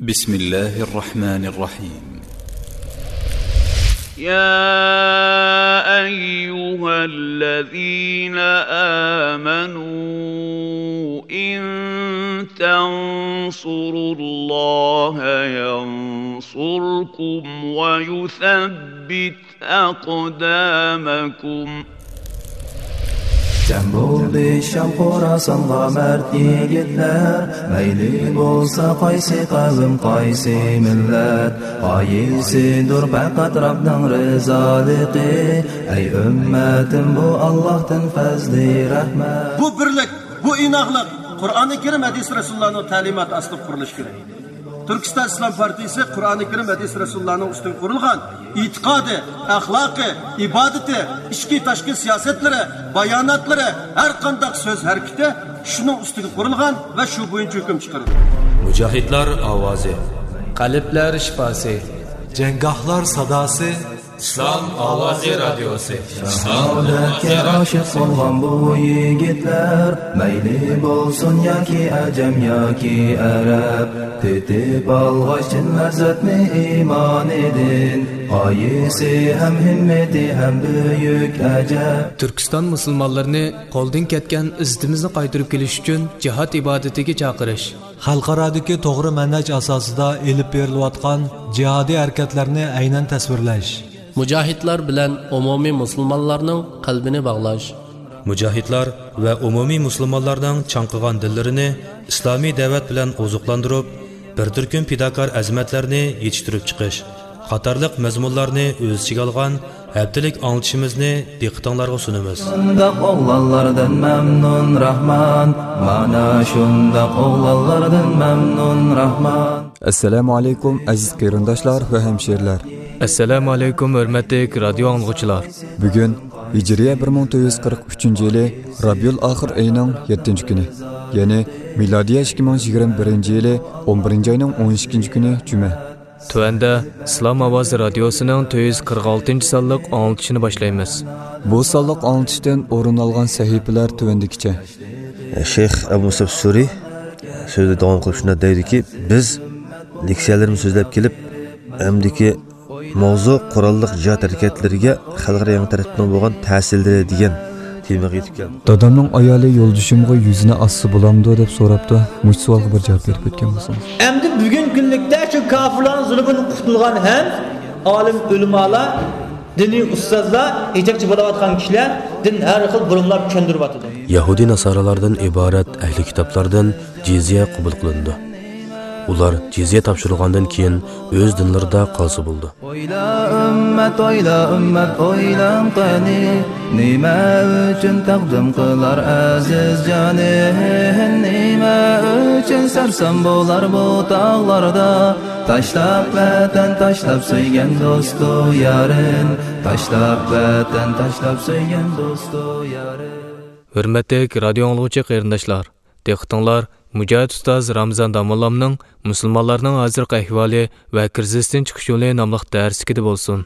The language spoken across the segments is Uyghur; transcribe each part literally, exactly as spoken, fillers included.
بسم الله الرحمن الرحيم. يا أيها الذين آمنوا إن تنصروا الله ينصركم ويثبت أقدامكم. جەم بولدى شام خوراسانغا مەرد يىگىتلەر، مەيلى بولسا قايسى قەۋم، قايسى مىللەت، غايىسىدۇر پەقەت رەبنىڭ رىزالىقى. ئەي ئۈممەتىم، بۇ ئاللاھتىن پەزلى رەھمەت. بۇ بىرلىك، بۇ ئىناقلىق قۇرئانى كەرىم، ھەدىس رەسۇلۇللانىڭ تەلىماتى ئاستىدا قۇرۇلۇشى كېرەك. تۈركىستان ئىسلام پارتىيىسى قۇرئانى كەرىم، ھەدىس رەسۇلۇللانىڭ ئۈستىگە قۇرۇلغان ئېتىقادى، ئەخلاقى، ئىبادىتى، ئىچكى تاشقى سىياسەتلىرى، باياناتلىرى، ھەر قانداق سۆز ھەرىكىتى شۇنىڭ ئۈستىگە قۇرۇلغان ۋە شۇ بويىچە ھۆكۈم چىقىرىدۇ. مۇجاھىدلار ئاۋازى. قەلبلەر شىپاسى. جەڭگاھلار ساداسى. ئىسلام ئاۋازى رادىيوسى. شاھادەتكە ئاشىق بولغان بۇ يىگىتلەر، مەيلى بولسۇن ياكى ئەجەم ياكى ئەرەب، تېتىپ ئالغاچ چىن لەززەتنى ئىمانىدىن، غايىسى ھەم ھىممىتى ھەم بۈيۈك ئەجەب. تۈركىستان مۇسۇلمانلىرىنى قولدىن كەتكەن ئىززىتىمىزنى قايتۇرۇپ كېلىش ئۈچۈن جىھاد ئىبادىتىگە چاقىرىش. خەلقئارادىكى توغرا مەنھەج ئاساسىدا ئېلىپ بېرىلىۋاتقان جىھادىي ھەرىكەتلەرنى ئەينەن تەسۋىرلەش. مۇجاھىدلار بىلەن ئومۇمىي مۇسۇلمانلارنىڭ قەلبىنى باغلاش. مۇجاھىدلار ۋە ئومۇمىي مۇسۇلمانلارنىڭ چاڭقىغان دىللىرىنى ئىسلامىي دەۋەت بىلەن ئوزۇقلاندۇرۇپ، بىر تۈركۈم پىداكار ئەزىمەتلەرنى يېتىشتۈرۈپ چىقىش قاتارلىق مەزمۇنلارنى ئۆز ئىچىگە ئالغان ھەپتىلىك ئاڭلىتىشىمىزنى دىققىتىڭلارغا سۇنىمىز. شۇنداق ئوغلانلاردىن مەمنۇن راھمان، مانا شۇنداق ئوغلانلاردىن مەمنۇن راھمان. ئەسسالامۇ ئەلەيكۇم، ئەزىز قېرىنداشلار ۋە ھەمشىرىلەر. ئەسسالامۇ ئەلەيكۇم، ھۆرمەتلىك رادىيو ئاڭلىغۇچىلار. بۈگۈن ھىجرىيە بىر مىڭ تۆت يۈز قىرىق ئۈچىنچى يىلى رابىئۇل ئاخىر ئېيىنىڭ يەتتىنچى كۈنى، يەنى مىلادىيە ئىككى مىڭ يىگىرمە بىرىنچى يىلى ئون بىرىنچى ئاينىڭ ئون ئىككىنچى كۈنى جۈمە. تۆۋەندە ئىسلام ئاۋازى رادىيوسىنىڭ تۆت يۈز قىرىق ئالتىنچى سانلىق ئاڭلىتىشىنى باشلايمىز. بۇ سانلىق ئاڭلىتىشتىن ئورۇن ئالغان سەھىپىلەر تۆۋەندىكىچە. شەيخ ئەبۇ مۇسەب سۈرى سۆزىنى داۋام قىلىپ شۇنداق دەيدۇكى، بىز لېكسىيەلىرىمىزنى سۆزلەپ كېلىپ، ئەمدىكى ماۋزۇ قوراللىق جىھاد ھەرىكەتلىرىگە خەلقئارا يېڭى تەرتىپنىڭ بولغان تەسىرلىرى دېگەن تېمىغا يېتىپ كەلدۇق. دادامنىڭ ئايالى يولدىشىمغا يۈزىنى ئاچسا بولامدۇ دەپ سوراپتۇ. مۇشۇ سوئالغا بىر جاۋاب بېرىپ ئۆتكەن بولسىڭىز. ئەمدى بۈگۈنكى كۈنلۈكتە شۇ كافىرلارنىڭ زۇلمىدىن قۇتۇلغان ھەم ئالىم ئۆلىمالار، دىنىي ئۇستازلار، يېتەكچى بولاۋاتقان كىشىلەر دىن ھەر خىل بۇرۇملاپ چۈشەندۈرۈۋاتىدۇ. يەھۇدىي ناسارىلاردىن ئىبارەت ئەھلى كىتابلاردىن جىزيە قوبۇل قىلىنىدۇ. ئۇلار جىزيە تاپشۇرۇلغاندىن كېيىن ئۆز دىنلىرىدا قالسا بولىدۇ. ئويلا ئۈممەت، ئويلا ئۈممەت، ئويلاڭ قېنى، نېمە ئۈچۈن تەقدىم قىلار ئەزىز جانى؟ نېمە ئۈچۈن سەرسان بولار بۇ تاغلاردا؟ تاشلاپ ۋەتەن، تاشلاپ سۆيگەن دوستۇ يارىن، تاشلاپ ۋەتەن، تاشلاپ سۆيگەن دوستۇ يارىن. ھۆرمەتلىك رادىيو ئاڭلىغۇچى قېرىنداشلار، دىققىتىڭلار مۇجاھىد ئۇستاز رامىزان داموللامنىڭ مۇسۇلمانلارنىڭ ھازىرقى ئەھۋالى ۋە كىرىزىستىن چىقىش يولى ناملىق دەرسلىكىدە بولسۇن.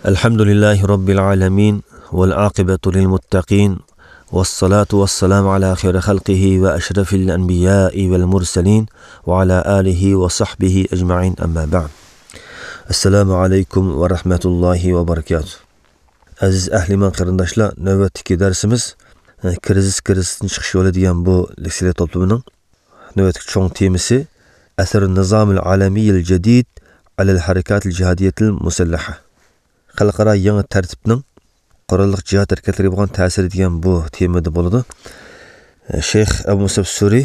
الحمد لله رب العالمين، والعاقبة للمتقين، والصلاة والسلام على خير خلقه وأشرف الأنبياء والمرسلين، وعلى آله وصحبه أجمعين، أما بعد. السلام عليكم ورحمة الله وبركاته. ئەزىز ئەھلى ئىمان قېرىنداشلار، نۆۋەتتىكى دەرسىمىز، ئە، كىرىزىس، كىرىزىستىن چىقىش يولى دېگەن بۇ لېكسىيەلەر توپلىمىنىڭ نۆۋەتتىكى چوڭ تېمىسى، أثر النظام العالمي الجديد على الحركات الجهادية المسلحة. خەلقئارا يېڭى تەرتىپنىڭ قوراللىق جىھاد ھەرىكەتلىرىگە بولغان تەسىرى دېگەن بۇ تېمىدا بولىدۇ. شەيخ ئەبۇ مۇسەب سۈرى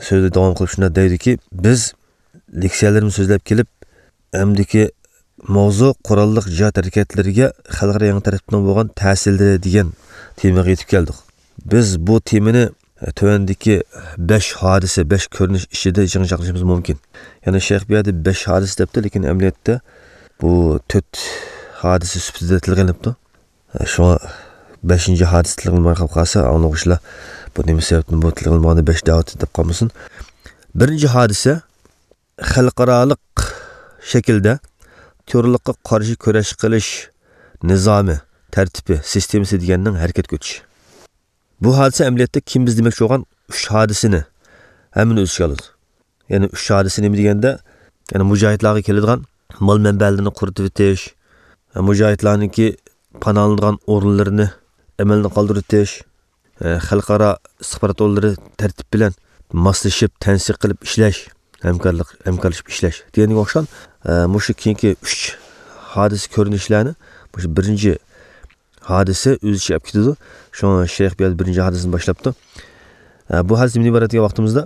سۆزىنى داۋام قىلىپ شۇنداق دەيدۇكى، بىز لېكسىيەلىرىمىزنى سۆزلەپ كېلىپ، ئەمدىكى ماۋزۇ قوراللىق جىھاد ھەرىكەتلىرىگە خەلقئارا يېڭى تەرتىپنىڭ بولغان تەسىرلىرى دېگەن تېمىغا يېتىپ كەلدۇق. بىز بۇ تېمىنى، ئە، تۆۋەندىكى بەش ھادىسە، بەش كۆرۈنۈش ئىچىدە يىغىنچاقلىشىمىز مۇمكىن. يەنى شەيخ بۇ يەردە بەش ھادىسە دەپتۇ، لېكىن ئەمەلىيەتتە بۇ تۆت ھادىسە سۈپىتىدە تىلغا ئېلىنىپتۇ. شۇڭا بەشىنچى ھادىسە تىلغا ئېلىنماي قالسا، ئاڭلىغۇچىلار بۇ نېمە سەۋەبتىن بۇ تىلغا ئېلىنمىغاندا بەش دەۋاتىدۇ دەپ قالمىسۇن. بىرىنچى ھادىسە خەلقئارالىق شەكىلدە تېررورلۇققا قارشى كۈرەش قىلىش نىزامى، تەرتىپى، سىستېمىسى دېگەننىڭ ھەرىكەتكە ئۆتۈشى. بۇ ھادىسە ئەمەلىيەتتە كىم بىز دېمەكچى بولغان ئۈچ ھادىسىنى ھەممىنى ئۆز ئىچىگە ئالىدۇ. يەنى ئۈچ ھادىسە نېمە دېگەندە، يەنى مۇجاھىدلارغا كېلىدىغان مال مەنبەلىرىنى قۇرۇتۇۋېتىش، مۇجاھىدلارنىڭكى پاناھلىنىدىغان ئورۇنلىرىنى ئەمەلدىن قالدۇرۇۋېتىش، خەلقئارا ئىستىخبارات ئورۇنلىرى تەرتىپ بىلەن ماسلىشىپ، تەنسىق قىلىپ ئىشلەش، ھەمكارلىق، ھەمكارلىشىپ ئىشلەش دېگەنگە ئوخشىغان، مۇشۇ كېيىنكى ئۈچ ھادىسە كۆرۈنۈشلەرنى مۇشۇ بىرىنچى ھادىسە ئۆز ئىچىگە ئېلىپ كېتىدۇ. شۇڭا شەيخ بۇ يەردە بىرىنچى ھادىسىنى باشلاپتۇ. ئە، بۇ ھادىسە نېمىدىن ئىبارەت دېگەن ۋاقتىمىزدا،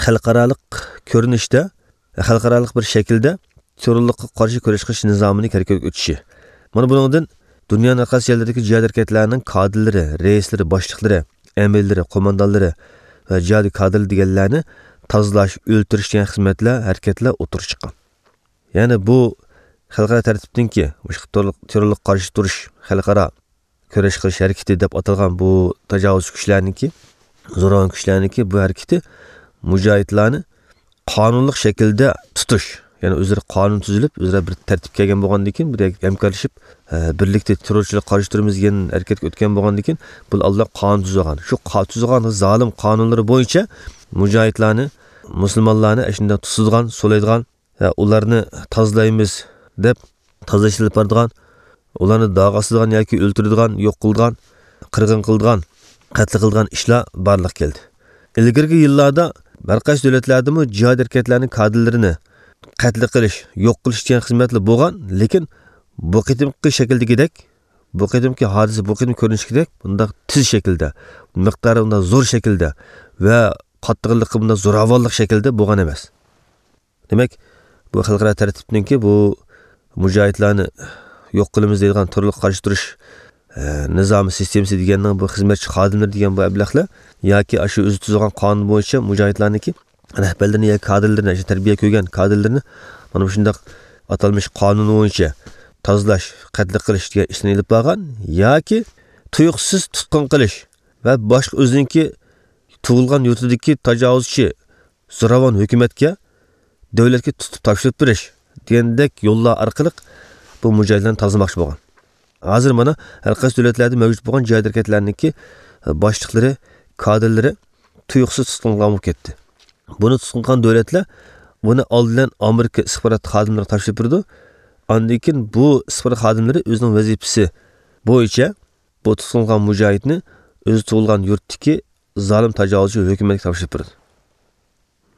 خەلقئارالىق كۆرۈنۈشتە، خەلقئارالىق بىر شەكىلدە تېررورلۇققا قارشى كۈرەش قىلىش نىزامىنى ھەرىكەتكە ئۆتۈشى. مانا بۇنىڭدىن دۇنيانىڭ ھەر قايسى يەرلىرىدىكى جىھاد ھەرىكەتلەرنىڭ كادىرلىرى، رەئىسلىرى، باشلىقلىرى، ئەمىرلىرى، قوماندانلىرى ۋە جىھادىي كادىرلىرى دېگەنلەرنى تازىلاش، ئۆلتۈرۈش دېگەن خىزمەتلەر، ھەرىكەتلەر ئوتتۇرىغا چىققان. يەنى بۇ خەلقئارا تەرتىپتىنكى مۇشۇ تېررورلۇق، تېررورلۇققا قارشى تۇرۇش خەلقئارا كۈرەش قىلىش ھەرىكىتى دەپ ئاتالغان بۇ تاجاۋۇزچى كۈچلەرنىڭكى، زوراۋان كۈچلەرنىڭكى بۇ ھەرىكىتى مۇجاھىدلارنى قانۇنلۇق شەكىلدە تۇتۇش، يەنى ئۆزلىرى قانۇن تۈزۈلۈپ، ئۆزئارا بىر تەرتىپكە كەلگەن بولغاندىن كېيىن، بىر ھەمكارلىشىپ، ئە، بىرلىكتە تېررورچىلىققا قارشى تۇرىمىز دېگەن ھەرىكەتكە ئۆتكەن بولغاندىن كېيىن، بۇ ئالدىن قانۇن تۈزۈلگەن. شۇ قا-، تۈزۈلگەن زالىم قانۇنلىرى بويىچە مۇجاھىدلارنى، مۇسۇلمانلارنى ئاشۇنداق تۇتىدىغان، سولايدىغان، ھە، ئۇلارنى تازىلايمىز دەپ تازىلاش ئېلىپ بارىدىغان، ئۇلارنى داغ ئاسىدىغان ياكى ئۆلتۈرىدىغان، يوق قىلىدىغان، قىرغىن قىلىدىغان، قەتل قىلىدىغان ئىشلار بارلىققا كەلدى. ئىلگىرىكى يىللاردا ھەر قايسى دۆلەتلەردىمۇ جىھاد ھەرىكەتلەرنىڭ كادىرلىرىنى قەتل قىلىش، يوق قىلىش دېگەن خىزمەتلەر بولغان، لېكىن بۇ قېتىمقى شەكىلدىكىدەك، بۇ قېتىمقى ھادىسە، بۇ قېتىم كۆرۈنۈشكىدەك بۇنداق تېز شەكىلدە، مىقدارى بۇنداق زور شەكىلدە ۋە قاتتىقلىقى بۇنداق زوراۋانلىق شەكلىدە بولغان ئەمەس. دېمەك، بۇ خەلقئارا تەرتىپنىڭكى بۇ مۇجاھىدلارنى يوق قىلىمىز دەيدىغان تېررورلۇققا قارشى تۇرۇش، ئە، نىزامى سىستېمىسى دېگەننىڭ بۇ خىزمەتچى خادىملىرى دېگەن بۇ ئەبلەخلەر ياكى ئاشۇ ئۆزى تۈزگەن قانۇن بويىچە مۇجاھىدلارنىڭكى رەھبەرلىرىنى ياكى كادىرلىرىنى، ئاشۇ تەربىيە كۆرگەن كادىرلىرىنى مانا مۇشۇنداق ئاتالمىش قانۇن بويىچە تازىلاش، قەتل قىلىش دېگەن ئىشلارنى ئېلىپ بارغان ياكى تۇيۇقسىز تۇتقۇن قىلىش ۋە باشقا ئۆزىنىڭكى تۇغۇلغان يۇرتىدىكى تاجاۋۇزچى زوراۋان ھۆكۈمەتكە، دۆلەتكە تۇتۇپ تاپشۇرۇپ بېرىش دېگەندەك يوللار ئارقىلىق بۇ مۇجاھىدلارنى تازىلىماقچى بولغان. ھازىر مانا ھەر قايسى دۆلەتلەردە مەۋجۇت بولغان جىھاد ھەرىكەتلەرنىڭكى باشلىقلىرى، كادىرلىرى تۇيۇقسىز تۇتقۇن قىلىنغان بولۇپ كەتتى. بۇنى تۇتقۇن قىلغان دۆلەتلەر بۇنى ئالدى بىلەن ئامېرىكا ئىستىخبارات خادىملىرىغا تاپشۇرۇپ بېرىدۇ. ئاندىن كېيىن بۇ ئىستىخبارات خادىملىرى ئۆزىنىڭ ۋەزىپىسى بويىچە بۇ تۇتقۇن قىلغان مۇجاھىدنى ئۆزى تۇغۇلغان يۇرتتىكى زالىم تاجاۋۇزچى ھۆكۈمەتكە تاپشۇرۇپ بېرىدۇ.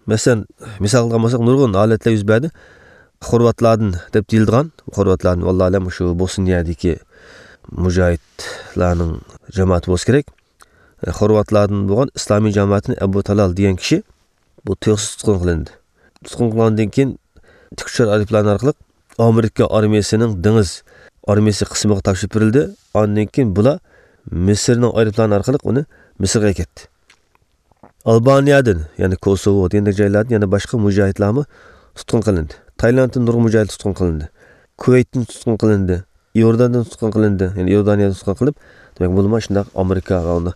مەسىلەن، مىسال قىلغان بولساق، نۇرغۇن ھالەتلەر يۈز بەردى. خورۋاتلاردىن دەپ دېيىلىدىغان، خورۋاتلاردىن، ۋاللاھۇ ئەلەم، شۇ بوسنىيەدىكى مۇجاھىدلارنىڭ جامائىتى بولسا كېرەك. خورۋاتلاردىن بولغان ئىسلامىي جامائەتنى ئەبۇ تالال دېگەن كىشى بۇ تۇيۇقسىز تۇتقۇن قىلىندى. تۇتقۇن قىلغاندىن كېيىن تىك ئۇچار ئايروپىلانى ئارقىلىق ئامېرىكا ئارمىيەسىنىڭ دېڭىز ئارمىيەسى قىسمىغا تاپشۇرۇپ بېرىلدى. ئاندىن كېيىن بۇلار مىسىرنىڭ ئايروپىلانى ئارقىلىق ئۇنى مىسىرغا ئەكەتتى. ئالبانىيەدىن، يەنى كوسوۋو دېگەندەك جايلاردىن يەنە باشقا مۇجاھىدلارمۇ تۇتقۇن قىلىندى. تايلاندتىن نۇرغۇن مۇجاھىد تۇتقۇن قىلىندى. كۇۋەيتتىن تۇتقۇن قىلىندى. ئىئورداندىن تۇتقۇن قىلىندى. يەنى ئىئوردانىيەدىن تۇتقۇن قىلىپ، دېمەك، بۇلىمۇ شۇنداق ئامېرىكا ۋە ئۇنىڭ،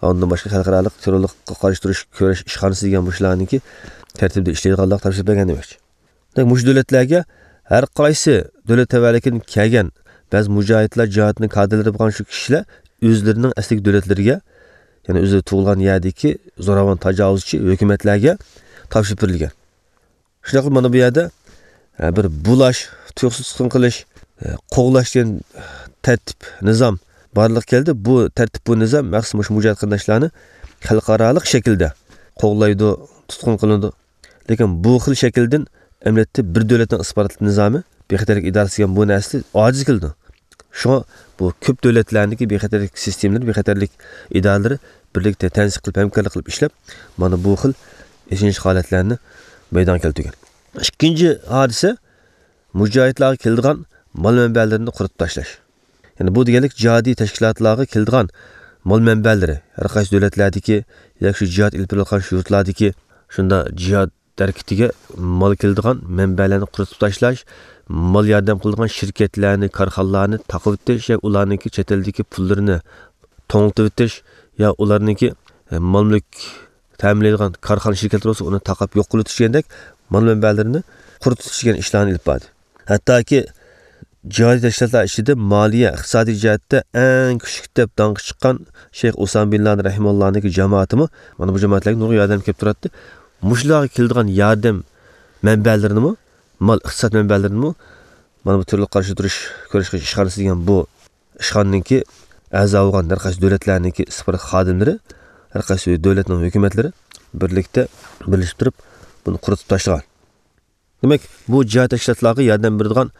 ئۇنىڭدىن باشقا خەلقئارالىق تېررورلۇققا قارشى تۇرۇش كۈرەش ئىشخانىسى دېگەن مۇشۇلارنىڭكى تەرتىپىدە ئىشلەيدىغانلىققا تاپشۇرۇپ بەرگەن دېمەكچى. دېمەك، مۇشۇ دۆلەتلەرگە ھەر قايسى دۆلەت تەۋەلىكىدىن كەلگەن بەزى مۇجاھىدلار جىھادىنىڭ كادىرلىرى بولغان شۇ كىشىلەر ئۆزلىرىنىڭ ئەسلىكى دۆلەتلىرىگە، يەنى ئۆزى تۇغۇلغان يەردىكى زوراۋان تاجاۋۇزچى ھۆكۈمەتلەرگە تاپشۇرۇپ بېرىلگەن. شۇنداق قىلىپ مانا بۇ يەردە، ئە، بىر بۇلاش، تۇيۇقسىز تۇتقۇن قىلىش، ئە، قوغلاش دېگەن تەرتىپ، نىزام بارلىققا كەلدى. بۇ تەرتىپ، بۇ نىزام مەخسۇس مۇشۇ مۇجاھىد قېرىنداشلارنى خەلقئارالىق شەكىلدە قوغلايدۇ، تۇتقۇن قىلىنىدۇ. لېكىن بۇ خىل شەكىلدىن ئەمەلىيەتتە بىر دۆلەتنىڭ ئىستىخبارات نىزامى، بىخەتەرلىك ئىدارىسى دېگەن بۇ نەرسە ئاجىز كېلىدۇ. شۇڭا بۇ كۆپ دۆلەتلەرنىڭكى بىخەتەرلىك سىستېمىلىرى، بىخەتەرلىك ئىدارىلىرى بىرلىكتە تەنسىق قىلىپ، ھەمكارلىق قىلىپ ئىشلەپ، مانا بۇ خىل ئېچىنىشلىق ھالەتلەرنى مەيدانغا كەلتۈرگەن. ئىككىنچى ھادىسە، مۇجاھىدلارغا كېلىدىغان مال مەنبەلىرىنى قۇرۇتۇپ تاشلاش. يەنى بۇ دېگەنلىك جىھادىي تەشكىلاتلارغا كېلىدىغان مال مەنبەلىرى، ھەر قايسى دۆلەتلەردىكى ياكى شۇ جىھاد ئېلىپ بېرىلىۋاتقان شۇ يۇرتلاردىكى شۇنداق جىھاد ھەرىكىتىگە مال كېلىدىغان مەنبەلەرنى قۇرۇتۇپ تاشلاش، مال ياردەم قىلىدىغان شىركەتلەرنى، كارخانىلارنى تاقىۋېتىش ياكى ئۇلارنىڭكى چەت ئەلدىكى پۇللىرىنى توڭلىتىۋېتىش يا ئۇلارنىڭكى، ئە، مال مۈلۈك تەمىنلەيدىغان كارخانا، شىركەتلەر بولسا ئۇنى تاقاپ يوق قىلىۋېتىش دېگەندەك مال مەنبەلىرىنى قۇرۇتۇۋېتىش دېگەن ئىشلارنى ئېلىپ باردى. ھەتتاكى جىھادىي تەشكىلاتلار ئىچىدە مالىيە، ئىقتىسادىي جەھەتتە ئەڭ كۈچلۈك دەپ داڭقى چىققان شەيخ ئۇسامە بىن لادىن رەھىمۇللانىڭكى جامائىتىمۇ مانا بۇ جامائەتلەرگە نۇرغۇن ياردەم كېلىپ تۇراتتى. مۇشۇلارغا كېلىدىغان ياردەم مەنبەلىرىنىمۇ، مال ئىقتىساد مەنبەلىرىنىمۇ مانا بۇ تېررورلۇققا قارشى تۇرۇش كۈرەش قىلىش ئىشخانىسى دېگەن بۇ ئىشخانىنىڭكى ئەزا بولغان ھەر قايسى دۆلەتلەرنىڭكى ئىستىخبارات خادىملىرى، ھەر قايسى دۆلەتنىڭ ھۆكۈمەتلىرى بىرلىكتە بىرلىشىپ تۇرۇپ بۇنى قۇرۇتۇپ تاشلىغان. دېمەك، بۇ جىھاد تەشكىلاتلارغا ياردەم بېرىدىغان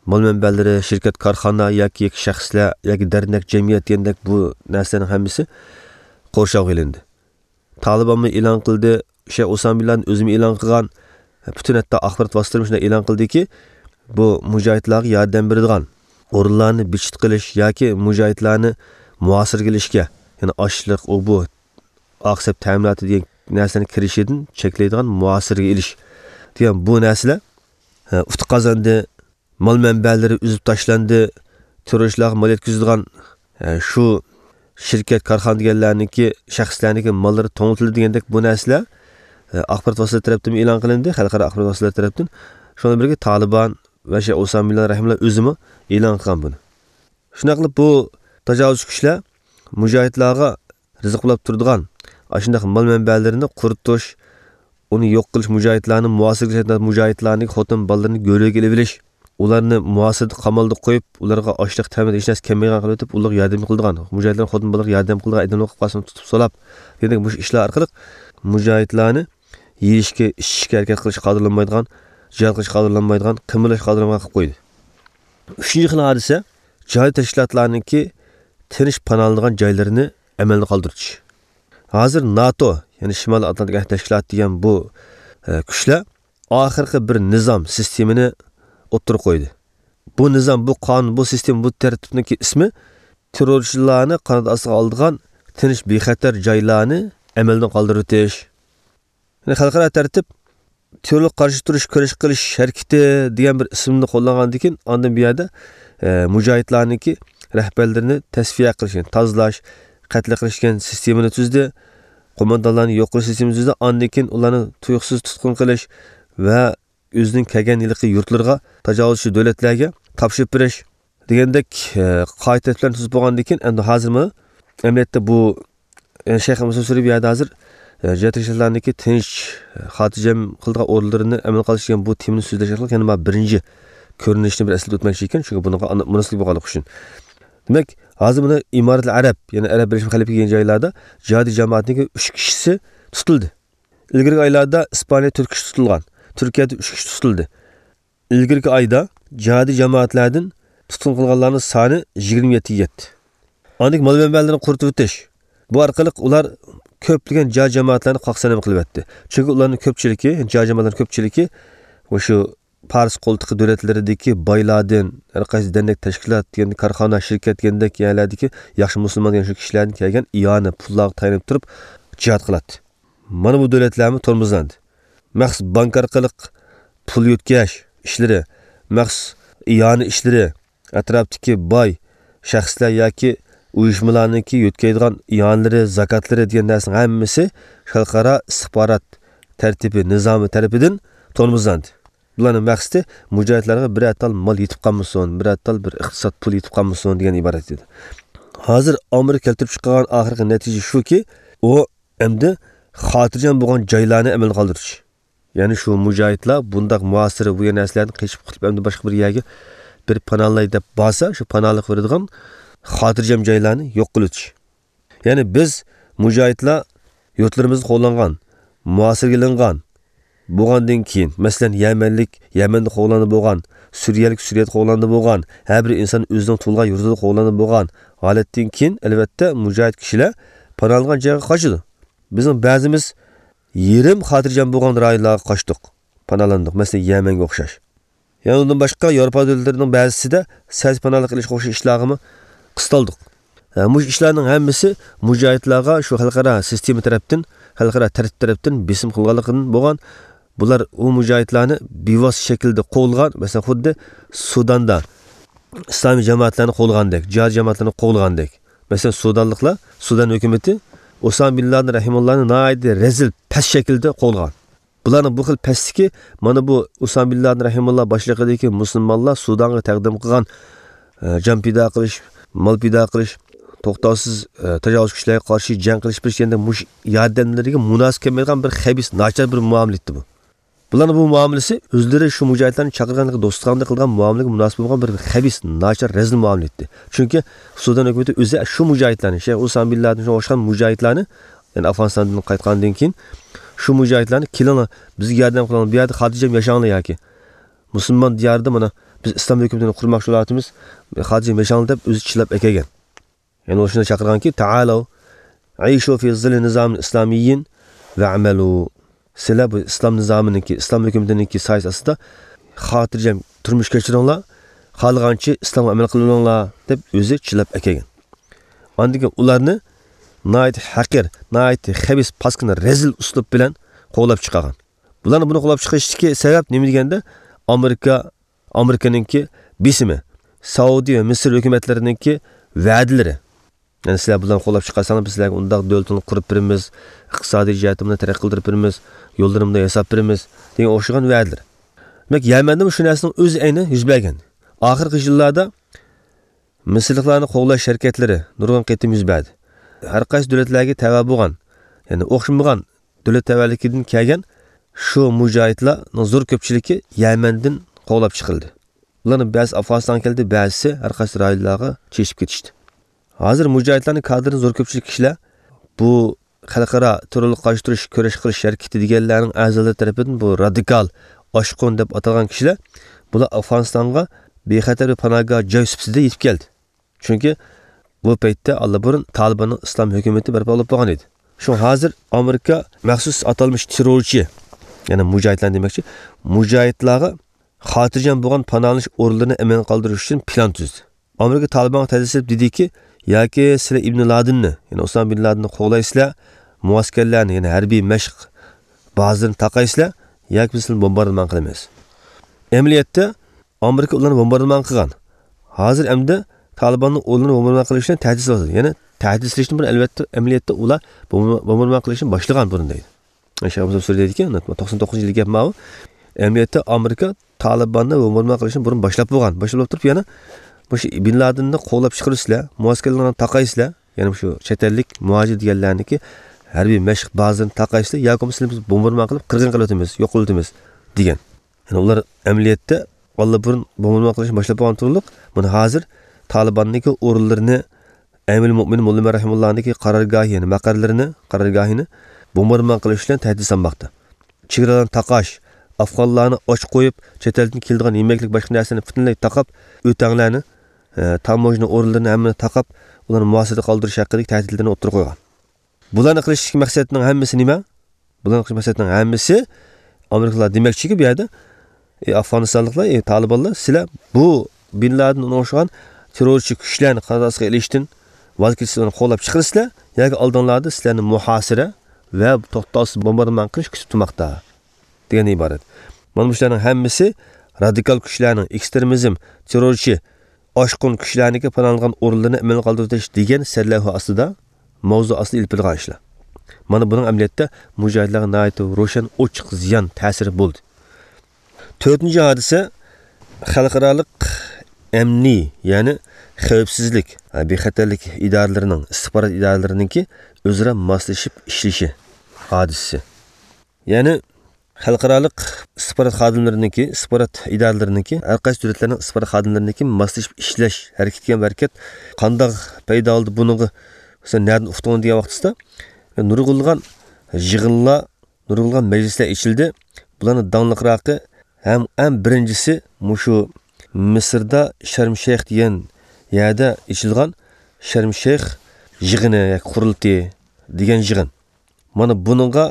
مال مەنبەلىرى، شىركەت، كارخانا ياكى، ياكى شەخسلەر ياكى دەرنەك، جەمئىيەت دېگەندەك بۇ نەرسىلەرنىڭ ھەممىسى قورشاۋغا ئېلىندى. تالىبانمۇ ئېلان قىلدى، شەيخ ئۇسامە بىن لادىن ئۆزىمۇ ئېلان قىلغان، پۈتۈن ھەتتا ئاخبارات ۋاسىتىلىرىمۇ شۇنداق ئېلان قىلدىكى، بۇ مۇجاھىدلارغا ياردەم بېرىدىغان ئورۇنلارنى بىچىت قىلىش ياكى مۇجاھىدلارنى مۇھاسىرىگە ئېلىشكە، يەنى ئاشلىق، ئۇ بۇ، ئاق سەپ تەمىناتى دېگەن نەرسىلەرنىڭ كىرىشىدىن چەكلەيدىغان مۇھاسىرىگە ئېلىش دېگەن بۇ نەرسىلەر، ئە، ئۇتۇق قازاندى. مال مەنبەلىرى ئۈزۈپ تاشلاندى. تېررورچىلارغا مال يەتكۈزىدىغان، ئە، شۇ شىركەت، كارخانا دېگەنلەرنىڭكى، شەخسلەرنىڭكى ماللىرى توڭلىتىلدى دېگەندەك بۇ نەرسىلەر، ئە، ئاخبارات ۋاسىتىلىرى تەرەپتىنمۇ ئېلان قىلىندى، خەلقئارا ئاخبارات ۋاسىتىلىرى تەرەپتىن. شۇنىڭ بىلەن بىرگە تالىبان ۋە شەيخ ئۇسامە بىن لادىن رەھىمۇللا ئۆزىمۇ ئېلان قىلغان بۇنى. شۇنداق قىلىپ بۇ تاجاۋۇزچى كۈچلەر مۇجاھىدلارغا رىزىق بولاپ تۇرىدىغان ئاشۇنداق مال مەنبەلىرىنى قۇرۇتۇش، ئۇنى يوق قىلىش، مۇجاھىدلارنى مۇھاسىرىگە، مۇجاھىدلارنىڭ خوتۇن بالىلىرىنى گۆلۈگە ئېلىۋېلىش، ئۇلارنى مۇھاسىرىدە، قامالدا قويۇپ، ئۇلارغا ئاشلىق، تەمىن ھېچ نەرسە كەلمەيدىغان قىلىۋېتىپ، ئۇلارغا ياردەم قىلىدىغان، مۇجاھىدلار خوتۇن بالىلارغا ياردەم قىلىدىغان ئادەملەر قىلىپ قالسىمۇ تۇتۇپ سولاپ دېگەندەك مۇشۇ ئىشلار ئارقىلىق مۇجاھىدلارنى يېيىشكە، ئىچىشكە ھەرىكەت قىلىشقا قادىرلانمايدىغان، جىھاد قىلىشقا قادىرلانمايدىغان، قىمىرلاشقا قادىرلانمايدىغان قىلىپ قويدى. ئۈچىنچى خىل ھادىسە، جىھادىي تەشكىلاتلارنىڭكى تىنچ پاناھلىنىدىغان جايلىرىنى ئەمەلدىن قالدۇرۇش. ھازىر ناتو، يەنى شىمالىي ئاتلانتىك ئەھدى تەشكىلاتى دېگەن بۇ، ئە، كۈچلەر ئاخىرقى بىر نىزام، سىستېمىنى ئوتتۇرىغا قويدى. بۇ نىزام، بۇ قانۇن، بۇ سىستېما، بۇ تەرتىپنىڭكى ئىسمى تېررورچىلارنى قانات ئاستىغا ئالىدىغان تىنچ، بىخەتەر جايلارنى ئەمەلدىن قالدۇرۇۋېتىش. يەنى خەلقئارا تەرتىپ تېررورلۇققا قارشى تۇرۇش، كۈرەش قىلىش ھەرىكىتى دېگەن بىر ئىسىمنى قوللانغاندىن كېيىن، ئاندىن بۇ يەردە، ئە، مۇجاھىدلارنىڭكى رەھبەرلىرىنى تەسپىيە قىلىش، يەنى تازىلاش، قەتل قىلىش دېگەن سىستېمىنى تۈزدى. قوماندانلارنى يوق قىلىش سىستېمىسى تۈزدى. ئاندىن كېيىن ئۇلارنى تۇيۇقسىز تۇتقۇن قىلىش ۋە ئۆزىنىڭ كەلگەن ھېلىقى يۇرتلىرىغا، تاجاۋۇزچى دۆلەتلەرگە تاپشۇرۇپ بېرىش دېگەندەك، ئە، قائىدە تەرتىپلەرنى تۈزۈپ بولغاندىن كېيىن، ئەمدى ھازىرمۇ ئەمەلىيەتتە بۇ، ئە، شەيخ مۇسا سۈرى بۇ يەردە ھازىر، ئە، جىھاد تەشكىلاتلارنىڭكى تىنچ، ئە، خاتىرجەم قىلىدىغان ئورۇنلىرىنى ئەمەلگە قىلىش دېگەن بۇ تېمىنى سۆزلەش ئارقىلىق يەنە مانا بىرىنچى كۆرۈنۈشنى بىر ئەسلىتىپ ئۆتمەكچى ئىكەن، چۈنكى بۇنىڭغا ئانا-، مۇناسىۋەتلىك بولغانلىقى ئۈچۈن. دېمەك، ھازىر مانا ئىمارەتۇل ئەرەب، يەنى ئەرەب بىرلەشمە خەلىپىلىكى دېگەن جايلاردا جىھادىي جامائەتنىڭكى ئۈچ كىشىسى تۇتۇلدى. ئىلگىرىكى ئايلاردا ئىسپانىيە تۆت كىشى تۇتۇلغان، تۈركىيەدە ئۈچ كىشى تۇتۇلدى. ئىلگىرىكى ئايدا جىھادىي جامائەتلەردىن تۇتقۇن قىلغانلارنىڭ سانى يىگىرمە يەتتىگە يەتتى. ئاندىن مال مەنبەلىرىنى قۇرۇتۇۋېتىش. بۇ ئارقىلىق ئۇلار كۆپلىگەن جىھاد جامائەتلەرنى قاقسانەم قىلىۋەتتى. چۈنكى ئۇلارنىڭ كۆپچىلىكى، جىھاد جامائەتلەرنىڭ كۆپچىلىكى مۇشۇ پارس قولتۇقى دۆلەتلىرىدىكى بايلاردىن، ھەر قايسى دەرنەك تەشكىلات دېگەن، كارخانا، شىركەت دېگەندەك يەرلەردىكى ياخشى مۇسۇلمان دېگەن شۇ كىشىلەردىن كەلگەن ئىئانە پۇللارغا تايىنىپ تۇرۇپ جىھاد قىلاتتى. مانا بۇ دۆلەتلەرمۇ تورمۇزلاندى. مەخسۇس بانكا ئارقىلىق پۇل يۆتكەش ئىشلىرى، مەخسۇس ئىئانە ئىشلىرى، ئەتراپتىكى باي شەخسلەر ياكى ئۇيۇشمىلارنىڭكى يۆتكەيدىغان ئىئانىلىرى، زاكاتلىرى دېگەن نەرسىنىڭ ھەممىسى خەلقئارا ئىستىخبارات تەرتىپى، نىزامى تەرىپىدىن تورمۇزلاندى. بۇلارنىڭ مەقسىتى مۇجاھىدلارغا بىرەر تال مال يېتىپ قالمىسۇن، بىرەر تال بىر ئىقتىساد پۇل يېتىپ قالمىسۇن دېگەن ئىبارەت ئىدى. ھازىر ئامېرىكا كەلتۈرۈپ چىقارغان ئاخىرقى نەتىجە شۇكى، ئۇ ئەمدى خاتىرجەم بولغان جايلارنى ئەمەلگە قالدۇرۇش. يەنى شۇ مۇجاھىدلار بۇنداق مۇھاسىرە، بۇ يەر نەرسىلەردىن قېچىپ قۇتۇلۇپ، ئەمدى باشقا بىر يەرگە بىر پاناھلاي دەپ بارسا، شۇ پاناھلىق بېرىدىغان خاتىرجەم جايلارنى يوق قىلىۋېتىش. يەنى بىز مۇجاھىدلار يۇرتلىرىمىزدا قوغلانغان، مۇھاسىرىگە ئېلىنغان، بولغاندىن كېيىن، مەسىلەن، يەمەنلىك يەمەندە قوغلاندا بولغان، سۈرىيەلىك سۈرىيەدە قوغلاندا بولغان، ھەر بىر ئىنسان ئۆزىنىڭ تۇغۇلغان يۇرتىدا قوغلاندا بولغان ھالەتتىن كېيىن، ئەلۋەتتە، مۇجاھىد كىشىلەر پاناھلانغان جايغا قاچىدۇ. بىزنىڭ بەزىمىز يېرىم خاتىرجەم بولغان رايونلارغا قاچتۇق، پاناھلاندۇق. مەسىلەن، يەمەنگە ئوخشاش. يەنە ئۇندىن باشقا ياۋروپا دۆلەتلىرىنىڭ بەزىسىدە سەھىي پاناھلىق ئېلىشقا ئوخشاش ئىشلارغىمۇ قىستالدۇق. ھە، مۇشۇ ئىشلارنىڭ ھەممىسى مۇجاھىدلارغا شۇ خەلقئارا سىستېما تەرەپتىن، خەلقئارا تەرتىپ تەرەپتىن بېسىم قىلغانلىقىدىن بولغان. بۇلار ئۇ مۇجاھىدلارنى بىۋاسىتە شەكىلدە قوغلىغان، مەسىلەن، خۇددى سۇداندا ئىسلامىي جامائەتلەرنى قوغلىغاندەك، جىھاد جامائەتلىرىنى قوغلىغاندەك. مەسىلەن، سۇدانلىقلار، سۇدان ھۆكۈمىتى ئۇسامە بىن لادىن رەھىمۇللانى ناھايىتى رەزىل، پەس شەكىلدە قوغلىغان. بۇلارنىڭ بۇ خىل پەسلىكى مانا بۇ ئۇسامە بىن لادىن رەھىمۇللا باشلىقىدىكى مۇسۇلمانلار سۇدانغا تەقدىم قىلغان، ئە، جان پىدا قىلىش، مال پىدا قىلىش، توختاۋسىز، ئە، تاجاۋۇزچى كۈچلەرگە قارشى جەڭ قىلىش، بىر يەردە مۇشۇ ياردەملىرىگە مۇناسىپ كەلمەيدىغان بىر خەبىس، ناچار بىر مۇئامىلە ئىدى بۇ. بۇلارنىڭ بۇ مۇئامىلىسى ئۆزلىرى شۇ مۇجاھىدلارنى چاقىرغانلىقى، دوستلۇقاندا قىلغان مۇئامىلىگە مۇناسىپ بولغان بىر خەبىس، ناچار، رەزىل مۇئامىلە ئىدى. چۈنكى سۇدان ھۆكۈمىتى ئۆزى شۇ مۇجاھىدلارنى، شەيخ ئۇسامە بىن لادىن شۇڭا ئوخشىغان مۇجاھىدلارنى، يەنى ئافغانىستاندىن قايتقاندىن كېيىن شۇ مۇجاھىدلارنى، «كېلىڭلار، بىزگە ياردەم قىلىڭلار، بۇ يەردە خاتىرجەم ياشاڭلار» ياكى «مۇسۇلمان دىيارىدا مانا بىز ئىسلام ھۆكۈمىتىنى قۇرماقچى بولۇۋاتىمىز، خاتىرجەم ياشاڭلار» دەپ ئۆزى چىللاپ ئەكەلگەن. يەنى ئۇ شۇنداق چاقىرغانكى، «تعالوا عيشوا في ظل نظام إسلامي واعملوا. سىلەر بۇ ئىسلام نىزامىنىڭكى، ئىسلام ھۆكۈمىتىنىڭكى سايىسى ئاستىدا خاتىرجەم تۇرمۇش كەچۈرۈڭلار، خالىغانچە ئىسلامغا ئەمەل قىلىۋېلىڭلار» دەپ ئۆزى چىللاپ ئەكەلگەن. ئاندىن كېيىن ئۇلارنى ناھايىتى ھەقىر، ناھايىتى خەبىس، پاسكىنا، رەزىل ئۇسلۇب بىلەن قوغلاپ چىقارغان. بۇلارنى بۇنى قوغلاپ چىقىرىشتىكى سەۋەب نېمە دېگەندە، ئامېرىكا، ئامېرىكىنىڭكى بېسىمى، سائۇدى ۋە مىسىر ھۆكۈمەتلىرىنىڭكى ۋەدىلىرى. يەنى سىلەر بۇلارنى قوغلاپ چىقارساڭلار، بىز سىلەرگە ئۇنداق دۆلىتىڭلارنى قۇرۇپ بېرىمىز، ئىقتىسادىي جەھەتتىن بۇنى تەرەققىي قىلدۇرۇپ بېرىمىز، يوللىرىمۇ ياساپ بېرىمىز دېگەن ئوخشىغان ۋەدىلىرى. دېمەك، يەمەندىمۇ شۇ نەرسىنىڭ ئۆزى ئەينى يۈز بەرگەن. ئاخىرقى يىللاردا مىسىرلىقلارنى قوغلاش ھەرىكەتلىرى نۇرغۇن قېتىم يۈز بەردى. ھەر قايسى دۆلەتلەرگە تەۋە بولغان، يەنى ئوخشىمىغان دۆلەت تەۋەلىكىدىن كەلگەن شۇ مۇجاھىدلارنىڭ زور كۆپچىلىكى يەمەندىن قوغلاپ چىقىرىلدى. ئۇلارنىڭ بەزىسى ئافغانىستانغا كەلدى، بەزىسى ھەر قايسى رايونلارغا چېچىپ كېتىشتى. ھازىر مۇجاھىدلارنىڭ كادىرىنىڭ زور كۆپچىلىكى كىشىلەر بۇ خەلقئارا تېررورلۇققا قارشى تۇرۇش، كۈرەش قىلىش ھەرىكىتى دېگەنلەرنىڭ ئەزالىرى تەرىپىدىن بۇ رادىكال، ئاشقۇن دەپ ئاتالغان كىشىلەر، بۇلار ئافغانىستانغا بىخەتەر بىر پاناھگاھ جاي سۈپىتىدە يېتىپ كەلدى. چۈنكى بۇ پەيتتە ئاللىبۇرۇن تالىباننىڭ ئىسلام ھۆكۈمىتى بەرپا بولۇپ بولغان ئىدى. شۇڭا ھازىر ئامېرىكا مەخسۇس ئاتالمىش تېررورچى، يەنى مۇجاھىدلار دېمەكچى، مۇجاھىدلارغا خاتىرجەم بولغان پاناھلىنىش ئورۇنلىرىنى ئەمەلگە قالدۇرۇش ئۈچۈن پىلان تۈزدى. ئامېرىكا تالىبانغا تەھدىت سېلىپ دېدىكى، ياكى سىلەر ئىبن لادىننى، يەنى ئۇسامە بىن لادىننى قوغلايسىلەر، مۇئەسكەرلەرنى، يەنى ھەربىي مەشىق بازىلىرىنى تاقايسىلەر، ياكى بىز سىلەرنى بومباردىمان قىلىمىز. ئەمەلىيەتتە ئامېرىكا ئۇلارنى بومباردىمان قىلغان. ھازىر ئەمدى تالىباننىڭ ئۇلارنى بومباردىمان قىلىش بىلەن تەھدىت سالىدۇ. يەنى تەھدىت سېلىشتىن بۇرۇن، ئەلۋەتتە، ئەمەلىيەتتە ئۇلار بومبا-، بومباردىمان قىلىشنى باشلىغان بۇرۇن دەيدۇ. شەيخ ئابدۇللا سۈرى دەيدىكى، توقسان توققۇزىنچى يىلى گەپ ماۋۇ. ئەمەلىيەتتە ئامېرىكا تالىباننى بومباردىمان قىلىشنى بۇرۇن باشلاپ بولغان. باشلاپ بولۇپ تۇرۇپ يەنە مۇشۇ بىن لادىننى قوغلاپ چىقىرىسىلەر، مۇئەسكەرلەرنى تاقايسىلەر، يەنە مۇشۇ چەت ئەللىك مۇھاجىر دېگەنلەرنىكى ھەربىي مەشىق بازىلىرىنى تاقايسىلەر، ياكى بولمىسا سىلەرنى بىز بومباردىمان قىلىپ قىرغىن قىلىۋېتىمىز، يوق قىلىۋېتىمىز دېگەن. يەنى ئۇلار ئەمەلىيەتتە ئاللىبۇرۇن بومبىمان قىلىشنى باشلاپ بولغان تۇرۇقلۇق. مانا ھازىر تالىباننىڭكى ئورۇنلىرىنى، ئەمىر مۆمىن موللا ئۆمەر رەھىمۇللانىڭكى قارارگاھى، يەنى مەقەرلىرىنى، قارارگاھىنى بومباردىمان قىلىش بىلەن تەھدىت سالماقتا. چېگرالارنى تاقاش، ئافغانلارنى ئاچ قويۇپ، چەت ئەلدىن كېلىدىغان يېمەكلىك، باشقا نەرسىلەرنى پۈتۈنلەي تاقاپ، ئۆتەڭلەرنى، ئە، تاموژنا ئورۇنلىرىنى ھەممىنى تاقاپ، ئۇلارنى مۇھاسىرىدە قالدۇرۇش ھەققىدىكى تەھدىتلەرنى ئوتتۇرىغا قويغان. بۇلارنى قىلىشتىكى مەقسەتنىڭ ھەممىسى نېمە؟ بۇلارنى قىلىش مەقسەتنىڭ ھەممىسى ئامېرىكىلار دېمەكچىكى، بۇ يەردە، ئى، ئافغانىستانلىقلار، ئى، تالىبانلار، سىلەر بۇ بىن لادىن، ئۇنىڭغا ئوخشىغان تېررورچى كۈچلەرنى قانات ئاستىغا ئېلىشتىن ۋاز كېچىسىلەر، ئۇلارنى قوغلاپ چىقىرىسىلەر، ياكى ئالدىڭلاردا سىلەرنى مۇھاسىرە ۋە توختاۋسىز بومباردىمان قىلىش كۈتۈپ تۇرماقتا، دېگەندىن ئىبارەت. مانا بۇ ئىشلارنىڭ ھەممىسى رادىكال كۈچلەرنىڭ، ئېكسترېمىزم، تېررورچى، ئاشقۇن كۈچلەرنىڭكى پاناھلانغان ئورۇنلىرىنى ئەمەلگە قالدۇرۇۋېتىش دېگەن سەرلەۋھا ئاستىدا، ماۋزۇ ئاستىدا ئېلىپ بېرىلغان ئىشلار. مانا بۇنىڭ ئەمەلىيەتتە مۇجاھىدلارغا ناھايىتى روشەن، ئوچۇق زىيان تەسىرى بولدى. تۆتىنچى ھادىسە، خەلقئارالىق ئەمنىي، يەنى خەۋپسىزلىك، بىخەتەرلىك ئىدارىلىرىنىڭ، ئىستىخبارات ئىدارىلىرىنىڭكى ئۆزئارا ماسلىشىپ ئىشلىشى ھادىسىسى. يەنى خەلقئارالىق ئىستىخبارات خادىملىرىنىڭكى، ئىستىخبارات ئىدارىلىرىنىڭكى، ھەر قايسى دۆلەتلەرنىڭ ئىستىخبارات خادىملىرىنىڭكى ماسلىشىپ ئىشلەش ھەرىكىتى دېگەن ھەرىكەت قانداق پەيدا بولدى، بۇنىڭغا سەن نەدىن ئۇقتۇڭ دېگەن ۋاقتىسىدا، نۇرغۇنلىغان يىغىنلار، نۇرغۇنلىغان مەجلىسلەر ئېچىلدى. بۇلارنىڭ داڭلىقراقى ھەم ئەڭ بىرىنچىسى مۇشۇ مىسىردا شەرم شەيخ دېگەن يەردە ئېچىلغان شەرم شەيخ يىغىنى ياكى قۇرۇلتىيى دېگەن يىغىن. مانا بۇنىڭغا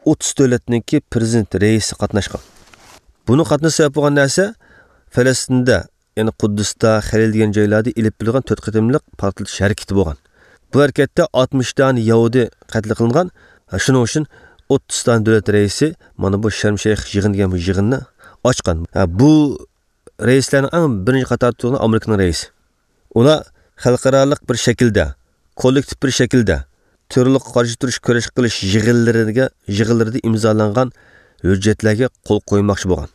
ئوتتۇز دۆلەتنىڭكى پرېزىدېنت رەئىسى قاتناشقان. بۇنىڭ قاتنىشىشى سەۋەب بولغان نەرسە فەلەستىندە، يەنى قۇددۇستا، خەلىل دېگەن جايلاردا ئېلىپ بېرىلغان تۆت قېتىملىق پارتلىتىش ھەرىكىتى بولغان. بۇ ھەرىكەتتە ئاتمىش دانە يەھۇدىي قەتل قىلىنغان. شۇنىڭ ئۈچۈن ئوتتۇز دانە دۆلەت رەئىسى مانا بۇ شەرم شەيخ يىغىن دېگەن بۇ يىغىننى ئاچقان. ھە، بۇ رەئىسلەرنىڭ ئەڭ بىرىنچى قاتاردا تۇرغىنى ئامېرىكىنىڭ رەئىسى. ئۇلار خەلقئارالىق بىر شەكىلدە، كوللېكتىپ بىر شەكىلدە تېررورلۇققا قارشى تۇرۇش كۈرەش قىلىش يىغىنلىرىگە، يىغىنلىرىدا ئىمزالانغان ھۆججەتلەرگە قول قويماقچى بولغان.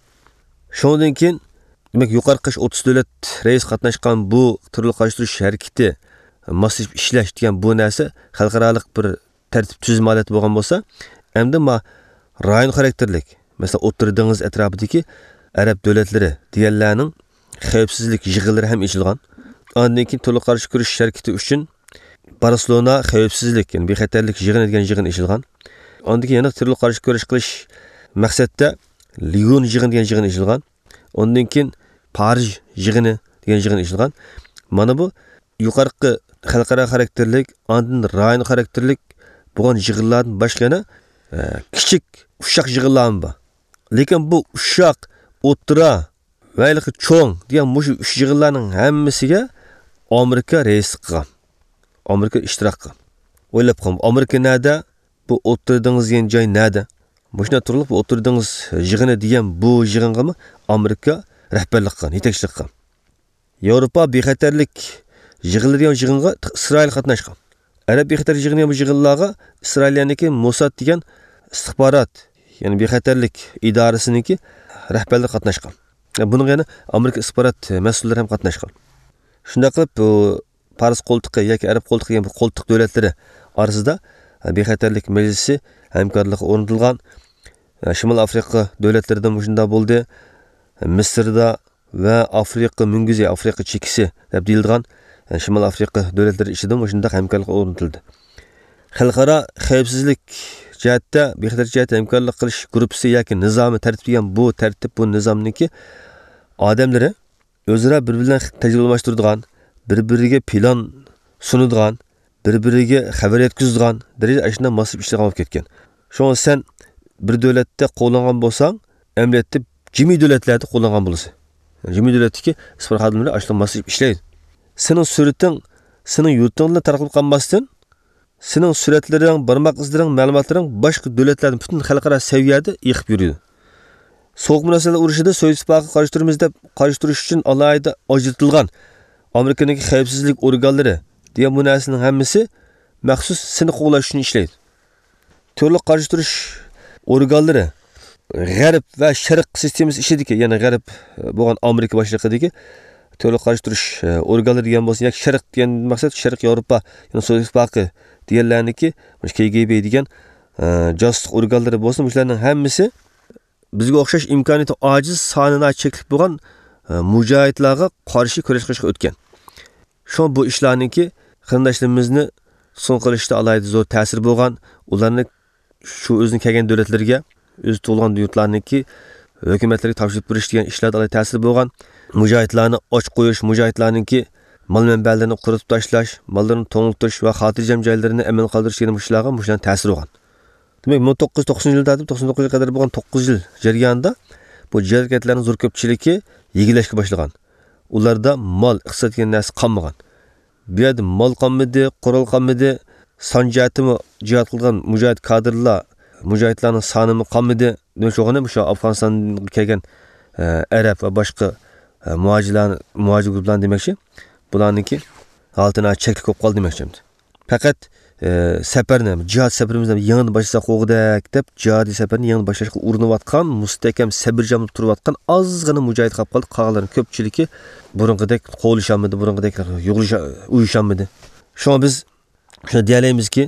شۇنىڭدىن كېيىن، دېمەك، يۇقىرىقى ئوتتۇز دۆلەت رەئىسى قاتناشقان بۇ تېررورلۇققا قارشى تۇرۇش ھەرىكىتى ماسلىشىپ ئىشلەش دېگەن بۇ نەرسە خەلقئارالىق بىر تەرتىپ تۈزۈم ھالەتتە بولغان بولسا، ئەمدى ما رايون خاراكتېرلىك، مەسىلەن، ئوتتۇرا دېڭىز ئەتراپىدىكى ئەرەب دۆلەتلىرى دېگەنلەرنىڭ خەۋپسىزلىك يىغىنلىرى ھەم ئېچىلغان. ئاندىن كېيىن تېررورلۇققا قارشى كۈرىشىش ھەرىكىتى ئۈچۈن بارسېلونا خەۋپسىزلىك، يەنى بىخەتەرلىك يىغىنى دېگەن يىغىن ئېچىلغان. ئاندىن كېيىن يەنە تېررورلۇققا قارشى كۈرەش قىلىش مەقسەتتە ليون يىغىنى دېگەن يىغىن ئېچىلغان. ئاندىن كېيىن پارىژ يىغىنى دېگەن يىغىن ئېچىلغان. مانا بۇ يۇقىرىقى خەلقئارا خاراكتېرلىك، ئاندىن رايون خاراكتېرلىك بولغان يىغىنلاردىن باشقا يەنە، ئە، كىچىك، ئۇششاق يىغىنلارمۇ بار. لېكىن بۇ ئۇششاق، ئوتتۇرا ۋە ھېلىقى چوڭ دېگەن مۇشۇ ئۈچ يىغىنلارنىڭ ھەممىسىگە ئامېرىكا رەئىسلىك قىلغان. ئامېرىكا ئىشتىراك قىلغان. ئويلاپ بېقىڭ، ئامېرىكا نەدە؟ بۇ ئوتتۇرا دېڭىز دېگەن جاي نەدە؟ مۇشۇنداق تۇرۇپ، بۇ ئوتتۇرا دېڭىز يىغىنى دېگەن بۇ يىغىنغىمۇ ئامېرىكا رەھبەرلىك قىلغان، يېتەكچىلىك قىلغان. ياۋروپا بىخەتەرلىك يىغىنلىرى دېگەن يىغىنغا ئىسرائىل قاتناشقان. ئەرەب بىخەتەرلىك يىغىنى دېگەن بۇ يىغىنلارغا ئىسرائىلىيەنىڭكى موساد دېگەن ئىستىخبارات، يەنى بىخەتەرلىك ئىدارىسىنىڭكى رەھبەرلىرى قاتناشقان. بۇنىڭغا يەنە ئامېرىكا ئىستىخبارات مەسئۇللىرى ھەم قاتناشقان. شۇنداق قىلىپ، بۇ پارس قولتۇقى ياكى ئەرەب قولتۇقى دېگەن بۇ قولتۇق دۆلەتلىرى ئارىسىدا بىخەتەرلىك مەجلىسى ھەمكارلىقى ئورنىتىلغان. شىمال ئافرىقا دۆلەتلىرىدە مۇشۇنداق بولدى. مىسىردا ۋە ئافرىقا مۈڭگۈزى، ئافرىقا چېكىسى دەپ دېيىلىدىغان شىمال ئافرىقا دۆلەتلىرى ئىچىدە مۇشۇنداق ھەمكارلىق ئورنىتىلدى. خەلقئارا خەۋپسىزلىك جەھەتتە، بىخەتەر جەھەتتە ھەمكارلىق قىلىش گۇرۇپپىسى ياكى نىزامى، تەرتىپ دېگەن بۇ تەرتىپ، بۇ نىزامنىڭكى ئادەملىرى ئۆزئارا بىر-بىرى بىلەن تەجرىبە ئالماشتۇرىدىغان، بىر-بىرىگە پىلان سۇنىدىغان، بىر-بىرىگە خەۋەر يەتكۈزىدىغان دەرىجىدە ئاشۇنداق ماسلىشىپ ئىشلەيدىغان بولۇپ كەتكەن. شۇڭا سەن بىر دۆلەتتە قوللانغان بولساڭ، ئەمەلىيەتتە جىمى دۆلەتلەردە قوللانغان بولىسەن. جىمى دۆلەتتىكى ئىستىخبارات خادىملىرى ئاشۇنداق ماسلىشىپ ئىشلەيدۇ. سېنىڭ سۈرىتىڭ سېنىڭ يۇرتۇڭدىلا تارقىلىپ قالماستىن، سېنىڭ سۈرەتلىرىڭ، بارماق ئىزلىرىڭ، مەلۇماتلىرىڭ باشقا دۆلەتلەردىن پۈتۈن خەلقئارا سەۋىيەدە ئېقىپ يۈرىدۇ. سوغۇق مۇناسىۋەتلەر ئۇرۇشىدا سوۋېت ئىتتىپاقىغا قارشى تۇرىمىز دەپ قارشى تۇرۇش ئۈچۈن ئالاھىدە ئاجرىتىلغان ئامېرىكىنىڭكى خەۋپسىزلىك ئورگانلىرى دېگەن بۇ نەرسىنىڭ ھەممىسى مەخسۇس سېنى قوغلاش ئۈچۈن ئىشلەيدۇ. تۈرلۈك قارشى تۇرۇش ئورگانلىرى غەرب ۋە شەرق سىستېمىسى ئىچىدىكى، يەنى غەرب بولغان ئامېرىكا باشلىقىدىكى تۈرلۈك قارشى تۇرۇش ئورگانلىرى دېگەن بولسۇن ياكى شەرق دېگەن مەقسەت شەرقىي ياۋروپا، يەنى سوۋېت ئىتتىپاقى دېگەنلەرنىڭكى، مۇشۇ كېگېبې دېگەن، ئە، جاسۇسلۇق ئورگانلىرى بولسۇن، مۇشۇلارنىڭ ھەممىسى بىزگە ئوخشاش ئىمكانىيىتى ئاجىز، سانى ناھايىتى چەكلىك بولغان، ئە، مۇجاھىدلارغا قارشى كۈرەش قىلىشقا ئۆتكەن. شۇڭا بۇ ئىشلارنىڭكى قېرىنداشلىرىمىزنى تۇتقۇن قىلىشتا ئالاھىدە زور تەسىرى بولغان، ئۇلارنى شۇ ئۆزىنىڭ كەلگەن دۆلەتلىرىگە، ئۆزى تۇغۇلغان يۇرتلارنىڭكى ھۆكۈمەتلىرىگە تاپشۇرۇپ بېرىش دېگەن ئىشلاردا ئالاھىدە تەسىرى بولغان، مۇجاھىدلارنى ئاچ قويۇش، مۇجاھىدلارنىڭكى مال مەنبەلىرىنى قۇرۇتۇپ تاشلاش، ماللىرىنى توڭلىتىش ۋە خاتىرجەم جايلىرىنى ئەمىن قالدۇرۇش دېگەن مۇشۇلارغا مۇشۇلارنىڭ تەسىرى بولغان. دېمەك، مىڭ توققۇز يۈز توقسىنىنچى يىلدىن تارتىپ توقسان توققۇزىنچى يىلغا قەدەر بولغان توققۇز يىل جەريانىدا بۇ جىھاد ھەرىكەتلەرنىڭ زور كۆپچىلىكى يېگىلەشكە باشلىغان. ئۇلاردا مال، ئىقتىساد دېگەن نەرسە قالمىغان. بۇ يەردە مال قالمىدى، قورال قالمىدى، سان جەھەتتىمۇ جىھاد قىلغان مۇجاھىد كادىرلار، مۇجاھىدلارنىڭ سانىمۇ قالمىدى. دېمەك، شۇغىنى مۇشۇ ئافغانىستانغا كەلگەن، ئە، ئەرەب ۋە باشقا، ئە، مۇھاجىرلار، مۇھاجىر گۇرۇپپىلارنى دېمەكچى. بۇلارنىڭكى ھالىتى ناھايىتى چەكلىك بولۇپ قالدى دېمەكچى. پەقەت، ئە، سەپەرنى، جىھاد سەپىرىمىزنى يېڭىدىن باشلىساق بولغۇدەك دەپ، جىھادىي سەپەرنى يېڭىدىن باشلاشقا ئۇرۇنۇۋاتقان، مۇستەھكەم سەبرىجەم تۇرۇۋاتقان ئازغىنا مۇجاھىد قاپقالدى. قالغانلىرىنىڭ كۆپچىلىكى بۇرۇنقىدەك قوغلىشالمىدى، بۇرۇنقىدەك يۇغۇرۇشا-، ئۇيۇشالمىدى. شۇڭا بىز شۇنى دېيەلەيمىزكى،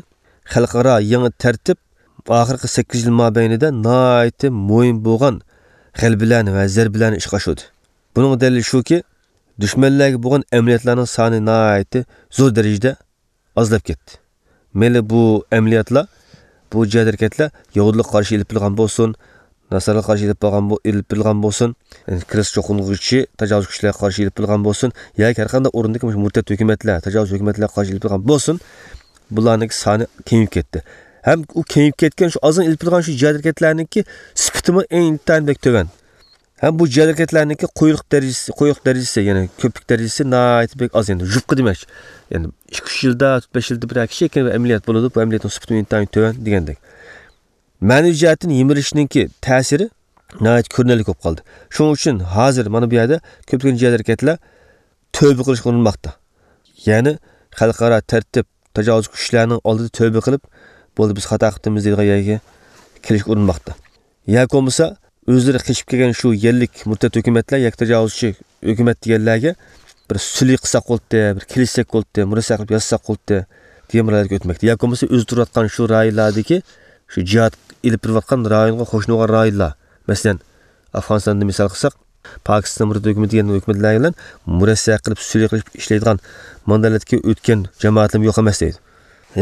خەلقئارا يېڭى تەرتىپ ئاخىرقى سەككىز يىل مابەينىدە ناھايىتى مۇھىم بولغان غەلىبىلەرنى ۋە زەربىلەرنى ئىشقا ئاشۇردى. بۇنىڭ دەلىلى شۇكى، دۈشمەنلەرگە بولغان ئەمەلىياتلارنىڭ سانى ناھايىتى زور دەرىجىدە ئازلاپ كەتتى. مەيلى بۇ ئەمەلىياتلار، بۇ جىھاد ھەرىكەتلەر يەھۇدىيلارغا قارشى ئېلىپ بېرىلغان بولسۇن، ناسارىلارغا قارشى ئېلىپ بارغان بو-، ئېلىپ بېرىلغان بولسۇن، كىرىستىيان چوقۇنغۇچى تاجاۋۇزچى كۈچلەرگە قارشى ئېلىپ بېرىلغان بولسۇن، ياكى ھەر قانداق ئورۇندىكى مۇشۇ مۇرتەت ھۆكۈمەتلەر، تاجاۋۇزچى ھۆكۈمەتلەرگە قارشى ئېلىپ بېرىلغان بولسۇن، بۇلارنىڭكى سانى كېمىيىپ كەتتى. ھەم ئۇ كېمىيىپ كەتكەن شۇ ئازغىنە ئېلىپ بېرىلغان شۇ جىھاد ھەرىكەتلەرنىڭكى سۈپىتىمۇ ئىنتايىن بەك تۆۋەن. ھەم بۇ جىھاد ھەرىكەتلەرنىڭكى قويۇقلۇق دەرىجىسى، قويۇق دەرىجىسى، يەنى كۆپلۈك دەرىجىسى ناھايىتى بەك ئاز، يەنى يۇپقا دېمەكچى. يەنى ئىككى، ئۈچ يىلدا، تۆت، بەش يىلدا بىر كىشى ئەمەلىيەت بولىدۇ، بۇ ئەمەلىيەتنىڭ سۈپىتىمۇ ئىنتايىن تۆۋەن دېگەندەك. مەنىۋى جەھەتتىن يىمىرىشنىڭكى تەسىرى ناھايىتى كۆرۈنەرلىك بولۇپ قالدى. شۇنىڭ ئۈچۈن ھازىر مانا بۇ يەردە كۆپلىگەن جىھاد ھەرىكەتلەر تۆۋە قىلىشقا ئۇرۇنماقتا. يەنى خەلقئارا تەرتىپ، تاجاۋۇزچى كۈچلەرنىڭ ئالدىدا تەۋبە قىلىپ، بولدى، بىز خاتا قىپتىمىز دەيدىغان يەرگە كېلىشكە ئۇرۇنماقتا. ياكى بولمىسا ئۆزلىرى قېچىپ كەلگەن شۇ يەرلىك مۇرتەت ھۆكۈمەتلەر ياكى تاجاۋۇزچى ھۆكۈمەت دېگەنلەرگە بىر سۈلھى قىلساق بولاتتى، بىر كېلىشسەك بولاتتى، مۇرەسسە قىلىپ يازساق بولاتتى دېگەن بىر ھالەتكە ئۆتمەكتە. ياكى بولمىسا ئۆزى تۇرۇۋاتقان شۇ رايونلاردىكى شۇ جىھاد ئېلىپ بېرىۋاتقان رايونغا قوشۇلغان رايونلار، مەسىلەن، ئافغانىستاندا مىسال قىلساق، پاكىستان مۇرتەت ھۆكۈمىتى دېگەن ھۆكۈمەتلەر بىلەن مۇرەسسە قىلىپ، سۈلھى قىلىپ ئىشلەيدىغان ماندالەتكە ئۆتكەن جامائەتلەرمۇ يوق ئەمەس دەيدۇ.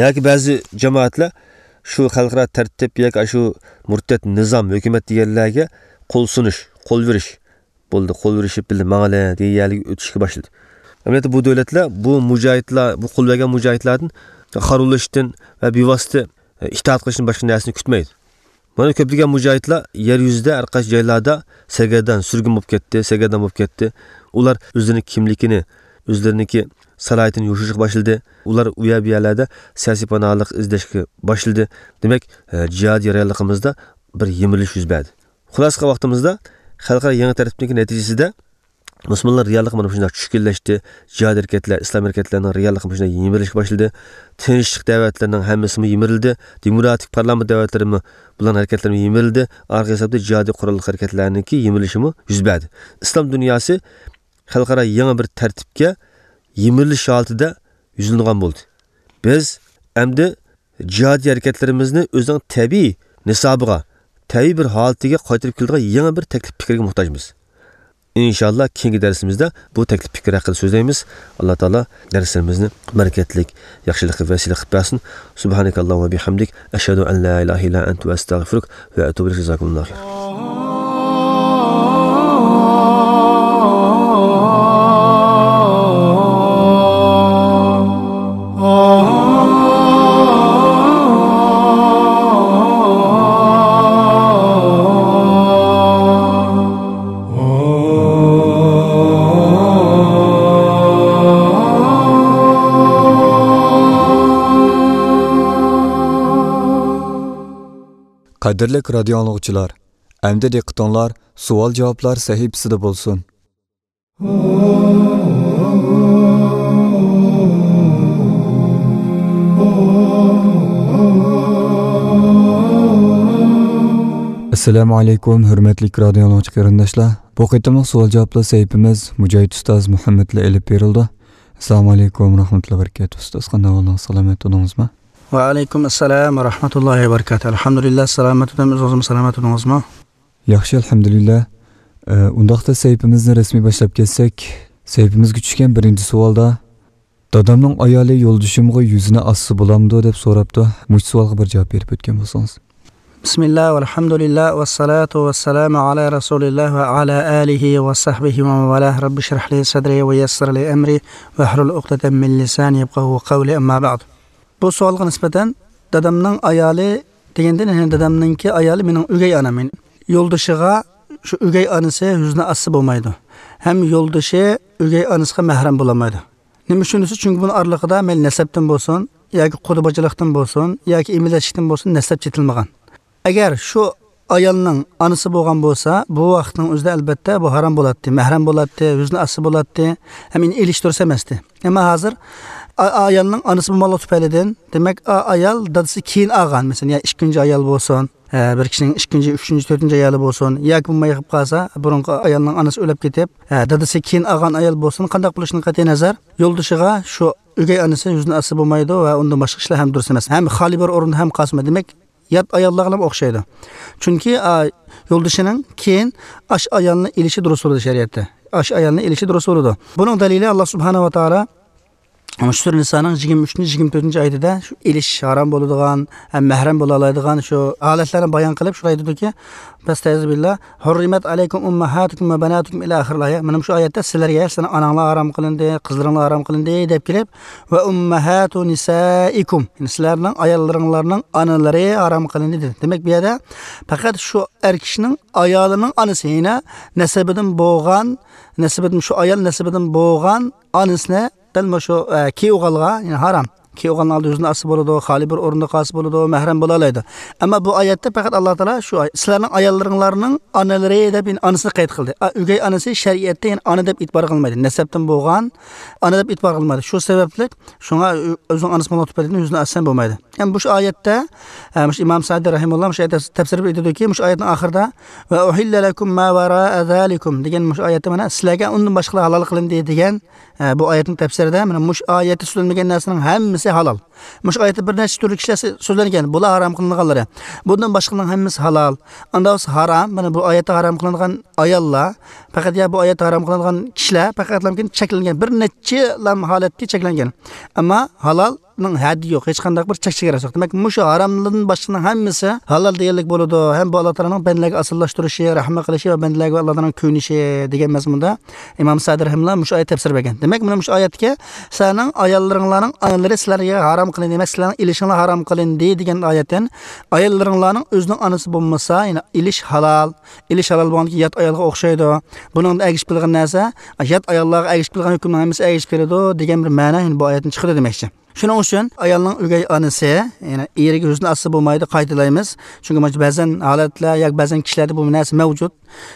ياكى بەزى جامائەتلەر شۇ خەلقئارا تەرتىپ ياكى شۇ مۇرتەت نىزام، ھۆكۈمەت دېگەنلەرگە قول سۇنۇش، قول بېرىش، بولدى، قول بېرىشىپ بىللە ماڭىلى دېگەن يەرلىككە ئۆتۈشكە باشلىدى. ئەمەلىيەتتە بۇ دۆلەتلەر بۇ مۇجاھىدلار، بۇ قول بەرگەن مۇجاھىدلاردىن قارىۋۇلۇشتىن ۋە بىۋاسىتە ئىتائەت قىلىشتىن باشقا نەرسىنى كۈتمەيدۇ. مانا كۆپلىگەن مۇجاھىدلار يەر يۈزىدە ھەر قايسى جايلاردا سەرگەردان، سۈرگۈن بولۇپ كەتتى، سەرگەردان بولۇپ كەتتى. ئۇلار ئۆزلىرىنىڭ كىملىكىنى، ئۆزلىرىنىڭكى سالاھىيىتىنى يوشۇرۇشقا باشلىدى. ئۇلار ئۇ يەر بۇ يەرلەردە سىياسىي پاناھلىق ئىزدەشكە باشلىدى. دېمەك، جىھادىي جەريانلىقىمىزدا بىر يىمىرىلىش يۈز بەردى. خۇلاسە قىلغان ۋاقتىمىزدا خەلقئارا يېڭى تەرتىپنىڭكى نەتىجىسىدە مۇسۇلمانلار رېئاللىقى مانا شۇنداق چۈشكۈنلەشتى. جىھاد ھەرىكەتلەر، ئىسلام ھەرىكەتلىرىنىڭ رېئاللىقى مۇشۇنداق يىمىرىلىشكە باشلىدى. تىنچلىق دەۋەتلىرىنىڭ ھەممىسىمۇ يىمىرىلدى. دېموكراتىك پارلامېنت دەۋەتلىرىمۇ، بۇلارنىڭ ھەرىكەتلىرىمۇ يىمىرىلدى. ئارقا ھېسابتا جىھادىي قوراللىق ھەرىكەتلەرنىڭكى يىمىرىلىشىمۇ يۈز بەردى. ئىسلام دۇنياسى خەلقئارا يېڭى بىر تەرتىپكە يىمىرىلىش ھالىتىدە يۈزلىنىدىغان بولدى. بىز ئەمدى جىھادىي ھەرىكەتلىرىمىزنى ئۆزىنىڭ تەبىئىي نىسابىغا، تەبىئىي بىر ھالىتىگە قايتۇرۇپ كېلىدىغان يېڭى بىر تەكلىپ پىكىرگە موھتاجمىز. ئىنشاللا كېيىنكى دەرسىمىزدە بۇ تەكلىپ پىكىر ھەققىدە سۆزلەيمىز. ئاللا تائالا دەرسلىرىمىزنى بەرىكەتلىك، ياخشىلىققا ۋەسىلە قىلىپ بەرسۇن. سۇبھانەكاللاھۇممە ۋە بىھەمدىك، ئەشھەدۇ ئەن لا ئىلاھە ئىللا ئەنتە ۋە ئەستەغفىرۇك ۋە ئەتۇبۇ ئىلەيك. جازاكۇمۇللاھۇ خەيرا. قەدىرلىك رادىيو ئاڭلىغۇچىلار، ئەمدى دىققىتىڭلار سوئال-جاۋابلار سەھىپىسىدە بولسۇن. ئەسسالامۇ ئەلەيكۇم، ھۆرمەتلىك رادىيو ئاڭلىغۇچى قېرىنداشلار. بۇ قېتىملىق سوئال-جاۋابلار سەھىپىمىز مۇجاھىد ئۇستاز مۇھەممەد بىلەن ئېلىپ بېرىلىدۇ. ئەسسالامۇ ئەلەيكۇم ۋە رەھمەتۇللاھى ۋە بەرىكاتۇھ. ئۇستاز، قانداق ئەھۋالىڭىز؟ سالامەت تۇردىڭىزمۇ؟ ۋەئەلەيكۇم ئەسسالام ۋە رەھمەتۇللاھى ۋە بەرىكاتۇھ. ئەلھەمدۇلىللا، سالامەت تۇردۇم، ئۆزىڭىزمۇ سالامەت تۇردىڭىزمۇ؟ ياخشى، ئەلھەمدۇلىللا. ئە، ئۇنداقتا سەھىپىمىزنى رەسمىي باشلاپ كەتسەك، سەھىپىمىزگە چۈشكەن بىرىنچى سوئالدا، دادامنىڭ ئايالى يولدىشىمغا يۈزىنى ئاسسا بولامدۇ دەپ سوراپتۇ. مۇشۇ سوئالغا بىر جاۋاب بېرىپ ئۆتكەن بولسىڭىز. بىسمىللا، ۋەلھەمدۇلىللا، ۋەسسالاتۇ ۋەسسالامۇ ئەلا رەسۇلىللا ۋە ئەلا ئالىھى ۋە سەھبىھى ۋە مەن ۋالاھ. رەببىشرەھلى سەدرى ۋە يەسسىرلى ئەمرى ۋەھلۇل ئۇقدەتەن مىن لىسانى يەپقەھۇ قەۋلى، ئەمما بەئد. بۇ سوئالغا نىسبەتەن، دادامنىڭ ئايالى دېگەندىن، يەنى دادامنىڭكى ئايالى مېنىڭ ئۆگەي ئانام. يولدىشىغا شۇ ئۆگەي ئانىسى يۈزىنى ئاسسا بولمايدۇ. ھەم يولدىشى ئۆگەي ئانىسىغا مەھرەم بولالمايدۇ. نېمە ئۈچۈن دېسە، چۈنكى بۇنىڭ ئارىلىقىدا مەيلى نەسەبتىن بولسۇن، ياكى قۇدا باجىلىقتىن بولسۇن، ياكى ئىمىنلەشلىكتىن بولسۇن، نەسەب چېتىلمىغان. ئەگەر شۇ ئايالنىڭ ئانىسى بولغان بولسا، بۇ ۋاقىتنىڭ ئۆزىدە ئەلبەتتە بۇ ھارام بولاتتى، مەھرەم بولاتتى، يۈزىنى ئاسسا بولاتتى، ھەم ئۇنى ئېلىش دۇرۇس ئەمەستى. ئەمما ھازىر ئا-، ئايالنىڭ ئانىسى بولماقلىقى تۈپەيلىدىن، دېمەك، ئا-، ئايال دادىسى كېيىن ئالغان، مەسىلەن، يا ئىككىنچى ئايال بولسۇن، ھە، بىر كىشىنىڭ ئىككىنچى، ئۈچىنچى، تۆتىنچى ئايالى بولسۇن، ياكى بولماي قېلىپ قالسا، بۇرۇنقى ئايالنىڭ ئانىسى ئۆلۈپ كېتىپ، ھە، دادىسى كېيىن ئالغان ئايال بولسۇن، قانداق بولۇشىدىن قەتئىينەزەر، يولدىشىغا شۇ ئۆگەي ئانىسى يۈزىنى ئاسسا بولمايدۇ ۋە ئۇندىن باشقا ئىشلار ھەم دۇرۇس ئەمەس. ھەم خالىي بىر ئورۇندا ھەم قالسىمۇ، دېمەك، يات ئاياللارغىمۇ ئوخشايدۇ. چۈنكى، ئا، يولدىشىنىڭ كېيىن ئاشۇ ئايالنى ئېلىشى دۇرۇس بولىدۇ شەرىئەتتە. ئاشۇ ئايالنى ئېلىشى دۇرۇس بولىدۇ. بۇنىڭ دەلىلى، ئاللا سۇبھانەھۇ ۋە تائالا شۇ سۈرە نىسانىڭ يىگىرمە ئۈچىنچى، يىگىرمە تۆتىنچى ئايىتىدە شۇ ئېلىش ھارام بولىدىغان ھەم مەھرەم بولالايدىغان شۇ ھالەتلەرنى بايان قىلىپ، شۇنداق دېدىكى، پەستەئىزۇ بىللا، ھۇررىمەت ئەلەيكۇم ئۇممەھاتۇكۇم ۋە بەناتۇكۇم ئىلە ئاخىرىل ئايە. مانا شۇ ئايەتتە سىلەرگە، سىلەرنىڭ ئاناڭلار ھارام قىلىندى، قىزلىرىڭلار ھارام قىلىندى دەپ كېلىپ، ۋە ئۇممەھاتۇ نىسائىكۇم، يەنى سىلەرنىڭ ئاياللىرىڭلارنىڭ ئانىلىرى ھارام قىلىندى دېدى. دېمەك، بۇ يەردە پەقەت شۇ ئەر كىشىنىڭ ئايالىنىڭ ئانىسى، يەنى نەسىبىدىن بولغان، نەسىبىدىن، شۇ ئايال نەسىبىدىن بولغان ئانىسىنى دەل مۇشۇ، ئە، كېيىۋالغانلىقى، يەنى ھارام. كىيىۋالغان ھالدا يۈزىنى ئاچسا بولىدۇ، خالىي بىر ئورۇندا قالسا بولىدۇ، مەھرەم بولالايدۇ. ئەمما بۇ ئايەتتە پەقەت ئاللا تائالا شۇ ئاي-، سىلەرنىڭ ئاياللىرىڭلارنىڭ ئانىلىرى دەپ يەنە ئانىسىنى قەيت قىلدى. ئا، ئۆگەي ئانىسى شەرىئەتتە يەنە ئانا دەپ ئېتىبار قىلمايدۇ. نەسەبتىن بولغان ئانا دەپ ئېتىبار قىلمايدۇ. شۇ سەۋەبلىك شۇڭا ئۆ-، ئۆزىنىڭ ئانىسى بولغان تۈپەيلىدىن يۈزىنى ئاچسا بولمايدۇ. يەنى بۇ ئايەتتە، ئە، مۇشۇ ئىمام سەئدى رەھىمەھۇللا مۇشۇ ئايەت تەپسىرىدە ئېيتىدۇكى، مۇشۇ ئايەتنىڭ ئاخىرىدا، «ۋە ئۇھىللە لەكۇم ما ۋەرائە زالىكۇم» دېگەن مۇشۇ ئايەتتە مانا سىلەرگە ئۇندىن باشقىلار ھالال قىلىندى دېگەن، ئە، بۇ ئايەتنىڭ تەپسىرىدە مانا مۇشۇ ئايەتتە سۆزلەنمىگەن نەرسىنىڭ ھەممىسى ھالال. مۇشۇ ئايەتتە بىر نەچچە تۈرلۈك كىشىلەر سۆ-، سۆزلەنگەن. بۇلار ھارام قىلىنغانلىرى. بۇندىن باشقىنىڭ ھەممىسى ھالال. ئاندا بولسا ھارام. مانا بۇ ئايەتتە ھارام قىلىنغان ئاياللار، پەقەت يا بۇ ئايەتتە ھارام قىلىنغان كىشىلەر پەقەتلەمكىن چەكلەنگەن. بىر نەچچىلا ھالەتكە چەكلەنگەن. ئەمما ھالال نىڭ ھەددى يوق، ھېچقانداق بىر چەك چېگراسى يوق. دېمەك، مۇشۇ ھاراملاردىن باشقىنىڭ ھەممىسى ھالال دېگەنلىك بولىدۇ. ھەم بۇ ئاللا تائالانىڭ بەندىلەرگە ئاسىيلاشتۇرۇشى، رەھمەت قىلىشى ۋە بەندىلەرگە ئاللا تائالانىڭ كۆيۈنۈشى دېگەن مەزمۇندا ئىمام سەئدى رەھىمەھۇللا مۇشۇ ئايەت تەپسىر بەرگەن. دېمەك، مانا مۇشۇ ئايەتتىكى سىلەرنىڭ ئاياللىرىڭلارنىڭ ئانىلىرى سىلەرگە ھارام قىلىندى، دېمەك، سىلەرنىڭ ئېلىشىڭلار ھارام قىلىندى دېگەن ئايەتتىن ئاياللىرىڭلارنىڭ ئۆزىنىڭ ئانىسى بولمىسا، يەنى ئېلىش ھالال. ئېلىش ھالال بولغاندىكىن يات ئايالغا ئوخشايدۇ. بۇنىڭدا ئەگىشىپ كېلىدىغان نەرسە، يات ئاياللارغا ئەگىشىپ كېلىدىغان ھۆكۈمنىڭ ھەممىسى ئەگىشىپ كېلىدۇ دېگەن بىر مەنە يەنە بۇ ئايەتتىن چىقىدۇ دېمەكچى. شۇنىڭ ئۈچۈن ئايالنىڭ ئۆگەي ئانىسى، يەنى ئېرىگە يۈزىنى ئاچسا بولمايدۇ، قايتىلايمىز. چۈنكى مانا بەزەن ھالەتلەر ياكى بەزەن كىشىلەردە بۇ نەرسە مەۋجۇت.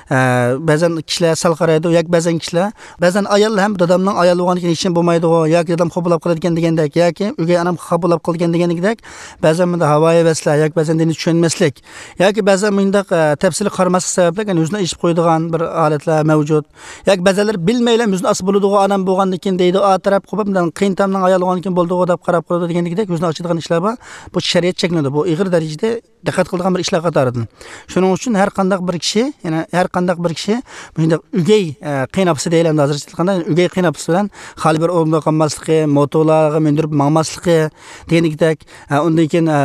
ئە، بەزەن كىشىلەر سەل قارايدۇ ياكى بەزەن كىشىلەر، بەزەن ئايال ھەم دادامنىڭ ئايالى بولغاندىكىن ھېچنېمە بولمايدىغۇ ياكى دادام خاپا بولۇپ قالىدىكەن دېگەندەك ياكى ئۆگەي ئانام خاپا بولۇپ قالىدىكەن دېگەندەك بەزەن بۇنداق ھاۋايى ۋەسلەر ياكى بەزەن دىننى چۈشەنمەسلىك ياكى بەزەن مۇنداق، ئە، تەپسىلىي قارىماسلىق سەۋەبلىك يەنە يۈزىنى ئېچىپ قويىدىغان بىر ھالەتلەر مەۋجۇت. ياكى بەزەنلەر بىلمەيلا يۈزىنى ئاچسا بولىدىغۇ ئانام بولغاندىكىن دەيدۇ، ئا تەرەپ قوپۇپ، مۇنداق قېيىنتامنىڭ ئايالى بولغاندىكىن بولىدىغۇ دەپ قاراپ قالىدۇ دېگەندەك يۈزىنى ئاچىدىغان ئىشلار بار. بۇ شەرىئەت چەكلىنىدۇ. بۇ ئېغىر دەرىجىدە دىققەت قىلىدىغان بىر ئىشلار قاتارىدىن. شۇنىڭ ئۈچۈن ھەر قانداق بىر كىشى، يەنى ھەر قانداق بىر كىشى مۇشۇنداق ئۆگەي، ئە، قېيىنئاپىسى دەيلى، ئەمدى ھازىرچە ئېيتقاندا، ئۆگەي قېيىنئاپىسى بىلەن خالىي بىر ئورۇندا قالماسلىقى، موتورلارغا مىندۈرۈپ ماڭماسلىقى دېگەندەك، ئە، ئۇندىن كېيىن، ئە،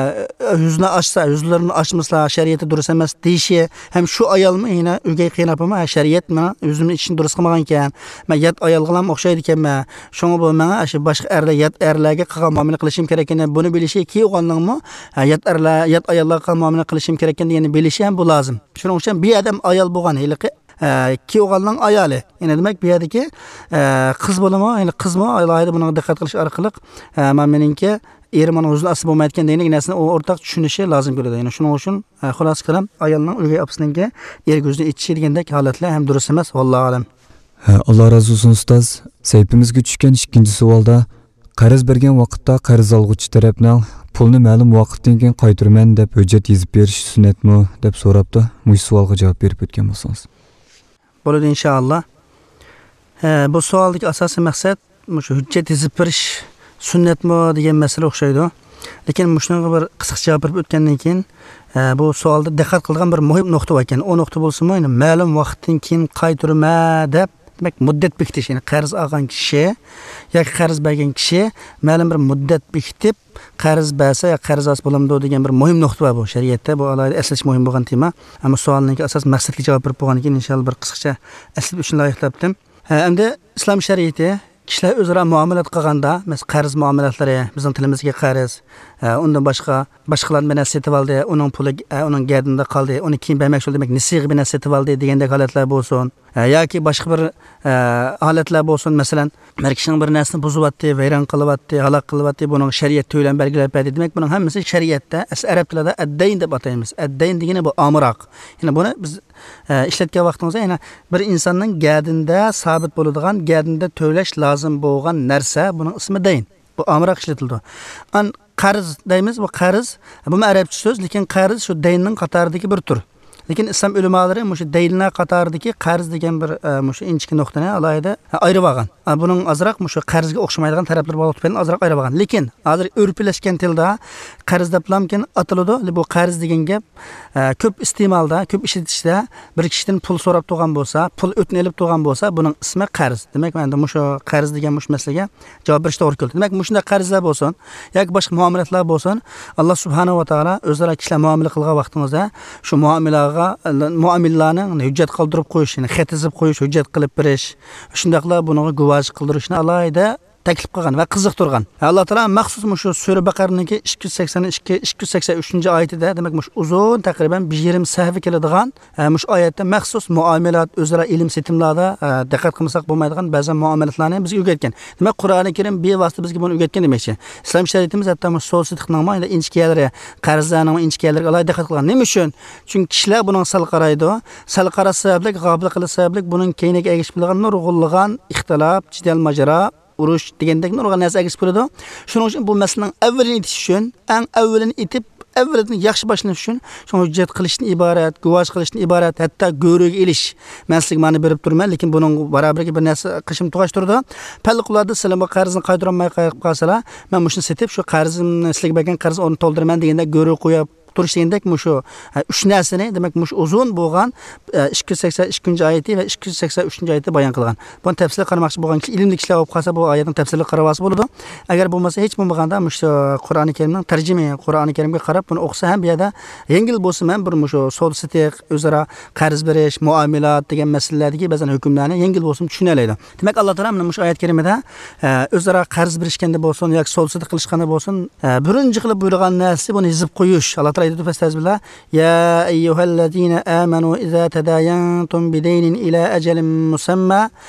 يۈزىنى ئاچسا، يۈزلىرىنى ئاچمىسا شەرىئەتتە دۇرۇس ئەمەس دېيىشى، ھەم شۇ ئايالمۇ يەنە ئۆگەي قېيىنئاپىمۇ، ھە، شەرىئەت ماڭا يۈزۈمنى ئېچىشنى دۇرۇس قىلمىغانىكەن، مەن يات ئايالغىلا ئوخشايدىكەنمەن، شۇڭا بۇ ماڭا شۇ باشقا ئەرلەر، يات ئەرلەرگە قىلغان مۇئامىلە قىلىشىم كېرەككەننى، بۇنى بىلىشى، كىيىۋالغاننىڭمۇ، ھە، يات ئەرلەر، يات ئاياللارغا قىلغان مۇئامىلە قىلىشىم كېرەككەن دېگەننى بىلىشى ھەم بۇ لازىم. شۇنىڭ ئۈچۈن بۇ يەردە ھەم ئايال بولغان ھېلىقى، ئە، كىيىۋالغاننىڭ ئايالى. يەنى دېمەك، بۇ يەردىكى، ئە، قىز بولىمۇ، يەنى قىزمۇ ئالاھىدە بۇنىڭغا دىققەت قىلىش ئارقىلىق، ئە، مانا مېنىڭكى ئېرىم ئۇنىڭ يۈزىنى ئاچسا بولمايدىكەن دېگەندەك نەرسىنى ئۇ ئورتاق چۈشىنىشى لازىم كېلىدۇ. يەنى شۇنىڭ ئۈچۈن، ئە، خۇلاسە كالام، ئايالنىڭ ئۆگەي ئاپىسىنىڭكى ئېرىگە يۈزىنى ئېچىشى دېگەندەك ھالەتلەر ھەم دۇرۇس ئەمەس. ۋاللاھۇ ئەلەم. ھە، ئاللا رازى بولسۇن ئۇستاز. سەھىپىمىزگە چۈشكەن ئىككىنچى سوئالدا، قەرز بەرگەن ۋاقىتتا قەرز ئالغۇچى تەرەپنىڭ «پۇلنى مەلۇم ۋاقىتتىن كېيىن قايتۇرىمەن» دەپ ھۆججەت يېزىپ بېرىشى سۈننەتمۇ؟ دەپ سوراپتۇ. مۇشۇ سوئالغا جاۋاب بېرىپ ئۆتكەن بولسىڭىز. بولىدۇ، ئىنشائاللا. ھە، بۇ سوئالدىكى ئاساسىي مەقسەت مۇشۇ ھۆججەت يېزىپ بېرىش سۈننەتمۇ دېگەن مەسىلە ئوخشايدۇ. لېكىن مۇشۇنىڭغا بىر قىسقىچە جاۋاب بېرىپ ئۆتكەندىن كېيىن، ئە، بۇ سوئالدا دىققەت قىلىدىغان بىر مۇھىم نۇقتا بار ئىكەن. ئۇ نۇقتا بولسىمۇ، يەنى مەلۇم ۋاقىتتىن كېيىن قايتۇرىمەن دەپ، دېمەك، مۇددەت بېكىتىش، يەنى قەرز ئالغان كىشى ياكى قەرز بەرگەن كىشى مەلۇم بىر مۇددەت بېكىتىپ، قەرز بەرسە يا قەرز ئالسا بولامدۇ دېگەن بىر مۇھىم نۇقتا بار بۇ شەرىئەتتە. بۇ ئالاھىدە ئەسلىتىش مۇھىم بولغان تېما. ئەمما سوئالنىڭكى ئاساس مەقسەتكە جاۋاب بېرىپ بولغاندىن كېيىن، ئىنشائاللا، بىر قىسقىچە ئەسلىتىپ ئۆتۈشنى لايىقلاپتىم. ھە، ئەمدى ئىسلام شەرىئىتى كىشىلەر ئۆزئارا مۇئامىلە قىلغاندا، مەسىلەن، قەرز مۇئامىلەتلىرى، بىزنىڭ تىلىمىزدىكى قەرز، ھە، ئۇندىن باشقا، باشقىلاردىن بىر نەرسە سېتىۋالدى، ئۇنىڭ پۇلى، ھە، ئۇنىڭ گەدىنىدە قالدى، ئۇنى كېيىن بەرمەكچى بولدى، دېمەك، نېسىغا بىر نەرسە سېتىۋالدى دېگەندەك ھالەتلەر بولسۇن. ھە، ياكى باشقا بىر، ھە، ھالەتلەر بولسۇن، مەسىلەن، بىر كىشىنىڭ بىر نەرسىنى بۇزۇۋەتتى، ۋەيران قىلىۋەتتى، ھالاك قىلىۋەتتى، بۇنىڭغا شەرىئەت تۆلەم بەلگىلەپ بەردى. دېمەك، بۇنىڭ ھەممىسى شەرىئەتتە، ئەس-، ئەرەب تىلىدا ئەددەين دەپ ئاتايمىز. ئەددەين دېگىنى بۇ ئامراق. يەنى بۇنى بىز ئە، ئىشلەتكەن ۋاقتىڭىزدا يەنە بىر ئىنساننىڭ گەدىنىدە سابىت بولىدىغان، گەدىنىدە تۆلەش لازىم بولغان نەرسە، بۇنىڭ ئىسمى دەين. بۇ ئامراق ئىشلىتىلىدۇ. ئان قەرز دەيمىز، بۇ قەرز، بۇمۇ ئەرەبچە سۆز، لېكىن قەرز شۇ دەيننىڭ قاتارىدىكى بىر تۈر. لېكىن ئىسلام ئۆلىمالىرى مۇشۇ دەينلەر قاتارىدىكى قەرز دېگەن بىر، ئە، مۇشۇ ئىنچىكە نۇقتىنى ئالاھىدە، ئە، ئايرىۋالغان. ئە، بۇنىڭ ئازراق مۇشۇ قەرزگە ئوخشىمايدىغان تەرەپلىرى بارلىقى تۈپەيلىدىن ئازراق ئايرىۋالغان. لېكىن ھازىر ئۆرپلەشكەن تىلدا قەرز دەپلامكىن ئاتىلىدۇ. بۇ قەرز دېگەن گەپ، ئە، كۆپ ئىستېمالدا، كۆپ ئىشلىتىشتە بىر كىشىدىن پۇل سوراپ تۇرغان بولسا، پۇل ئۆتنە ئېلىپ تۇرغان بولسا، بۇنىڭ ئىسمى قەرز. دېمەك، مەندە مۇشۇ قەرز دېگەن مۇشۇ مەسىلىگە جاۋاب بېرىشكە توغرا كېلىدۇ. دېمەك، مۇشۇنداق قەرزلەر بولسۇن ياكى باشقا مۇئامىلەتلەر بولسۇن، ئاللا سۇبھانەھۇ ۋە تائالا ئۆزئارا كىشىلەر مۇئامىلە قىلغان ۋاقتىڭىزدا شۇ مۇئامىلەگە، مۇئامىلىلەرنىڭ ھۆججەت قالدۇرۇپ قويۇش، يەنى خەت يېزىپ قويۇش، ھۆججەت قىلىپ بېرىش، شۇنداقلا بۇنىڭغا گۇۋاھچىلىق قىلدۇرۇشنى ئالاھىدە تەكلىپ قىلغان ۋە قىزىقتۇرغان. ئاللا تائالا مەخسۇس مۇشۇ سۈرە بەقەرىنىڭكى ئىككى يۈز سەكسەن ئىككى، ئىككى يۈز سەكسەن ئۈچىنچى ئايىتىدە، دېمەك، مۇشۇ ئۇزۇن، تەقرىبەن بىر يېرىم سەھىپە كېلىدىغان، ئە، مۇشۇ ئايەتتە مەخسۇس مۇئامىلات، ئۆزئارا ئېلىم سېتىملاردا، ئە، دىققەت قىلمىساق بولمايدىغان بەزى مۇئامىلاتلارنى بىزگە ئۆگەتكەن. دېمەك، قۇرئانى كەرىم بىۋاسىتە بىزگە بۇنى ئۆگەتكەن دېمەكچى. ئىسلام شەرىئىتىمىز ھەتتا مۇشۇ سودا سېتىقنىڭمۇ ئەنە ئىنچىكە يەرلىرى، قەرزلەرنىڭ ئىنچىكە يەرلىرىگە ئالاھىدە دىققەت قىلغان. نېمە ئۈچۈن؟ چۈنكى كىشىلەر بۇنىڭغا سەل قارايدۇ. سەل قاراش سەۋەبلىك، غاپىل قىلىش سەۋەبلىك بۇنىڭ كەينىگە ئەگىشىپ كېلىدىغان نۇرغۇنلىغان ئىختىلاپ، جېدەل، ماجىرا، ئۇرۇش دېگەندەك نۇرغۇن نەرسە ئەگىشىپ كېلىدۇ. شۇنىڭ ئۈچۈن بۇ مەسىلىنىڭ ئەۋۋىلىنى ئېيتىش ئۈچۈن، ئەڭ ئەۋۋىلىنى ئېيتىپ، ئەۋۋىلىدىن ياخشى باشلىنىش ئۈچۈن، شۇڭا ھۆججەت قىلىشتىن ئىبارەت، گۇۋاھ قىلىشتىن ئىبارەت، ھەتتا گۆرۈگە ئېلىش. مەن سىزگە مانا بېرىپ تۇرىمەن، لېكىن بۇنىڭ بارابىرىگە بىر نەرسە قىلىشىمنى توغراشتۇرىدۇ. پەللىقۇلاردا سىلەر بۇ قەرزنى قايتۇرالماي قېلىپ قالسىلا، مەن مۇشۇنى سېتىپ، شۇ قەرزىم، سىلەرگە بەرگەن قەرز ئورنىنى تولدۇرىمەن دېگەندە، گۆرۈگە قويۇپ تۇرۇش دېگەندەك مۇشۇ، ئە، ئۈچ نەرسىنى، دېمەك، مۇشۇ ئۇزۇن بولغان، ئە، ئىككى يۈز سەكسەن ئىككىنچى ئايىتى ۋە ئىككى يۈز سەكسەن ئۈچىنچى ئايىتى بايان قىلغان. بۇنى تەپسىلىي قارىماقچى بولغان كىشى، ئىلىملىك كىشىلەر بولۇپ قالسا، بۇ ئايەتنىڭ تەپسىلىگە قارىۋالسا بولىدۇ. ئەگەر بولمىسا، ھېچ بولمىغاندا مۇشۇ قۇرئانى كەرىمنىڭ تەرجىمە، قۇرئانى كەرىمگە قاراپ بۇنى ئوقۇسا ھەم بۇ يەردە يەڭگىل بولسا، مەن بىر مۇشۇ سودا سېتىق، ئۆزئارا قەرز بېرىش، مۇئامىلات دېگەن مەسىلىلەردىكى بەزەن ھۆكۈملەرنى يەڭگىل بولسىمۇ چۈشىنەلەيدۇ. دېمەك، ئاللا تائالا مانا مۇشۇ ئايەت كەرىمىدە، ئە، ئۆزئارا قەرز بېرىشكەندە بولسۇن ياكى سودا سېتىق قىلىشقاندا بولسۇن، ئە، بىرىنچى قىلىپ بۇيرۇغان نەرسىسى بۇنى يېزىپ قويۇش. ئاللا تائالا ئېيتىدۇ، فەستەزبىللا، يا أيها الذين آمنوا إذا تداينتم بدين إلى أجل مسمى،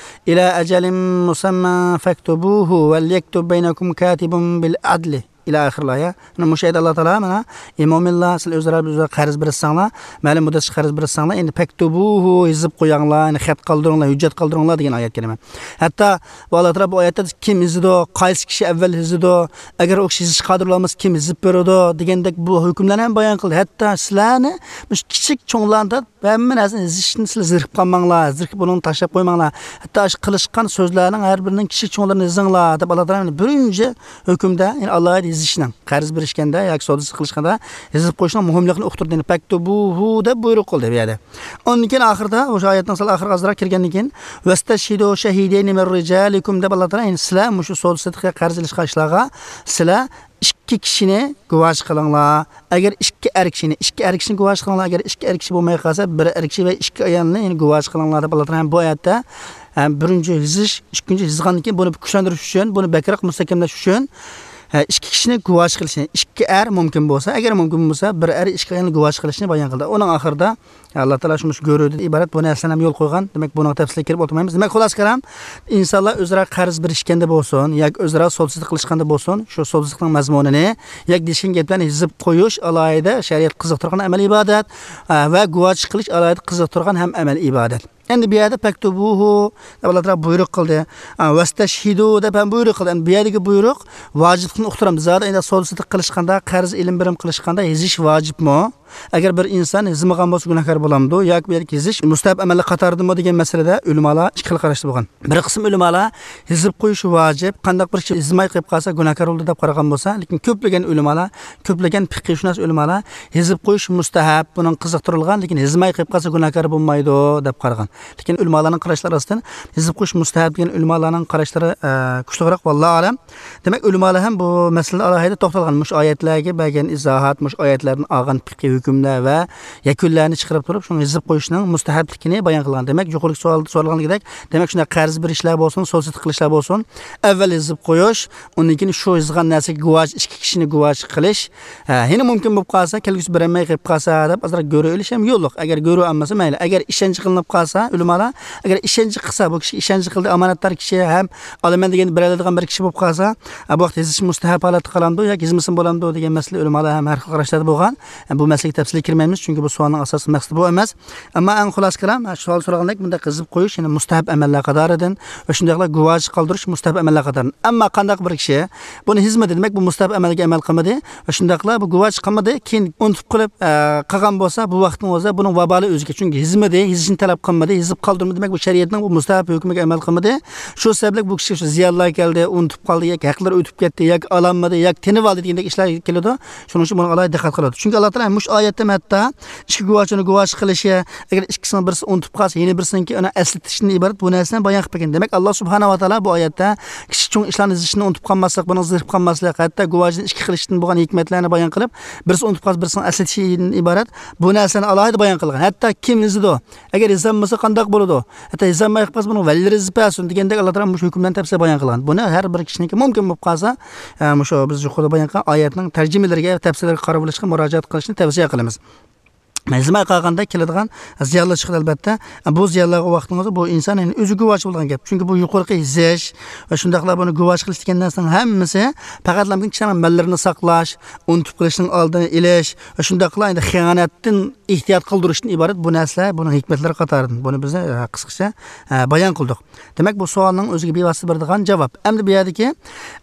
إلى أجل مسمى فاكتبوه وليكتب بينكم كاتب بالعدل. ئىلە ئاخىرىل ئايە. مانا مۇشۇ يەردە ئاللا تائالا مانا، ئى مۆمىنلار، سىلەر ئۆزئارا بىر قەرز بېرىسەڭلار، مەلۇم مۇددەتكە قەرز بېرىسەڭلار، ئەمدى فەكتۇبۇھۇ، يېزىپ قويۇڭلار، يەنى خەت قالدۇرۇڭلار، ھۆججەت قالدۇرۇڭلار دېگەن ئايەت كەرىمە. ھەتتا بۇ ئاللا تائالا بۇ ئايەتتە كىم يېزىدۇ، قايسى كىشى ئەۋۋەل يېزىدۇ، ئەگەر ئۇ كىشى يېزىشقا قادىر بولالمىسا كىم يېزىپ بېرىدۇ دېگەندەك بۇ ھۆكۈملەرنى ھەم بايان قىلدى. ھەتتا سىلەرنى مۇشۇ كىچىك چوڭلارنى ھەممە نەرسىنى يېزىشتىن سىلەر زېرىكىپ قالماڭلار، زېرىكىپ بۇنى تاشلاپ قويماڭلار. ھەتتا ئاشۇ قىلىشقان سۆزلەرنىڭ ھەر بىرىنىڭ كىچىك چوڭلىرىنى يېزىڭلار دەپ، ئاللا تائالا بىرىنچى ھۆكۈمدە، يەنى ئالاھىدە يېزىشنىڭ، قەرز بېرىشكەندە ياكى سودا سېتىق قىلىشقاندا يېزىپ قويۇشنىڭ مۇھىملىقىنى ئۇقتۇردى. يەنى فەكتۇبۇھۇ دەپ بۇيرۇق قىلدى بۇ يەردە. ئۇندىن كېيىن ئاخىرىدا، ئوشۇ ئايەتنىڭ سەل ئاخىرىغا ئازراق كىرگەندىن كېيىن، ۋەستەشھىدۇ شەھىدەينى مىن رىجالىكۇم دەپ، ئاللا تائالا، يەنى سىلەر مۇشۇ سودا سېتىققا قەرز ئېلىشقان ئىشلارغا سىلەر ئىككى كىشىنى گۇۋاچى قىلىڭلار. ئەگەر ئىككى ئەر كىشىنى، ئىككى ئەر كىشىنى گۇۋاچى قىلىڭلار. ئەگەر ئىككى ئەر كىشى بولماي قالسا، بىر ئەر كىشى ۋە ئىككى ئايالنى يەنى گۇۋاچى قىلىڭلار دەپ، ئاللا تائالا ھەم بۇ ئايەتتە، ھەم بىرىنچى يېزىش، ئىككىنچى يېزغاندىن كېيىن بۇنى كۈچلەندۈرۈش ئۈچۈن، بۇنى بەكرەك مۇستەھكەملەش ئۈچۈن، ھە، ئىككى كىشىنى گۇۋاچى قىلىشنى، ئىككى ئەر مۇمكىن بولسا، ئەگەر مۇمكىن بولسا، بىر ئەر ئىككى ئايالنى گۇۋاچى قىلىشنى بايان قىلدى. ئۇنىڭ ئاخىرىدا، ئاللا تائالا شۇ مۇشۇ گۆرۈدىن ئىبارەت بۇ نەرسىلەرنى ھەم يول قويغان. دېمەك، بۇنىڭ تەپسىلىگە كىرىپ ئولتۇرمايمىز. دېمەك، خۇلاسە كالام، ئىنسانلار ئۆزئارا قەرز بېرىشكەندە بولسۇن ياكى ئۆزئارا سودا سېتىق قىلىشقاندا بولسۇن، شۇ سودا سېتىقنىڭ مەزمۇنىنى ياكى دېيىشكەن گەپلەرنى يېزىپ قويۇش ئالاھىدە شەرىئەت قىزىقتۇرغان ئەمەل ئىبادەت، ئە، ۋە گۇۋاچى قىلىش ئالاھىدە قىزىقتۇرغان ھەم ئەمەل ئىبادەت. ئەمدى بۇ يەردە فەكتۇبۇھۇ دەپ ئاللا تائالا بۇيرۇق قىلدى. ئە، ۋەستەشھىدۇ دەپ ھەم بۇيرۇق قىلدى. ئەمدى بۇ يەردىكى بۇيرۇق ۋاجىپلىقنى ئۇقتۇرامدۇ. زادى ئەندى سودا سېتىق قىلىشقاندا، قەرز ئېلىم بېرىم قىلىشقاندا يېزىش ۋاجىپمۇ؟ ئەگەر بىر ئىنسان يېزمىغان بولسا گۇناھكار بولامدۇ؟ ياكى بۇ يەردىكى يېزىش مۇستەھەب ئەمەللەر قاتارىدىمۇ دېگەن مەسىلىدە ئۆلىمالار ئىككى خىل قاراشتا بولغان. بىر قىسىم ئۆلىمالار يېزىپ قويۇش ۋاجىپ، قانداق بىر كىشى يېزماي قېلىپ قالسا گۇناھكار بولىدۇ دەپ قارىغان بولسا، لېكىن كۆپلىگەن ئۆلىمالار، كۆپلىگەن پىقھىيشۇناس ئۆلىمالار يېزىپ قويۇش مۇستەھەب، بۇنىڭ قىزىقتۇرۇلغان، لېكىن يېزماي قېلىپ قالسا گۇناھكار بولمايدۇ دەپ قارىغان. لېكىن ئۆلىمالارنىڭ قاراشلىرى ئاستىن يېزىپ قويۇش مۇستەھەب دېگەن ئۆلىمالارنىڭ قاراشلىرى، ئە، كۈچلۈكرەك، ۋاللاھۇ ئەلەم. دېمەك، ئۆلىمالار ھەم بۇ مەسىلىدە ئالاھىدە توختالغان. مۇشۇ ئايەتلەرگە بەرگەن ئىزاھات، مۇشۇ ئايەتلەردىن ئالغان پىقھىي ھۆكۈملەر ۋە يەكۈنلەرنى چىقىرىپ تۇرۇپ، شۇنى يېزىپ قويۇشنىڭ مۇستەھەبلىكىنى بايان قىلغان. دېمەك، يۇقىرىقى سوئالدا سورالغاندەك، دېمەك، شۇنداق قەرز بېرىشلەر بولسۇن، سودا سېتىق قىلىشلار بولسۇن، ئەۋۋەل يېزىپ قويۇش، ئۇندىن كېيىن شۇ يېزىلغان نەرسىگە گۇۋاچى، ئىككى كىشىنى گۇۋاچى قىلىش. ھە، يەنە مۇمكىن بولۇپ قالسا، كەلگۈسى بېرەلمەي قېلىپ قالسا دەپ ئازراق گۆرۈ ئېلىش ھەم يوللۇق. ئەگەر گۆرۈ ئالمىسا مەيلى. ئەگەر ئىشەنچ قىلىنىپ قالسا، ئۆلىمالار، ئەگەر ئىشەنچ قىلسا، بۇ كىشى ئىشەنچ قىلدى، ئامانەتدار كىشى ھەم ئالىمەن دېگەن بېرەلەيدىغان بىر كىشى بولۇپ قالسا، ھە، بۇ ۋاقىت يېزىش مۇستەھەب ھالەتتە قالامدۇ ياكى يېزمىسىمۇ بولامدۇ دېگەن مەسىلە ئۆلىمالار ھەم ھەر خىل قاراشلاردا بولغان. ھە، بۇ مەسىلىگە تەپسىلىي كىرمەيمىز، چۈنكى بۇ سوئالنىڭ ئاساسىي مەقسىتى بۇ ئەمەس. ئەمما ئەڭ خۇلاسە كالام، ھە، شۇ سوئال سورىغاندەك، بۇنداق يېزىپ قويۇش، يەنى مۇستەھەب ئەمەللەر قاتارىدىن ۋە شۇنداقلا گۇۋاچى قالدۇرۇش مۇستەھەب ئەمەللەر قاتارىدىن. ئەمما قانداق بىر كىشى بۇنى يېزمىدى، دېمەك، بۇ مۇستەھەب ئەمەلگە ئەمەل قىلمىدى ۋە شۇنداقلا بۇ گۇۋاچى قىلمىدى، كېيىن ئۇنتۇپ قېلىپ، ئە، قالغان بولسا، بۇ ۋاقىتنىڭ ئۆزىدە بۇنىڭ ۋابالى ئۆزىگە. چۈنكى يېزمىدى، يېزىشنى تەلەپ قىلمىدى، يېزىپ قالدۇرمىدى، دېمەك، بۇ شەرىئەتنىڭ بۇ مۇستەھەب ھۆكمىگە ئەمەل قىلمىدى. شۇ سەۋەبلىك بۇ كىشىگە شۇ زىيانلار كەلدى، ئۇنتۇپ قالدى ياكى ھەقلىرى ئۆتۈپ كەتتى ياكى ئالالمىدى ياكى تېنىۋالدى دېگەندەك ئىشلار كېلىدۇ. شۇنىڭ ئۈچۈن بۇنىڭغا ئالاھىدە دىققەت قىلىدۇ. چۈنكى ئاللا تائالا مۇشۇ ئايەتتە ھەتتا ئىككى گۇۋاھچىنى گۇۋاھچى قىلىشى، ئەگەر ئىككىسىنىڭ بىرسى ئۇنتۇپ قالسا، يەنە بىرسىنىڭكى ئۇنى ئەسلىتىشتىن ئىبارەت بۇ نەرسىلەرنى بايان قىلىپ بەرگەن. دېمەك، ئاللا سۇبھانەھۇ ۋە تائالا بۇ ئايەتتە كىچىك چوڭ ئىشلارنى يېزىشنى ئۇنتۇپ قالماسلىق، بۇنىڭ زېرىپ قالماسلىق، ھەتتا گۇۋاھچىنى ئىككى قىلىشتىن بولغان ھېكمەتلەرنى بايان قىلىپ، بىرسى ئۇنتۇپ قالسا، بىرسىنىڭ ئەسلىتىشىدىن ئىبارەت بۇ نەرسىلەرنى ئالاھىدە بايان قىلغان. ھەتتا كىم يېزىدۇ، ئەگەر يېزالمىسا قانداق بولىدۇ؟ ھەتتا يېزالماي قالسا بۇنىڭ ۋەلىلىرى يېزىپ بەرسۇن دېگەندەك ئاللا تائالا مۇشۇ ھۆكۈملەرنى تەپسىلىي بايان قىلغان. بۇنى ھەر بىر كىشىنىڭكى مۇمكىن بولۇپ قالسا، ئە، مۇشۇ بىز يۇقىرىدا بايان قىلغان ئايەتنىڭ تەرجىمىلىرىگە، تەپسىرلىرىگە قاراپ ئېلىشقا مۇراجىئەت قىلىشنى تەۋسىيە قىلىمىز. يېزىلماي قالغاندا كېلىدىغان زىيانلار چىقىدۇ، ئەلۋەتتە. بۇ زىيانلارغا ۋاقتىڭىزدا بۇ ئىنسان يەنە ئۆزى گۇۋاھچى بولىدىغان گەپ. چۈنكى بۇ يۇقىرىقى يېزىش ۋە شۇنداقلا بۇنى گۇۋاھچى قىلىش دېگەن نەرسىنىڭ ھەممىسى پەقەتلا كىشىلەرنىڭ ماللىرىنى ساقلاش، ئۇنتۇپ قېلىشنىڭ ئالدىنى ئېلىش ۋە شۇنداقلا ئەندى خىيانەتتىن ئېھتىيات قىلدۇرۇشتىن ئىبارەت بۇ نەرسىلەر، بۇنىڭ ھېكمەتلىرى قاتارىدىن. بۇنى بىز، ئە، قىسقىچە، ئە، بايان قىلدۇق. دېمەك، بۇ سوئالنىڭ ئۆزىگە بىۋاسىتە بېرىدىغان جاۋاب. ئەمدى بۇ يەردىكى،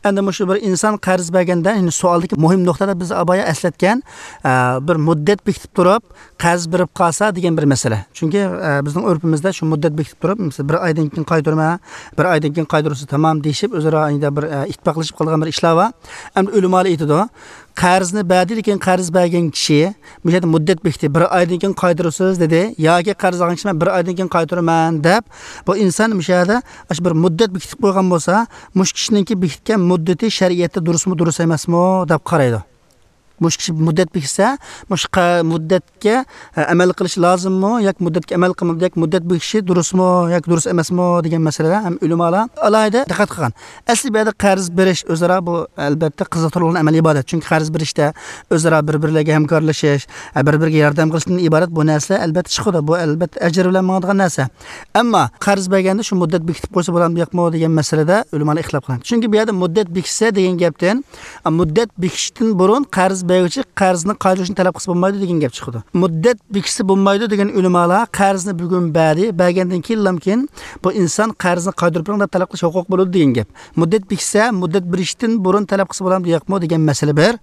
ئەمدى مۇشۇ بىر ئىنسان قەرز بەرگەندە، يەنى سوئالدىكى مۇھىم نۇقتىدا بىز بايا ئەسلەتكەن، ئە، بىر مۇددەت بېكىتىپ تۇرۇپ، قەرز بېرىپ قالسا دېگەن بىر مەسىلە. چۈنكى، ئە، بىزنىڭ ئۆرپىمىزدە شۇ مۇددەت بېكىتىپ تۇرۇپ، مەسىلەن، بىر ئايدىن كېيىن قايتۇرىمەن، بىر ئايدىن كېيىن قايتۇرسا تامام دېيىشىپ، ئۆزئارا ئەندى بىر، ئە، ئىتتىپاقلىشىپ قالغان بىر ئىشلار بار. ئەمدى ئۆلىمالار ئېيتىدۇ، قەرزنى بەردى، لېكىن قەرز بەرگەن كىشى مۇشۇ يەردە مۇددەت بېكىتتى، بىر ئايدىن كېيىن قايتۇرىسىز دېدى، ياكى قەرز ئالغان كىشى مەن بىر ئايدىن كېيىن قايتۇرىمەن دەپ، بۇ ئىنسان مۇشۇ يەردە ئاشۇ بىر مۇددەت بېكىتىپ قويغان بولسا، مۇشۇ كىشىنىڭكى بېكىتكەن مۇددىتى شەرىئەتتە دۇرۇسمۇ، دۇرۇس ئەمەسمۇ دەپ قارايدۇ. مۇشۇ كىشى مۇددەت بېكىتسە، مۇشۇ قە-، مۇددەتكە، ئە، ئەمەل قىلىش لازىممۇ ياكى مۇددەتكە ئەمەل قىلمايدۇ، ياكى مۇددەت بېكىتىشى دۇرۇسمۇ ياكى دۇرۇس ئەمەسمۇ دېگەن مەسىلىدە ھەم ئۆلىمالار ئالاھىدە دىققەت قىلغان. ئەسلى بۇ يەردە قەرز بېرىش ئۆزئارا بۇ، ئەلبەتتە، قىزىقتۇرغۇلىنىش ئەمەلىي ئىبادەت. چۈنكى قەرز بېرىشتە ئۆزئارا بىر-بىرلەرگە ھەمكارلىشىش، ئە، بىر-بىرىگە ياردەم قىلىشتىن ئىبارەت بۇ نەرسىلەر، ئەلبەتتە، چىقىدۇ. بۇ، ئەلبەتتە، ئەجىر بىلەن ماڭىدىغان نەرسە. ئەمما قەرز بەرگەندە شۇ مۇددەت بېكىتىپ قويسا بولامدۇ ياقمۇ دېگەن مەسىلىدە ئۆلىمالار ئىختىلاپ قىلغان. چۈنكى بۇ يەردە مۇددەت بېكىتسە دېگەن گەپتىن، ئە، مۇددەت بېكىتىشتىن بۇرۇن قەرز بەرگۈچى قەرزنى قايتۇرۇشنى تەلەپ قىلسا بولمايدۇ دېگەن گەپ چىقىدۇ. مۇددەت بېكىتسە بولمايدۇ دېگەن ئۆلىمالار قەرزنى بۈگۈن بەردى، بەرگەندىن كېيىنلامكىن بۇ ئىنسان قەرزنى قايتۇرۇپ بېرىڭ دەپ تەلەپ قىلىش ھوقۇقى بولىدۇ دېگەن گەپ. مۇددەت بېكىتسە، مۇددەت بېرىشتىن بۇرۇن تەلەپ قىلسا بولامدۇ ياقمۇ دېگەن مەسىلە بىر.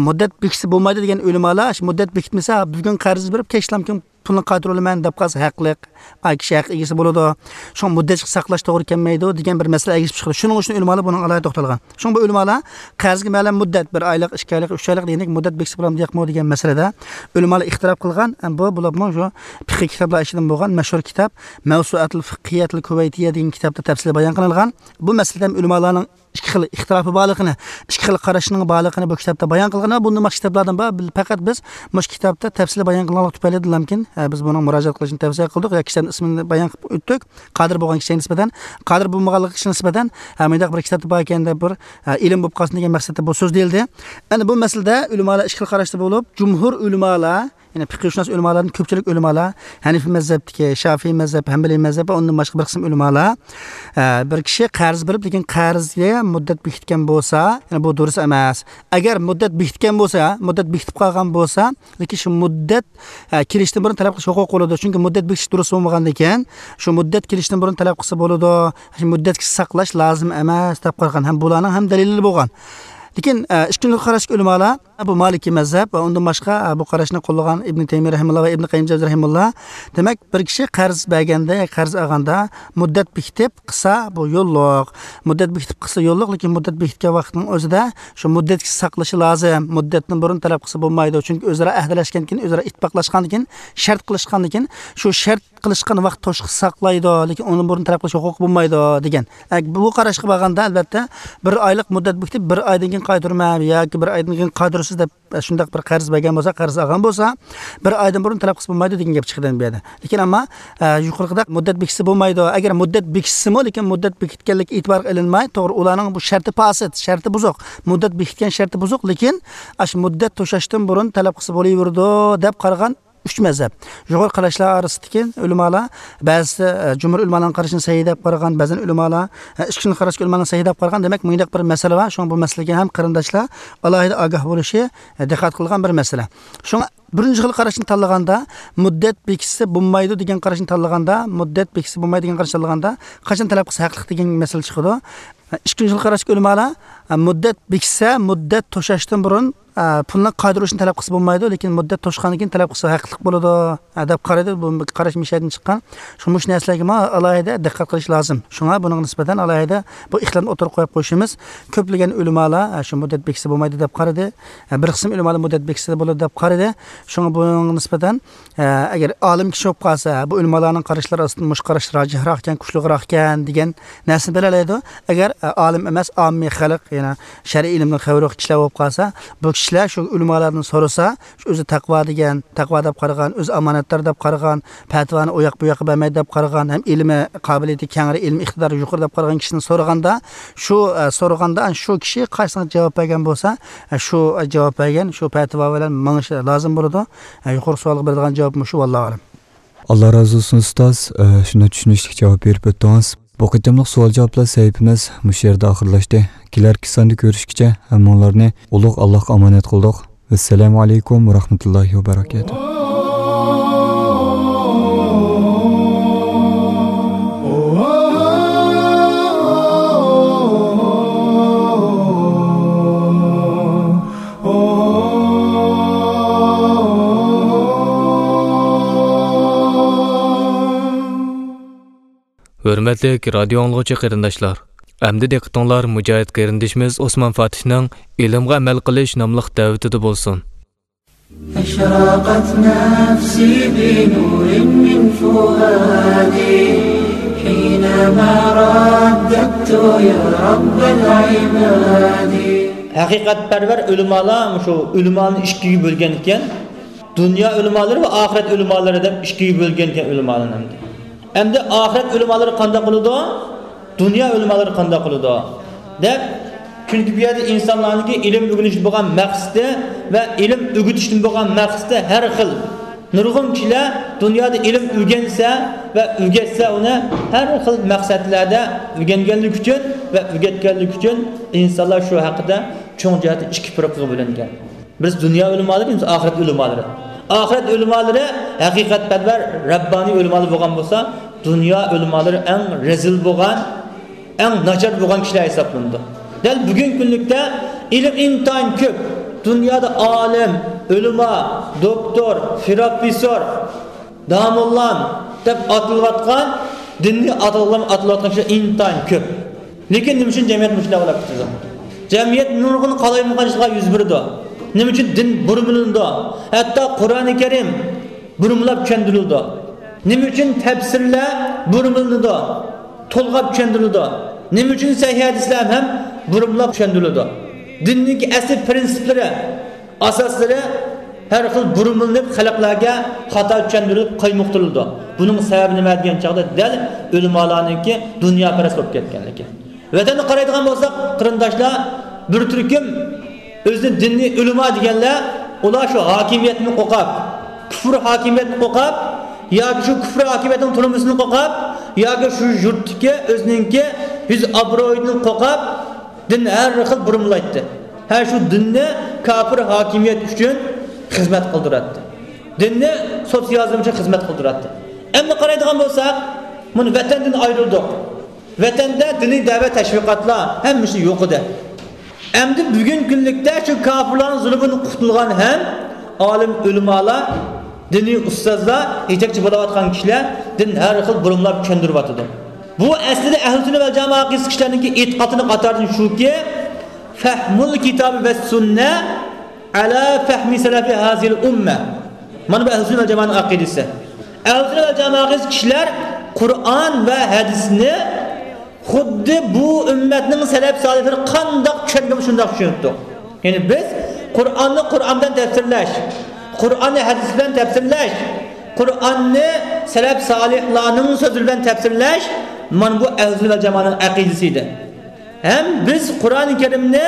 مۇددەت بېكىتسە بولمايدۇ دېگەن ئۆلىمالار، مۇددەت بېكىتمىسە، بۈگۈن قەرز بېرىپ، كەچلەمكىن پۇلنى قايتۇرۇۋالىمەن دەپ قالسا ھەقلىق، ئاي كىشى ھەق ئىگىسى بولىدۇ. شۇڭا مۇددەتكە ساقلاش توغرا كەلمەيدۇ دېگەن بىر مەسىلە ئەگىشىپ چىقىدۇ. شۇنىڭ ئۈچۈن ئۆلىمالار بۇنىڭغا ئالاھىدە توختالغان. شۇڭا بۇ ئۆلىمالار قەرزگە مەلۇم مۇددەت، بىر ئايلىق، ئىككى ئايلىق، ئۈچ ئايلىق دېگەندەك مۇددەت بېكىتسە بولامدۇ ياقمۇ دېگەن مەسىلىدە ئۆلىمالار ئىختىلاپ قىلغان. بۇ بولۇپمۇ شۇ پىقھىي كىتابلار ئىچىدىن بولغان مەشھۇر كىتاب مەۋسۇئەتۇل فىقھىيەتىل كۇۋەيتىيە دېگەن كىتابتا تەپسىلىي بايان قىلىنغان. بۇ مەسىلىدە ھەم ئۆلىمالارنىڭ ئىككى خىل ئىختىلاپى بارلىقىنى، ئىككى خىل قاراشنىڭ بارلىقىنى بۇ كىتابتا بايان قىلغان ۋە بۇندىن باشقا كىتابلاردىن بار. بىل-، پەقەت بىز مۇشۇ كىتابتا تەپسىلىي بايان قىلغانلىق تۈپەيلىدىنلامكىن، ئە، بىز بۇنىڭ مۇراجىئەت قىلىشنى تەۋسىيە قىلدۇق. يا كىشىلەرنىڭ ئىسمىنى بايان قىلىپ ئۆتتۇق. قادىر بولغان كىشىگە نىسبەتەن، قادىر بولمىغانلىق كىشىگە نىسبەتەن، ھە، مۇنداق بىر كىتابتا بار ئىكەن دەپ بىر، ھە، ئىلىم بولۇپ قالسۇن دېگەن مەقسەتتە بۇ سۆز دېيىلدى. ئەنە بۇ مەسىلىدە ئۆلىمالار ئىككى خىل قاراشتا بولۇپ، جۇمھۇر ئۆلىمالار، يەنى پىقىھشۇناس ئۆلىمالاردىن كۆپچىلىك ئۆلىمالار، ھەنىفىي مەزھەپتىكى، شافىئىي مەزھەپ، ھەنبەلىي مەزھەپ ۋە ئۇندىن باشقا بىر قىسىم ئۆلىمالار، ئە، بىر كىشى قەرز بېرىپ، لېكىن قەرزگە مۇددەت بېكىتكەن بولسا، يەنى بۇ دۇرۇس ئەمەس. ئەگەر مۇددەت بېكىتكەن بولسا، مۇددەت بېكىتىپ قالغان بولسا، لېكىن شۇ مۇددەت، ئە، كېلىشتىن بۇرۇن تەلەپ قىلىش ھوقۇقى بولىدۇ. چۈنكى مۇددەت بېكىتىش دۇرۇس بولمىغاندىكىن، شۇ مۇددەت كېلىشتىن بۇرۇن تەلەپ قىلسا بولىدۇ. شۇ مۇددەتكىچە ساقلاش لازىم ئەمەس دەپ قارىغان ھەم بۇلارنىڭ ھەم دەلىلى بولغان. لېكىن، ئە، ئىككىنچى قاراشتىكى ئۆلىمالار، بۇ مالىكىي مەزھەپ ۋە ئۇندىن باشقا، ئە، بۇ قاراشنى قوللىغان ئىبنى تەيمىيە رەھىمۇللا ۋە ئىبنى قەييىم جەۋزى رەھىمۇللا. دېمەك، بىر كىشى قەرز بەرگەندە، قەرز ئالغاندا مۇددەت بېكىتىپ قىلسا، بۇ يوللۇق. مۇددەت بېكىتىپ قىلسا يوللۇق، لېكىن مۇددەت بېكىتكەن ۋاقىتنىڭ ئۆزىدە شۇ مۇددەتكىچە ساقلىشى لازىم. مۇددەتتىن بۇرۇن تەلەپ قىلسا بولمايدۇ. چۈنكى ئۆزئارا ئەھدىلەشكەندىن كېيىن، ئۆزئارا ئىتتىپاقلاشقاندىن كېيىن، شەرت قىلىشقاندىن كېيىن، شۇ شەرت قىلىشقان ۋاقىت توشقا ساقلايدۇ، لېكىن ئۇنىڭدىن بۇرۇن تەلەپ قىلىش ھوقۇقى بولمايدۇ، دېگەن. ئە، بۇ قاراشقا بارغاندا، ئەلۋەتتە، بىر ئايلىق مۇددەت بېكىتىپ، بىر ئايدىن كېيىن قايتۇرىمەن ياكى بىر ئايدىن كېيىن قايتۇرىسىز دەپ، ئە، شۇنداق بىر قەرز بەرگەن بولسا، قەرز ئالغان بولسا، بىر ئايدىن بۇرۇن تەلەپ قىلسا بولمايدۇ دېگەن گەپ چىقىدۇ بۇ يەردە. لېكىن ئەمما، ئە، يۇقىرىقىدا مۇددەت بېكىتسە بولمايدۇ. ئەگەر مۇددەت بېكىتسىمۇ، لېكىن مۇددەت بېكىتكەنلىكى ئېتىبارغا ئېلىنماي، توغرا، ئۇلارنىڭ بۇ شەرتى پاسىد، شەرتى بۇزۇق. مۇددەت بېكىتكەن شەرتى بۇزۇق، لېكىن ئاشۇ مۇددەت توشاشتىن بۇرۇن تەلەپ قىلسا بولۇۋېرىدۇ دەپ قارىغان ئۈچ مەزھەپ. يۇقىرى قاراشلار ئارىسىدىكى ئۆلىمالار، بەزىسى، ئە، جۇمھۇر ئۆلىمالارنىڭ قارىشىنى سەھىھ دەپ قارىغان، بەزەن ئۆلىمالار، ئە، ئىككىنچى قاراشتىكى ئۆلىمالارنى سەھىھ دەپ قارىغان. دېمەك، مۇنداق بىر مەسىلە بار. شۇڭا بۇ مەسىلىگە ھەم قېرىنداشلار ئالاھىدە ئاگاھ بولۇشى، ئە، دىققەت قىلغان بىر مەسىلە. شۇڭا بىرىنچى خىل قاراشنى تاللىغاندا، مۇددەت بېكىتسە بولمايدۇ دېگەن قاراشنى تاللىغاندا، مۇددەت بېكىتسە بولمايدۇ دېگەن قاراشنى تاللىغاندا، قاچان تەلەپ قىلسا ھەقلىق دېگەن مەسىلە چىقىدۇ. ئىككىنچى خىل قاراشتىكى ئۆلىمالار، مۇددەت بېكىتسە، مۇددەت توشاشتىن بۇرۇن، پۇلنى قايتۇرۇشنى تەلەپ قىلسا بولمايدۇ، لېكىن مۇددەت توشقاندىن كېيىن تەلەپ قىلسا ھەقلىق بولىدۇ، دەپ قارايدۇ. بۇ قاراش مىشەدىن چىققان. شۇ مۇشۇ نەرسىلەرگىمۇ ئالاھىدە دىققەت قىلىش لازىم. شۇڭا بۇنىڭغا نىسبەتەن ئالاھىدە بۇ ئىختىلافنى ئوتتۇرىغا قويۇپ قويۇشىمىز. كۆپلىگەن ئۆلىمالار، شۇ مۇددەت بېكىتسە بولمايدۇ دەپ قارىدى. بىر قىسىم ئۆلىمالار مۇددەت بېكىتسە بولىدۇ دەپ قارىدى. شۇڭا بۇنىڭغا نىسبەتەن، ئە، ئەگەر ئالىم كىشى بولۇپ قالسا، بۇ ئۆلىمالارنىڭ قاراشلىرى ئاستىدا مۇشۇ قاراش راجىھراق ئىكەن، كۈچلۈكراق ئىكەن دېگەن نەرسىنى بىلەلەيدۇ. ئەگەر، ئە، ئالىم ئەمەس، ئاممىي خەلق، يەنى شەرئىي ئىلىمدىن خەۋىرى يوق كىشىلەر بولۇپ قالسا، بۇ كىشىلەر شۇ ئۆلىمالاردىن سورىسا، شۇ ئۆزى تەقۋا دېگەن، تەقۋا دەپ قارىغان، ئۆزى ئامانەتدار دەپ قارىغان، پەتىۋانى ئۇ ياققا بۇ ياققا بەرمەيدۇ دەپ قارىغان، ھەم ئىلمى قابىلىيىتى كەڭرى، ئىلمىي ئىقتىدارى يۇقىرى دەپ قارىغان كىشىدىن سورىغاندا، شۇ، ئە، سورىغاندا شۇ كىشى قايسىڭ جاۋاب بەرگەن بولسا، ئە، شۇ، ئە، جاۋاب بەرگەن، شۇ پەتىۋا بىلەن مېڭىشى لازىم بولىدۇ. ئە، يۇقىرىقى سوئالغا بېرىدىغان جاۋاب مۇشۇ، ۋاللاھۇ ئەلەم. ئاللا رازى بولسۇن، ئۇستاز. ئە، شۇنداق چۈشىنىشلىك جاۋاب بېرىپ ئۆتتىڭىز. بۇ قېتىملىق سوئال-جاۋابلار سەھىپىمىز مۇشۇ يەردە ئاخىرلاشتى. كېلەركى ساندا كۆرۈشكىچە ھەممىڭلارنى ئۇلۇغ ئاللاھقا ئامانەت قىلدۇق. ۋەسسالامۇ ئەلەيكۇم ۋە رەھمەتۇللاھى ۋە بەرەكاتۇھ. ھۆرمەتلىك رادىيو ئاڭلىغۇچى قېرىنداشلار، ئەمدى دىققىتىڭلار مۇجاھىد قېرىندىشىمىز ئوسمان فاتىھنىڭ ئىلىمغا ئەمەل قىلىش ناملىق دەۋىتىدە بولسۇن. أشرقت نفسي بنور من فؤادي حينما رددت يا رب العباد. ھەقىقەتپەرۋەر ئۆلىمالار مۇشۇ ئۆلىمالارنى ئىككىگە بۆلگەن ئىكەن. دۇنيا ئۆلىمالىرى ۋە ئاخىرەت ئۆلىمالىرى دەپ ئىككىگە بۆلگەن ئىكەن ئۆلىمالارنى ئەمدى. ئەمدى ئاخىرەت ئۆلىمالىرى قانداق بولىدۇ؟ دۇنيا ئۆلىمالىرى قانداق بولىدۇ؟ دەپ، چۈنكى بۇ يەردە ئىنسانلارنىڭكى ئىلىم ئۆگىنىشتىن بولغان مەقسىتى ۋە ئىلىم ئۆگىتىشتىن بولغان مەقسىتى ھەر خىل. نۇرغۇن كىشىلەر دۇنيادا ئىلىم ئۆگەنسە ۋە ئۆگەتسە ئۇنى ھەر خىل مەقسەتلەردە ئۆگەنگەنلىكى ئۈچۈن ۋە ئۆگەتكەنلىكى ئۈچۈن ئىنسانلار شۇ ھەققىدە چوڭ جەھەتتە ئىككى پىرقىغا بۆلۈنگەن. بىرسى دۇنيا ئۆلىمالىرى، ئىككىنچىسى ئاخىرەت ئۆلىمالىرى. ئاخىرەت ئۆلىمالىرى ھەقىقەتپەرۋەر، رەببانىي ئۆلىمالار بولغان بولسا، دۇنيا ئۆلىمالىرى ئەڭ رەزىل بولغان، ئەڭ ناچار بولغان كىشىلەر ھېسابلىنىدۇ. دەل بۈگۈنكى كۈنلۈكتە ئىلىم ئىنتايىن كۆپ. دۇنيادا ئالىم، ئۆلىما، دوكتور، پىروفېسسور، داموللام دەپ ئاتىلىۋاتقان، دىننى ئاتالغان، ئاتىلىۋاتقان كىشىلەر ئىنتايىن كۆپ. لېكىن نېمە ئۈچۈن جەمئىيەت مۇشۇنداق بولاپ كېتىدۇ؟ جەمئىيەت نۇرغۇن قالايمىقانچىلىقلار يۈز بېرىدۇ. نېمە ئۈچۈن دىن بۇرمىلىنىدۇ؟ ھەتتا قۇرئانى كەرىم بۇرمىلاپ چۈشەندۈرۈلىدۇ. نېمە ئۈچۈن تەپسىرلەر بۇرمىلىنىدۇ؟ تولغاپ چۈشەندۈرۈلىدۇ. نېمە ئۈچۈن سەھىھ ھەدىسلەر ھەم بۇرمىلاپ چۈشەندۈرۈلىدۇ؟ دىننىڭكى ئەسلى پىرىنسىپلىرى، ئاساسلىرى ھەر خىل بۇرمىلىنىپ، خەلقلەرگە خاتا چۈشەندۈرۈلۈپ قايمۇقتۇرۇلىدۇ. بۇنىڭ سەۋەبى نېمە دېگەن چاغدا، دەل ئۆلىمالارنىڭكى دۇنياپەرەس بولۇپ كەتكەنلىكى. ۋەتەندە قارايدىغان بولساق، قېرىنداشلار، بىر تۈركۈم ئۆزىنى دىنىي ئۆلىما دېگەنلەر، ئۇلار شۇ ھاكىمىيەتتىن قورقۇپ، كۇفر ھاكىمىيەتتىن قورقۇپ، ياكى شۇ كۇفر ھاكىمىيەتنىڭ تۈرمىسىدىن قورقۇپ، ياكى شۇ يۇرتتىكى ئۆزىنىڭكى يۈز ئابرۇيىدىن قورقۇپ، دىن ھەر خىل بۇرمىلايتتى. ھە، شۇ دىننى كاپىر ھاكىمىيەت ئۈچۈن خىزمەت قىلدۇراتتى. دىننى سوتسىيالىزم ئۈچۈن خىزمەت قىلدۇراتتى. ئەمدى قارايدىغان بولساق، مانا ۋەتەندىن ئايرىلدۇق. ۋەتەندە دىنىي دەۋەت، تەشۋىقاتلار ھەممىسى يوق ئىدى. ئەمدى بۈگۈنكى كۈنلۈكتە شۇ كاپىرلارنىڭ زۇلمىدىن قۇتۇلغان ھەم ئالىم ئۆلىمالار، دىنىي ئۇستازلار، يېتەكچى بولاۋاتقان كىشىلەر دىن ھەر خىل بۇرمىلاپ چۈشەندۈرۈۋاتىدۇ. بۇ ئەسلىدە ئەھلى سۈننە ۋەل جامائە ئەقىدىسى كىشىلەرنىڭكى ئېتىقادىنىڭ قاتارىدىن شۇكى، فەھمۇل كىتابى ۋە سۈننە ئەلا فەھمى سەلەفى ھازىل ئۇممە. مانا بۇ ئەھلى سۈننە ۋەل جامائەنىڭ ئەقىدىسى. ئەھلى سۈننە ۋەل جامائە ئەقىدىسى كىشىلەر قۇرئان ۋە ھەدىسنى خۇددى بۇ ئۈممەتنىڭ سەلەپ سالىھلىرى قانداق چۈشەنگەن شۇنداق چۈشىنىپتۇ. يەنى بىز قۇرئاننى قۇرئان بىلەن تەپسىرلەش، قۇرئاننى ھەدىس بىلەن تەپسىرلەش، قۇرئاننى سەلەپ سالىھلارنىڭ سۆزى بىلەن تەپسىرلەش، مانا بۇ ئەھلى سۈننە ۋەل جامائەنىڭ ئەقىدىسى ئىدى. ھەم بىز قۇرئان كەرىمنى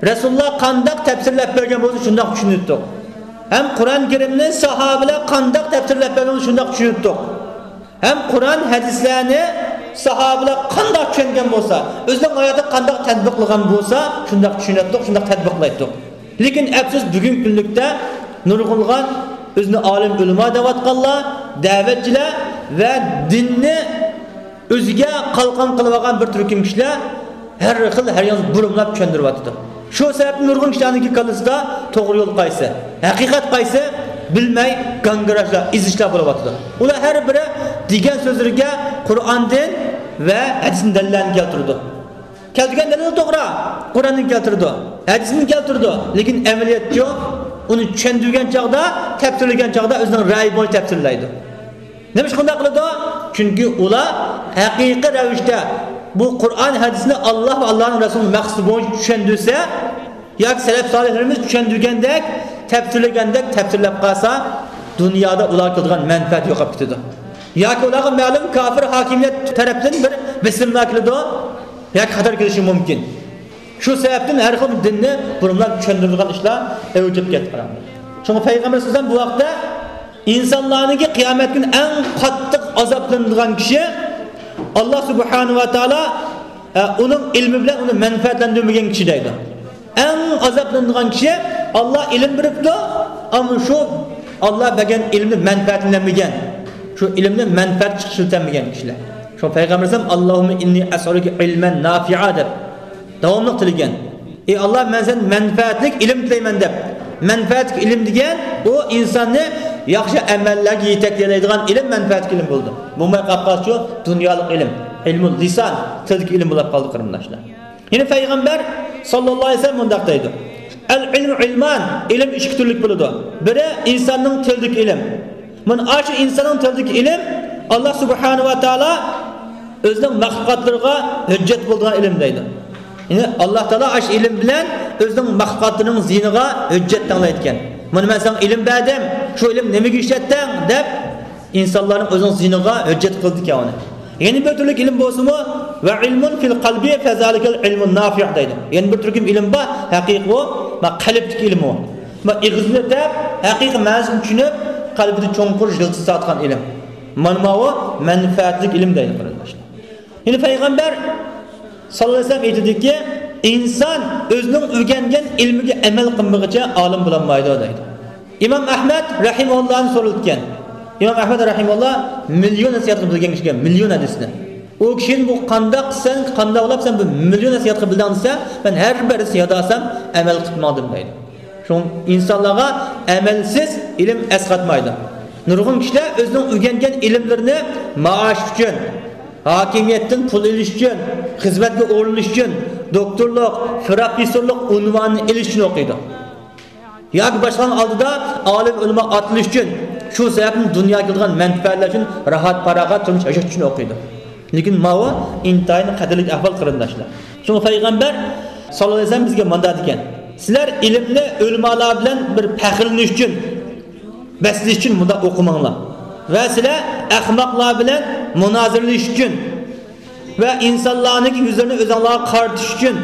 رەسۇلۇللا قانداق تەپسىرلەپ بەرگەن بولسا، شۇنداق چۈشىنىۋەتتۇق. ھەم قۇرئان كەرىمنى ساھابىلەر قانداق تەپسىرلەپ بەرگەن بولسا، شۇنداق چۈشىنىۋەتتۇق. ھەم قۇرئان ھەدىسلەرنى ساھابىلەر قانداق چۈشەنگەن بولسا، ئۆزىنىڭ ھاياتىغا قانداق تەتبىقلىغان بولسا، شۇنداق چۈشىنەتتۇق، شۇنداق تەتبىقلايتتۇق. لېكىن ئەپسۇس، بۈگۈنكى كۈنلۈكتە نۇرغۇنلىغان ئۆزىنى ئالىم ئۆلىما دەۋاتقانلار، دەۋەتچىلەر ۋە دىننى ئۆزىگە قالقان قىلىۋالغان بىر تۈركۈم كىشىلەر ھەر خىل، ھەر ياندا بۇرمىلاپ چۈشەندۈرۈۋاتىدۇ. شۇ سەۋەبتىن نۇرغۇن كىشىلەرنىڭكى كاللىسىدا توغرا يول قايسى، ھەقىقەت قايسى بىلمەي گاڭگىراشلار، ئېزىشلار بولۇۋاتىدۇ. ئۇلار ھەر بىرى دېگەن سۆزلىرىگە قۇرئاندىن ۋە ھەدىستىن دەلىللەرنى كەلتۈرىدۇ. كەلتۈرگەن دەلىل توغرا، قۇرئاندىن كەلتۈرىدۇ، ھەدىستىن كەلتۈرىدۇ، لېكىن ئەمەلىيەتچۇ؟ ئۇنى چۈشەندۈرگەن چاغدا، تەپسىرلىگەن چاغدا ئۆزىنىڭ رەئيى بويىچە تەپسىرلەيدۇ. نېمىشقا شۇنداق قىلىدۇ؟ چۈنكى ئۇلار ھەقىقىي رەۋىشتە بۇ قۇرئان ھەدىسنى ئاللاھ ۋە ئاللاھنىڭ رەسۇلىنىڭ مەقسىتى بويىچە چۈشەندۈرسە، ياكى سەلەف سالىھلىرىمىز چۈشەندۈرگەندەك، تەپسىرلىگەندەك تەپسىرلەپ قالسا، دۇنيادا ئۇلارغا كېلىدىغان مەنپەئەت يوقاپ كېتىدۇ. ياكى ئۇلارغا مەلۇم كاپىر ھاكىمىيەت تەرەپتىن بىر بېسىملار كېلىدۇ، ياكى خەتەر كېلىشى مۇمكىن. شۇ سەۋەبتىن ھەر خىل دىننى بۇرۇنلار چۈشەندۈرىدىغان ئىشلار ئەۋج ئېلىپ كەتتى، قاراڭلار. شۇڭا پەيغەمبەر سەللەللاھۇ ئەلەيھى ۋەسەللەم بۇ ھەقتە، ئىنسانلارنىڭكى قىيامەت كۈنى ئەڭ قاتتىق ئازابلىنىدىغان كىشى، ئاللاھ سۇبھانەھۇ ۋە تائالا، ئە، ئۇنىڭ ئىلمى بىلەن ئۇنى مەنپەئەتلەندۈرمىگەن كىشى دەيدۇ. ئەڭ ئازابلىنىدىغان كىشى، ئاللاھ ئىلىم بېرىپتۇ، ئەمما شۇ ئاللاھ بەرگەن ئىلىمنى مەنپەئەتلەنمىگەن، شۇ ئىلىمنى مەنپەئەتكە ئىشلىتەلمىگەن كىشىلەر. شۇ پەيغەمبىرىمىز ھەم، «ئاللاھۇممە ئىننى ئەسئەلۇكە ئىلمەن نافىئا» دەپ داۋاملىق تىلىگەن. «ئى ئاللاھ، مەن سەندىن مەنپەئەتلىك ئىلىم تىلەيمەن» دەپ، مەنپەئەتلىك ئىلىم دېگەن ئۇ ئىنساننى ياخشى ئەمەللەرگە يېتەكلەيدىغان ئىلىم مەنپەئەتلىك ئىلىم بولىدۇ. بولماي قاپقالسا شۇ دۇنيالىق ئىلىم، ئىلمۇل لىسان، تىلدىكى ئىلىم بولاپ قالدى، قېرىنداشلار. يەنە پەيغەمبەر ساللاللاھۇ ئەلەيھى ۋەسەللەم مۇنداق دەيدۇ، «ئەل ئىلمۇ ئىلمان»، ئىلىم ئىككى تۈرلۈك بولىدۇ. بىرى ئىنساننىڭ تىلىدىكى ئىلىم. مانا ئاشۇ ئىنساننىڭ تىلىدىكى ئىلىم ئاللاھ سۇبھانەھۇ ۋە تائالا ئۆزىنىڭ مەخلۇقاتلىرىغا ھۆججەت بولىدىغان ئىلىم دەيدۇ. يەنى ئاللاھ تائالا ئاشۇ ئىلىم بىلەن ئۆزىنىڭ مەخلۇقاتلىرىنىڭ زىيىنىغا ھۆججەت دەڭلەيدىكەن. مانا مەن ساڭا ئىلىم بەردىم، شۇ ئىلىم نېمىگە ئىشلەتتىڭ دەپ ئىنسانلارنىڭ ئۆزىنىڭ زىيىنىغا ھۆججەت قىلىدىكەن ئۇنى. يەنە بىر تۈرلۈك ئىلىم بولسىمۇ، ۋە ئىلمۇن فىل قەلبى فەزالىكەل ئىلمۇن نافىئ دەيدۇ. يەنە بىر تۈركۈم ئىلىم بار، ھەقىقىي ئۇ، ما قەلبتىكى ئىلىم ئۇ. ما ئېغىزدىن ئۆتەپ، ھەقىقىي مەنىسىنى چۈشىنىپ، قەلبىدە چوڭقۇر يىلتىز تارتقان ئىلىم. مانا ماۋۇ مەنپەئەتلىك ئىلىم دەيدۇ، قېرىنداشلار. يەنە پەيغەمبەر ساللاللاھۇ ئەلەيھى ۋەسەللەم ئېيتىدۇكى، ئىنسان ئۆزىنىڭ ئۆگەنگەن ئىلمىگە ئەمەل قىلمىغىچە ئالىم بولالمايدۇ دەيدۇ. ئىمام ئەھمەد رەھىمەھۇللاھنى سورىلىدىكەن. ئىمام ئەھمەد رەھىمەھۇللاھ مىليون نەسىھەتنى بىلگەن كىشى ئىكەن، مىليون ھەدىسنى. ئۇ كىشىدىن بۇ قانداق قىلسەن، قانداق بولۇپ سەن بۇ مىليون نەسىھەتنى بىلدىڭ دېسە، مەن ھەر بىر ھەدىسنى ياد ئالسام ئەمەل قىلىپ ماڭدىم دەيدۇ. شۇڭا ئىنسانلارغا ئەمەلسىز ئىلىم ئەسقاتمايدۇ. نۇرغۇن كىشىلەر ئۆزىنىڭ ئۆگەنگەن ئىلىملىرىنى مائاش ئۈچۈن، ھاكىمىيەتتىن پۇل ئېلىش ئۈچۈن، خىزمەتكە ئورۇنلىشىش ئۈچۈن، دوكتورلۇق، پروفېسسورلۇق ئۇنۋانىنى ئېلىش ئۈچۈن ئوقۇيدۇ. ياكى باشقىلارنىڭ ئالدىدا ئالىم ئۆلىما ئاتىلىش ئۈچۈن، شۇ سەۋەبتىن دۇنياغا كېلىدىغان مەنپەئەتلەر ئۈچۈن، راھەت پاراغەت تۇرمۇش ياشاش ئۈچۈن ئوقۇيدۇ. لېكىن ماۋۇ ئىنتايىن خەتەرلىك ئەھۋال، قېرىنداشلار. شۇڭا پەيغەمبەر ساللاللاھۇ ئەلەيھى ۋەسەللەم بىزگە مۇنداق دېگەن، سىلەر ئىلىمنى ئۆلىمالار بىلەن بىر پەخىرلىنىش ئۈچۈن، بەسلىشىش ئۈچۈن مۇنداق ئوقۇماڭلار. ۋە سىلەر ئەخمەقلار بىلەن مۇنازىرىلىشىش ئۈچۈن ۋە ئىنسانلارنىڭكى يۈزلىرىنى ئۆزۈڭلارغا قارىتىش ئۈچۈن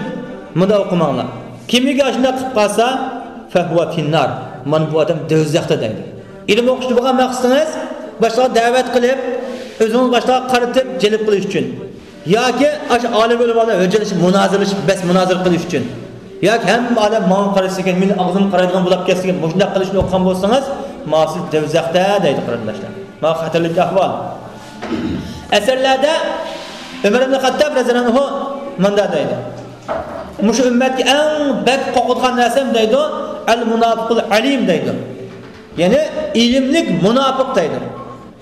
مۇنداق ئوقۇماڭلار. كىمكى ئاشۇنداق قىلىپ قالسا، فەھۇۋە فىننار، مانا بۇ ئادەم دوزاختا دەيدۇ. ئىلىم ئوقۇشتا بولغان مەقسىتىڭىز باشقىلارغا دەۋەت قىلىپ، ئۆزىڭىز باشقىلارغا قارىتىپ جەلپ قىلىش ئۈچۈن ياكى ئاشۇ ئالىم ئۆلىمالار ھۆججەتلىشىپ، مۇنازىرىلىشىپ، بەس مۇنازىرە قىلىش ئۈچۈن ياكى ھەممە ئادەم ماڭا قارىسىكەن، مېنى ئاغزىم قارايدىغان بولاپ كەتسىكەن، مۇشۇنداق قىلىشنى ئوقۇغان بولسىڭىز، ماۋۇ سىز دوزاختا دەيدۇ، قېرىنداشلار. ماۋۇ خەتەرلىك ئەھۋال. ئەسەرلەردە ئۆمەر ئىبن خەتتاب رەزىيەللاھۇ ئەنھۇ مۇنداق دەيدۇ، مۇشۇ ئۈممەتكە ئەڭ بەك قورقىدىغان نەرسەم دەيدۇ، ئەل مۇناپىقۇل ئەلىم دەيدۇ. يەنى ئىلىملىك مۇناپىق دەيدۇ.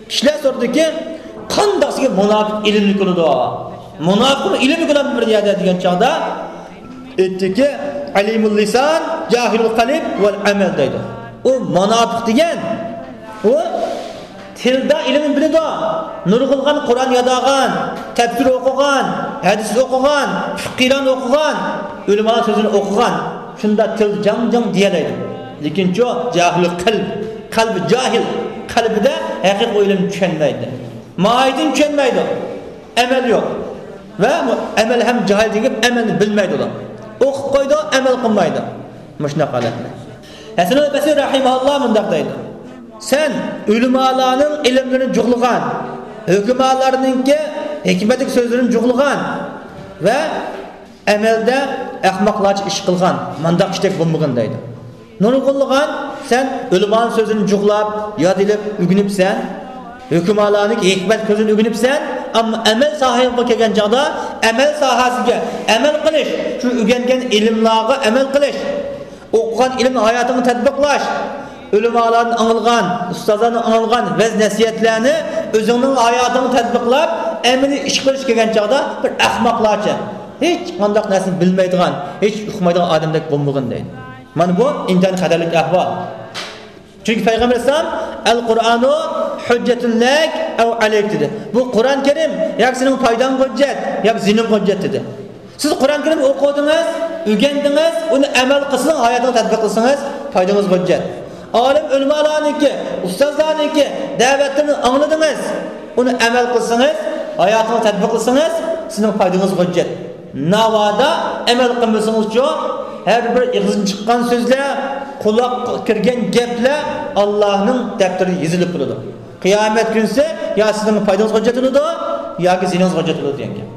كىشىلەر سورىدىكى، قانداقسىكى مۇناپىق ئىلىملىك بولىدۇ؟ مۇناپىقمۇ ئىلىملىك بولامدۇ بىر يەردە دېگەن چاغدا، ئېيتتىكى، ئەلىمۇل لىسان، جاھىلۇل قەلب ۋەل ئەمەل دەيدۇ. ئۇ مۇناپىق دېگەن، ئۇ تىلدا ئىلىمنى بىلىدۇ، نۇرغۇنلىغان قۇرئان ياد ئالغان، تەپسىر ئوقۇغان، ھەدىس ئوقۇغان، فىقىھلارنى ئوقۇغان، ئۆلىمالار سۆزىنى ئوقۇغان، شۇنداق تىلدا جاڭ-جاڭ دېيەلەيدۇ. لېكىنچۇ، جاھىلۇل قەلب، قەلبى جاھىل، قەلبىدە ھەقىقىي ئىلىمنى چۈشەنمەيدۇ. ماھىيىتىنى چۈشەنمەيدۇ. ئەمەل يوق. ۋە ئەمەل ھەم جاھىل دېگەن ئەمەلنى بىلمەيدۇ ئۇلار. ئوقۇپ قويىدۇ، ئەمەل قىلمايدۇ. مۇشۇنداق ھالەتلەر. ھەسەنۇل بەسرى رەھىمەھۇللا مۇنداق دەيدۇ، سەن ئۆلىمالارنىڭ ئىلىملىرىنى جۇغلىغان، ھۆكۈمالارنىڭكى ھېكمەتلىك سۆزلىرىنى جۇغلىغان ۋە ئەمەلدە ئەخمەقلارچە ئىش قىلغان، مانداق كىشىدەك بولمىغىن دەيدۇ. نۇرغۇنلىغان سەن ئۆلىمانىڭ سۆزىنى جۇغلاپ، ياد ئېلىپ ئۆگىنىپسەن، ھۆكۈمالارنىڭكى ھېكمەت سۆزىنى ئۆگىنىپسەن، ئەمما ئەمەل ساھەڭگە كەلگەن چاغدا ئەمەل ساھەسىگە ئەمەل قىلىش، شۇ ئۆگەنگەن ئىلىملارغا ئەمەل قىلىش، ئوقۇغان ئىلىمنى ھاياتىڭغا تەتبىقلاش، ئۆلىمالاردىن ئاڭلىغان، ئۇستازلاردىن ئاڭلىغان ۋەز-نەسىھەتلەرنى ئۆزۈڭنىڭ ھاياتىڭغا تەتبىقلاپ، ئەمەلىي ئىش قىلىش كەلگەن چاغدا بىر ئەخمەقلارچە، ھېچقانداق نەرسىنى بىلمەيدىغان، ھېچ ئۇقمايدىغان ئادەمدەك بولمىغىن دەيدۇ. مانا بۇ ئىنتايىن خەتەرلىك ئەھۋال. چۈنكى پەيغەمبەر ئەلەيھىسسالام، «ئەل قۇرئانۇ ھۇججەتۇن لەك ئەۋ ئەلەيك» دېدى. بۇ قۇرئان كەرىم ياكى سېنىڭ پايداڭغا ھۆججەت، ياكى زىيىنىڭغا ھۆججەت دېدى. سىز قۇرئان كەرىم ئوقۇدىڭىز، ئۆگەندىڭىز، ئۇنى ئەمەل قىلسىڭىز، ھاياتىڭىزغا تەتبىق قىلسىڭىز، پايدىڭىزغا ھۆججەت. ئالىم ئۆلىمالارنىڭكى، ئۇستازلارنىڭكى، دەۋەتلىرىنى ئاڭلىدىڭىز، ئۇنى ئەمەل قىلسىڭىز، ھاياتىڭىزغا تەتبىق قىلسىڭىز، سىزنىڭ پايدىڭىزغا ھۆججەت. ناۋادا ئەمەل قىلمىسىڭىزچۇ، ھەر بىر ئېغىزدىن چىققان سۆزلەر، قۇلاققا كىرگەن گەپلەر ئاللانىڭ دەپتىرىدە يېزىلىپ بولىدۇ. قىيامەت كۈنسى يا سىزنىڭ پايدىڭىزغا ھۆججەت بولىدۇ، ياكى زىيىنىڭىزغا ھۆججەت بولىدۇ دېگەن گەپ.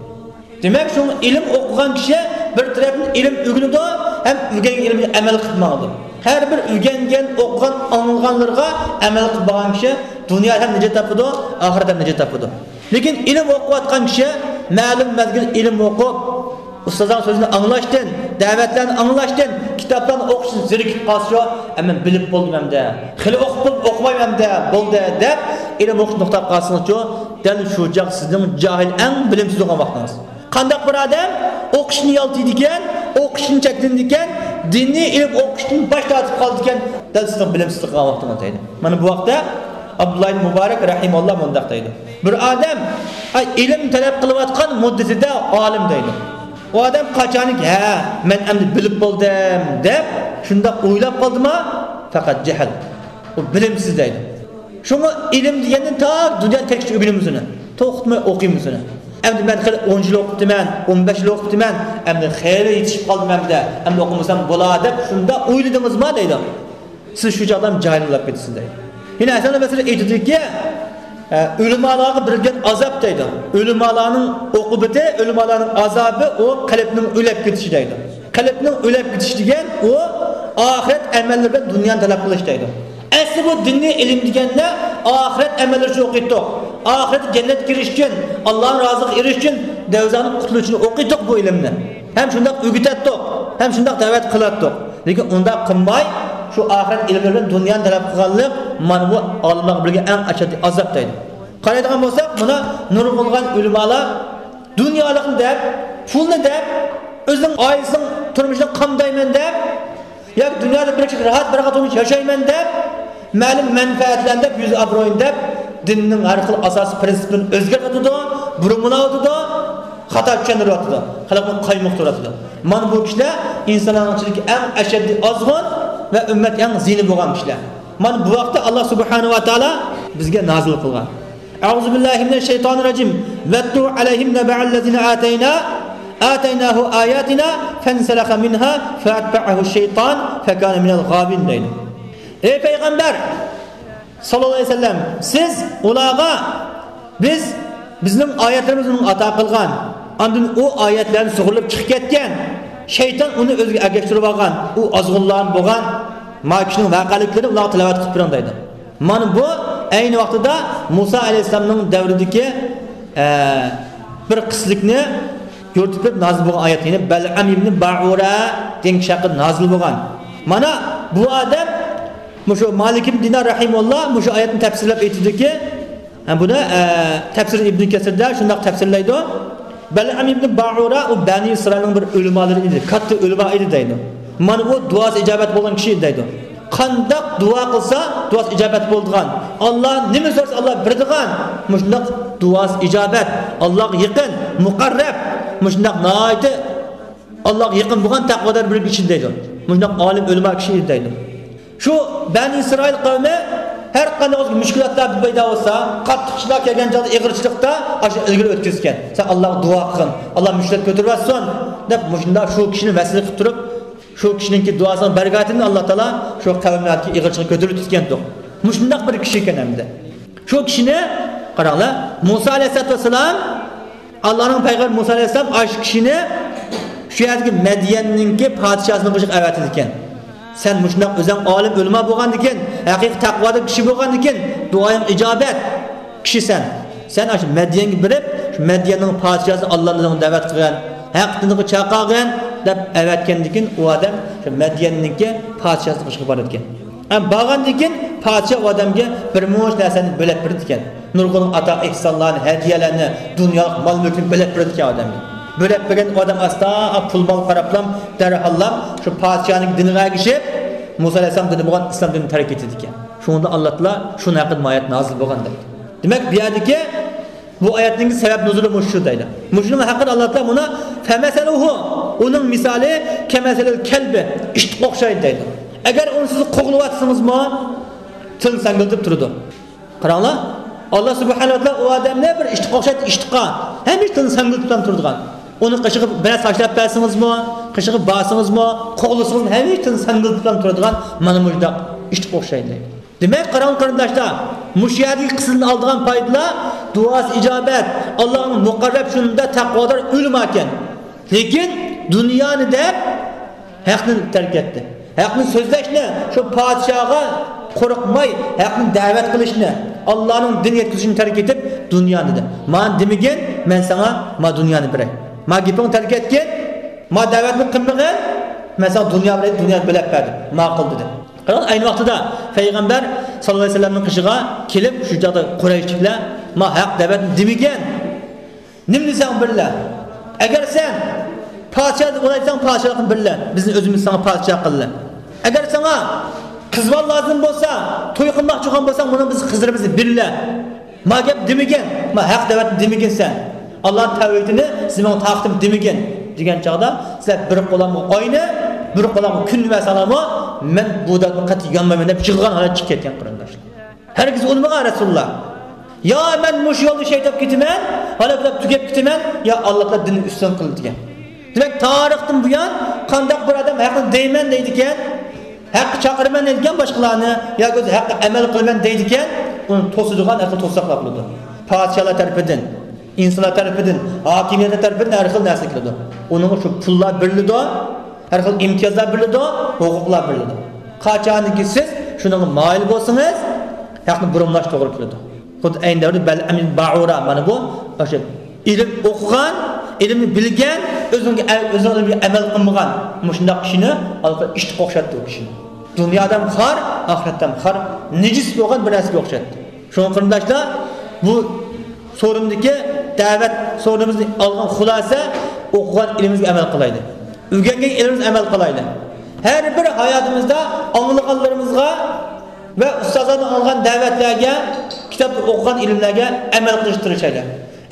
دېمەك، شۇڭا ئىلىم ئوقۇغان كىشى بىر تەرەپتىن ئىلىم ئۆگىنىدۇ، ھەم ئۆگەنگەن ئىلمىگە ئەمەل قىلىپ ماڭىدۇ. ھەر بىر ئۆگەنگەن، ئوقۇغان، ئاڭلىغانلىرىغا ئەمەل قىلىپ ماڭغان كىشى دۇنيادا ھەم نىجات تاپىدۇ، ئاخىرەتتە ھەم نىجات تاپىدۇ. لېكىن ئىلىم ئوقۇۋاتقان كىشى مەلۇم مەزگىل ئىلىم ئوقۇپ، ئۇستازلارنىڭ سۆزىنى ئاڭلاشتىن، دەۋەتلەرنى ئاڭلاشتىن، كىتابلارنى ئوقۇشتىن زېرىكىپ قالسىچۇ، «ئە، مەن بىلىپ بولدۇم ئەمدى، خېلى ئوقۇپ بولدۇم، ئوقۇمايمەن ئەمدى، بولدى» دەپ، ئىلىم ئوقۇشنى توختاپ قالسىڭىزچۇ، دەل شۇ چاغ سىزنىڭ جاھىل، ئەڭ بىلىمسىز بولغان ۋاقتىڭىز. قانداق بىر ئادەم ئوقۇشنى يالتىيدىكەن، ئوقۇشتىن چەكلىنىدىكەن، دىنىي ئىلىم ئوقۇشتىن باش تارتىپ قالىدىكەن، دەل سىزنىڭ بىلىمسىزلىك قىلغان ۋاقتىڭىز دەيدۇ. مانا بۇ ھەقتە ئابدۇللا ئىبن مۇبارەك رەھىمەھۇللا مۇنداق دەيدۇ. بىر ئادەم، ئاي، ئىلىم تەلەپ قىلىۋاتقان مۇددىتىدە ئالىم دەيدۇ. ئۇ ئادەم قاچانكى، «ھە، مەن ئەمدى بىلىپ بولدۇم» دەپ، شۇنداق ئويلاپ قالدىما، پەقەت جەھىل. ئۇ بىلىمسىز دەيدۇ. شۇڭا ئىلىم دېگەندىن تا دۇنيا كەتكۈچە ئۆگىنىمىز ئۇنى. توختىماي ئوقۇيمىز ئۇنى. ئەمدى مەن خېلى ئون يىل ئوقۇپتىمەن، ئون بەش يىل ئوقۇپتىمەن، ئەمدى خېلى يېتىشىپ قالدىم ئەمدى، ئەمدى ئوقۇمىسام بولا دەپ شۇنداق ئويلىدىڭىزما دەيدۇ. سىز شۇ چاغدا جاھىل بولۇپ كېتىسىز دەيدۇ. يەنە ھەسەن بەسرى ئېيتىدۇكى، ئە، ئۆلىمالارغا بېرىلگەن ئازاب دەيدۇ. ئۆلىمالارنىڭ ئوقۇبىتى، ئۆلىمالارنىڭ ئازابى ئۇ قەلبنىڭ ئۆلۈپ كېتىشى دەيدۇ. قەلبنىڭ ئۆلۈپ كېتىشى دېگەن ئۇ ئاخىرەت ئەمەللىرى بىلەن دۇنيانى تەلەپ قىلىش دەيدۇ. ئەسلى بۇ دىنىي ئىلىم دېگەندە ئاخىرەت ئەمەللىرى ئۈچۈن ئوقۇيتتۇق. ئاخىرەتتە جەننەتكە كىرىش ئۈچۈن، ئاللانىڭ رازىلىقىغا ئېرىشىش ئۈچۈن، دوزاختىن قۇتۇلۇش ئۈچۈن ئوقۇيتتۇق بۇ ئىلىمنى. ھەم شۇنداق ئۆگىتەتتۇق، ھەم شۇنداق دەۋەت قىلاتتۇق. لېكىن ئۇنداق قىلماي، شۇ ئاخىرەت ئىلىملىرى بىلەن دۇنيانى تەلەپ قىلغانلىق، مانا بۇ ئالىملارغا بېرىلگەن ئەڭ ئەشەددىي ئازاب دەيدۇ. قارايدىغان بولساق، مانا نۇرغۇنلىغان ئۆلىمالار دۇنيالىقنى دەپ، پۇلنى دەپ، ئۆزىنىڭ ئائىلىسىنىڭ تۇرمۇشىنى قامدايمەن دەپ، ياكى دۇنيادا بىر كىشىلىك راھەت، بىر تۇرمۇش ياشايمەن دەپ، مەلۇم مەنپەئەتلەرنى دەپ، يۈز ئابرۇيىنى دەپ، دىننىڭ ھەر خىل ئاساسىي پرىنسىپلىرىنى ئۆزگەرتىۋاتىدۇ، بۇرمىلاۋاتىدۇ، خاتا چۈشەندۈرۈۋاتىدۇ، خەلقنى قايمۇقتۇرۇۋاتىدۇ. مانا بۇ كىشىلەر ئىنسانلارنىڭ ئىچىدىكى ئەڭ ئەشەددىي ئازغۇن ۋە ئۈممەتكە ئەڭ زىيىنى بولغان كىشىلەر. مانا بۇ ۋاقىتتا ئاللا سۇبھانەھۇ ۋە تائالا بىزگە نازىل قىلغان. أعوذ بالله من الشيطان الرجيم. واتل عليهم نبأ الذي آتينا، آتيناه آياتنا فانسلخ منها فأتبعه الشيطان فكان من الغاوين دەيدۇ. ئەي پەيغەمبەر ساللاللاھۇ ئەلەيھى ۋەسەللەم، سىز ئۇلارغا بىز بىزنىڭ ئايەتلىرىمىزنى ئاتا قىلغان، ئاندىن ئۇ ئايەتلەرنى سۇغۇرۇلۇپ چىقىپ كەتكەن، شەيتان ئۇنى ئۆزىگە ئەگەشتۈرۈپ ئالغان، ئۇ ئازغۇنلارنى بولغان، ما كىشىنىڭ ۋەقەلىكلىرىنى ئۇلارغا تىلاۋەت قىلىپ بېرىڭ دەيدۇ. مانا بۇ ئەينى ۋاقتىدا مۇسا ئەلەيھىسسالامنىڭ دەۋرىدىكى، ئە، بىر قىسلىكنى يورۇتۇپ بېرىپ نازىل بولغان ئايەت، يەنى بەلئەم ئىبنى بائۇرا دېگەن كىشى ھەققىدە نازىل بولغان. مانا بۇ ئادەم، مۇشۇ مالىك ئىبن دىنار رەھىمۇللا مۇشۇ ئايەتنى تەپسىرلەپ ئېيتىدۇكى، ھە، بۇنى، ئە، تەپسىر ئىبن كەسىردە شۇنداق تەپسىرلەيدۇ. بەلئەم ئىبن بائۇرا ئۇ بەنى ئىسرائىلنىڭ بىر ئۆلىمالىرى ئىدى، كاتتا ئۆلىما ئىدى دەيدۇ. مانا بۇ دۇئاسى ئىجابەت بولغان كىشى ئىدى دەيدۇ. قانداق دۇئا قىلسا دۇئاسى ئىجابەت بولىدىغان، ئاللا نېمە سورىسا ئاللا بېرىدىغان، مۇشۇنداق دۇئاسى ئىجابەت، ئاللاغا يېقىن، مۇقەررەب، مۇشۇنداق ناھايىتى ئاللاغا يېقىن بولغان تەقۋادار بىر كىشى دەيدۇ. مۇشۇنداق ئالىم ئۆلىما كىشى ئىدى دەيدۇ. شۇ بەنى ئىسرائىل قەۋمى ھەر قانداق مۇشكىلاتلار پەيدا بولسا، قاتتىقچىلار كەلگەن چاغدا، ئېغىرچىلىقتا ئاشۇ ئىلگىرى ئۆتكۈزگەن. سەن ئاللاغا دۇئا قىلغىن، ئاللا مۇشكىلات كۆتۈرۈۋەتسۇن دەپ، مۇشۇنداق شۇ كىشىنى ۋەسىيەت قىلىپ تۇرۇپ، شۇ كىشىنىڭكى دۇئاسىنىڭ بەرىكاتىدىن ئاللا تائالا شۇ قەۋملەردىكى ئېغىرچىلىقنى كۆتۈرۈۋېتىپتىكەنتۇق. مۇشۇنداق بىر كىشى ئىكەن ئەمدى. شۇ كىشىنى قاراڭلار، مۇسا ئەلەيھىسسالاتۇ ۋەسسالام، ئاللانىڭ پەيغەمبىرى مۇسا ئەلەيھىسسالام ئاشۇ كىشىنى شۇ يەردىكى مەديەننىڭكى پادىشاسىنىڭ قېشىغا ئەۋەتىدىكەن. سەن مۇشۇنداق ئۆزۈڭ ئالىم ئۆلىما بولغاندىكىن، ھەقىقىي تەقۋادار كىشى بولغاندىكىن، دۇئايىڭ ئىجابەت كىشىسەن. سەن ئاشۇ مەديەنگە بېرىپ، شۇ مەديەننىڭ پادىشاسى ئاللانى دەۋەت قىلغان، ھەق دىنىغا چاقىرغان دەپ ئەۋەتكەندىكىن، ئۇ ئادەم شۇ مەديەننىڭكى پادىشاسىنىڭ قېشىغا بارىدىكەن. ھەم بارغاندىن كېيىن پادىشاھ ئۇ ئادەمگە بىر مۇنچە نەرسىنى بۆلەپ بېرىدىكەن. نۇرغۇن ئاتا ئېھسانلارنى، ھەدىيەلەرنى، دۇنيالىق مال مۈلكنى بۆلەپ بېرىدىكەن ئۇ ئادەمگە. بۆلەپ بەرگەن ئادەم ئاستا پۇل مال قاراپلام دەرھاللام شۇ پادىشاھنىڭ دىنىغا ئەگىشىپ، مۇسا ئەلەيھىسسالام دىنى بولغان ئىسلام دىنىنى تەرك ئېتىدىكەن. شۇنىڭدا ئاللا تائالا شۇنىڭ ھەققىدە ئايەت نازىل بولغان دەيدۇ. دېمەك، بۇ يەردىكى بۇ ئايەتنىڭ سەۋەب نۇزۇلى مۇشۇ دەيدۇ. مۇشۇنىڭ ھەققىدە ئاللا تائالا مۇنۇ فەمەسەلۇھۇ، ئۇنىڭ مىسالى كەمەسەلىل كەلبى، ئىتقا ئوخشايدۇ دەيدۇ. ئەگەر ئۇنى سىز قوغلىۋاتسىڭىزمۇ، تىلىنى ساڭگىلىتىپ تۇرىدۇ. قاراڭلار، ئاللا سۇبھانەھۇ ۋە تائالا ئۇ ئادەمنى بىر ئىتقا ئوخشايدۇ، ئىتقا. ھەمىشە تىلىنى ساڭگىلىتىپ تۇرىدىغان. ئۇنىڭ قېشىغا بىرەر تاشلاپ بەرسىڭىزمۇ، قېشىغا بارسىڭىزمۇ، قوغلىسىڭىزمۇ، ھەمىشە تىلىنى ساڭگىلىتىپ تۇرىدىغان مانا مۇشۇنداق ئىتقا ئوخشايدۇ. دېمەك، قاراڭ قېرىنداشلار، مۇشۇ يەردىكى قىسسىدىن ئالىدىغان پايدىلار، دۇئاسى ئىجابەت، ئاللانىڭ مۇقەررەب شۇندا تەقۋادار ئۆلىماكەن. لېكىن دۇنيانى دەپ ھەقنى تەرك ئەتتى. ھەقنى سۆزلەشنى، شۇ پادىشاھقا قورقماي ھەقنى دەۋەت قىلىشنى، ئاللانىڭ دىن يەتكۈزۈشىنى تەرك ئېتىپ دۇنيانى دەپ. مانا دېمىگىن، مەن ساڭا ما دۇنيانى بېرەي. ما گېپىڭنى تەرك ئەتكىن، ما دەۋەتنى قىلمىغىن، مەن ساڭا دۇنيا بېرەي، دۇنيانى بۆلەپ بەردىم. ماقۇل دېدى. قاراڭ، ئەينى ۋاقتىدا پەيغەمبەر ساللاللاھۇ ئەلەيھى ۋەسەللەمنىڭ قېشىغا كېلىپ، شۇ چاغدا قۇرەيشلىكلەر، ما ھەق دەۋەتنى دېمىگەن. نېمە دېسەڭ بىرلە. ئەگەر سەن پادىشاھ بولايسەن، پادىشاھلىقنى بىرلە. بىزنى ئۆزىمىز ساڭا پادىشاھ قىلدى. ئەگەر ساڭا قىز بالا لازىم بولسا، توي قىلماقچى بولغان بولساڭ، مانا بىز قىزلىرىمىزنى بىرلە. ما گەپ دېمىگىن، ما ھەق دەۋەتنى دېمىگىن سەن. ئاللانىڭ تەۋھىدىنى سىزنىڭ تاقىتىم دېمىگىن دېگەن چاغدا، سىلەر بىر قولامغا ئاينى، بىر قولامغا كۈن بەرسەڭلارمۇ، مەن بۇ دەۋەتنى قەتئىي يانمايمەن دەپ يىغلىغان ھالەتتە چىقىپ كەتكەن قېرىنداشلار. ھەرگىز ئۇنىمىغان رەسۇلۇللا. يا مەن مۇشۇ يولدا شېھىت بولۇپ كېتىمەن، ھالاك بولۇپ تۈگەپ كېتىمەن، يا ئاللا تائالا دىننى ئۈستۈن قىلدى دېگەن. دېمەك، تارىختىن بۇيان قانداق بىر ئادەم ھەقنى دەيمەن دەيدىكەن، ھەققە چاقىرىمەن دەيدىكەن باشقىلارنى، ياكى ئۆزى ھەققە ئەمەل قىلىمەن دەيدىكەن، ئۇنى توسىدىغان ھەر خىل توساقلار بولىدۇ. پادىشاھلار تەرىپىدىن، ئىنسانلار تەرىپىدىن، ھاكىمىيەتلەر تەرىپىدىن ھەر خىل نەرسە كېلىدۇ. ئۇنىڭغا شۇ پۇللار بېرىلىدۇ، ھەر خىل ئىمتىيازلار بېرىلىدۇ، ھوقۇقلار بېرىلىدۇ. قاچانكى سىز شۇنىڭغا مايىل بولسىڭىز، ھەقنى بۇرمىلاش توغرا كېلىدۇ. خۇددى ئەينى دەۋردە بەلئەم بىن بائۇرا، مانا بۇ ئاشۇ ئىلىم ئوقۇغان، ئىلىمنى بىلگەن، ئۆزىنىڭ، ئۆزىنىڭ ئىلمىگە ئەمەل قىلمىغان مۇشۇنداق كىشىنى ئالقا ئىتقا ئوخشاتتى ئۇ كىشىنى. دۇنيادا ھەم خار، ئاخىرەتتە ھەم خار، نىجىس بولغان بىر نەرسىگە ئوخشاتتى. شۇڭا قېرىنداشلار، بۇ سورۇندىكى دەۋەت سورۇنىمىزدىن ئالغان خۇلاسە، ئوقۇغان ئىلمىمىزگە ئەمەل قىلايلى. ئۆگەنگەن ئىلمىمىزگە ئەمەل قىلايلى. ھەر بىر ھاياتىمىزدا ئاڭلىغانلىرىمىزغا ۋە ئۇستازلاردىن ئاڭلىغان دەۋەتلەرگە، كىتابتا ئوقۇغان ئىلىملەرگە ئەمەل قىلىشقا تىرىشايلى.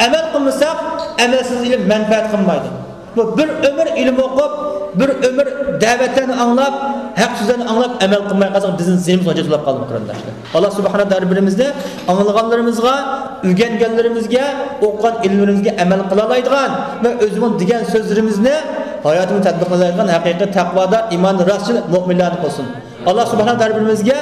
ئەمەل قىلمىساق، ئەمەلسىز ئىلىم مەنپەئەت قىلمايدۇ. بۇ بىر ئۆمۈر ئىلىم ئوقۇپ، بىر ئۆمۈر دەۋەتلەرنى ئاڭلاپ، ھەق سۆزلەرنى ئاڭلاپ، ئەمەل قىلماي قالساق، بىزنىڭ زېمىنىمىز غاجا بولۇپ قالىدۇ، قېرىنداشلار. ئاللا سۇبھانەھۇ ھەر بىرىمىزنى ئاڭلىغانلىرىمىزغا، ئۆگەنگەنلىرىمىزگە، ئوقۇغان ئىلىملىرىمىزگە ئەمەل قىلالايدىغان ۋە ئۆزىمىز دېگەن سۆزلىرىمىزنى ھاياتىمىزدا تەتبىقلايدىغان ھەقىقىي تەقۋادار، ئىمان راستچىل مۆمىنلەردىن قىلسۇن. ئاللا سۇبھانەھۇ ھەر بىرىمىزگە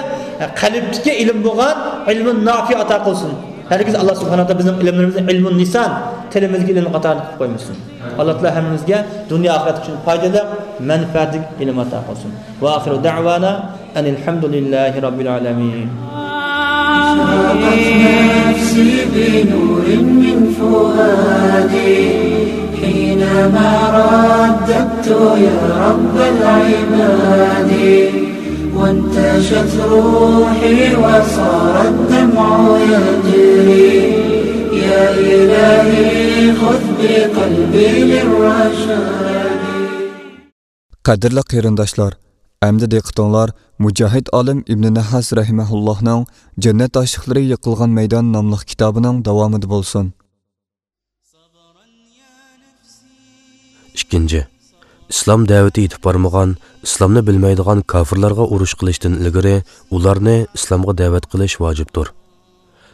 قەلبتىكى ئىلىم بولغان ئىلمۇ نافىئ ئاتا قىلسۇن. ھەرگىز ئاللا سۇبھانەھۇ بىزنىڭ ئىلىملىرىمىزنى ئىلمۇ لىسان، تىلىمىزدىكى ئىلىم قاتارىدا قىلىپ قويمىسۇن. ئاللا تائالا ھەممىمىزگە دۇنيا ئاخىرەت ئۈچۈن پايدىلىق، مەنپەئەتلىك ئىلىم ئاتا قىلسۇن. وآخر دعوانا أن الحمد لله رب العالمين. أشرقت نفسي بنور من فؤادي حينما رددت يا رب العباد. وانتشت روحي وصار الدمع يجري. يا إلهي خذ بقلبي للرشاد. قەدىرلىك قېرىنداشلار، ئەمدى دىققىتىڭلار مۇجاھىد ئالىم ئىبنى نەھاس رەھىمەھۇللاھنىڭ جەننەت ئاشىقلىرى يىقىلغان مەيدان ناملىق كىتابىنىڭ داۋامىدا بولسۇن. ئىككىنچى، ئىسلام دەۋىتى يېتىپ بارمىغان، ئىسلامنى بىلمەيدىغان كاپىرلارغا ئۇرۇش قىلىشتىن ئىلگىرى ئۇلارنى ئىسلامغا دەۋەت قىلىش ۋاجىپتۇر.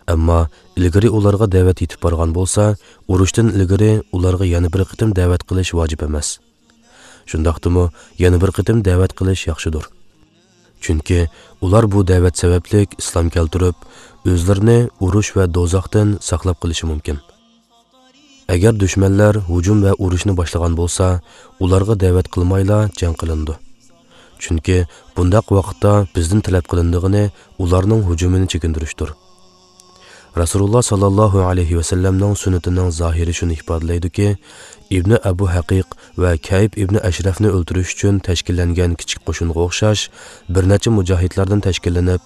ئەمما ئىلگىرى ئۇلارغا دەۋەت يېتىپ بارغان بولسا، ئۇرۇشتىن ئىلگىرى ئۇلارغا يەنە بىر قېتىم دەۋەت قىلىش ۋاجىپ ئەمەس. شۇنداقتىمۇ يەنە بىر قېتىم دەۋەت قىلىش ياخشىدۇر. چۈنكى ئۇلار بۇ دەۋەت سەۋەبلىك ئىسلام كەلتۈرۈپ، ئۆزلىرىنى ئۇرۇش ۋە دوزاختىن ساقلاپ قېلىشى مۇمكىن. ئەگەر دۈشمەنلەر ھۇجۇم ۋە ئۇرۇشنى باشلىغان بولسا، ئۇلارغا دەۋەت قىلمايلا جەڭ قىلىنىدۇ. چۈنكى بۇنداق ۋاقىتتا بىزدىن تەلەپ قىلىنىدىغىنى ئۇلارنىڭ ھۇجۇمىنى چېكىندۈرۈشتۇر. رەسۇلۇللا ساللاللاھۇ ئەلەيھى ۋەسەللەمنىڭ سۈننىتىنىڭ زاھىرى شۇنى ئىپادىلەيدۇكى، ئىبنى ئەبۇ ھەقىق ۋە كەئىب ئىبنى ئەشرەفنى ئۆلتۈرۈش ئۈچۈن تەشكىللەنگەن كىچىك قوشۇنغا ئوخشاش بىر نەچچە مۇجاھىدلاردىن تەشكىللىنىپ،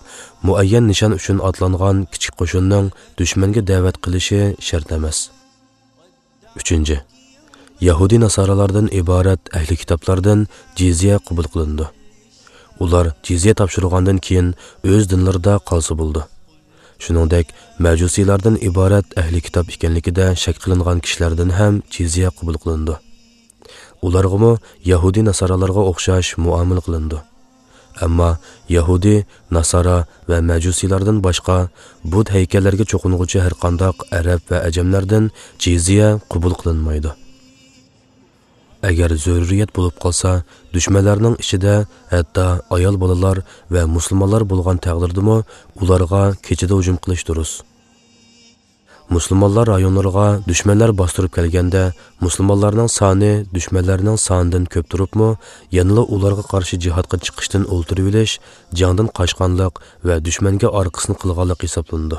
مۇئەييەن نىشان ئۈچۈن ئاتلانغان كىچىك قوشۇننىڭ دۈشمەنگە دەۋەت قىلىشى شەرت ئەمەس. ئۈچىنچى، يەھۇدىي ناسارالاردىن ئىبارەت ئەھلى كىتابلاردىن جىزيە قوبۇل قىلىنىدۇ. ئۇلار جىزيە تاپشۇرغاندىن كېيىن ئۆز دىنلىرىدا قالسا بولىدۇ. شۇنىڭدەك، مەجۇسىيلاردىن ئىبارەت ئەھلى كىتاب ئىكەنلىكىدە شەك قىلىنغان كىشىلەردىن ھەم جىزيە قوبۇل قىلىنىدۇ. ئۇلارغىمۇ يەھۇدىي ناسارالارغا ئوخشاش مۇئامىلە قىلىنىدۇ. ئەمما يەھۇدىي، ناسارا ۋە مەجۇسىيلاردىن باشقا بۇت ھەيكەللەرگە چوقۇنغۇچى ھەرقانداق ئەرەب ۋە ئەجەملەردىن جىزيە قوبۇل قىلىنمايدۇ. ئەگەر زۆرۈرىيەت بولۇپ قالسا، دۈشمەنلەرنىڭ ئىچىدە ھەتتا ئايال بالىلار ۋە مۇسۇلمانلار بولغان تەقدىردىمۇ ئۇلارغا كېچىدە ھۇجۇم قىلىش دۇرۇس. مۇسۇلمانلار رايونلىرىغا دۈشمەنلەر باستۇرۇپ كەلگەندە، مۇسۇلمانلارنىڭ سانى دۈشمەنلەرنىڭ سانىدىن كۆپ تۇرۇپمۇ، يەنىلا ئۇلارغا قارشى جىھادقا چىقىشتىن ئولتۇرۇۋېلىش جەڭدىن قاچقانلىق ۋە دۈشمەنگە ئارقىسىنى قىلغانلىق ھېسابلىنىدۇ.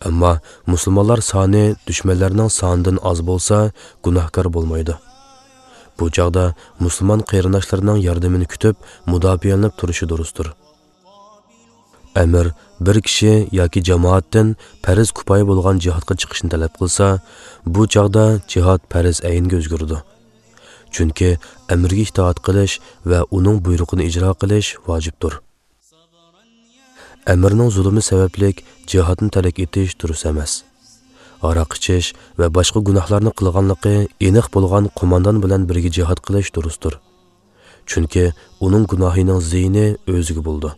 ئەمما مۇسۇلمانلار سانى دۈشمەنلەرنىڭ سانىدىن ئاز بولسا، گۇناھكار بولمايدۇ. بۇ چاغدا مۇسۇلمان قېرىنداشلىرىنىڭ ياردىمىنى كۈتۈپ، مۇداپىئەلىنىپ تۇرۇشى دۇرۇستۇر. ئەمىر بىر كىشى ياكى جامائەتتىن پەرز كۇپايە بولغان جىھادقا چىقىشنى تەلەپ قىلسا، بۇ چاغدا جىھاد پەرز ئەينگە ئۆزگىرىدۇ. چۈنكى ئەمىرگە ئىتائەت قىلىش ۋە ئۇنىڭ بۇيرۇقىنى ئىجرا قىلىش ۋاجىپتۇر. ئەمىرنىڭ زۇلۇمى سەۋەبلىك جىھادنى تەرك ئېتىش دۇرۇس ئەمەس. ھاراق ئىچىش ۋە باشقا گۇناھلارنى قىلغانلىقى ئېنىق بولغان قوماندان بىلەن بىرگە جىھاد قىلىش دۇرۇستۇر. چۈنكى ئۇنىڭ گۇناھىنىڭ زىيىنى ئۆزىگە بولىدۇ.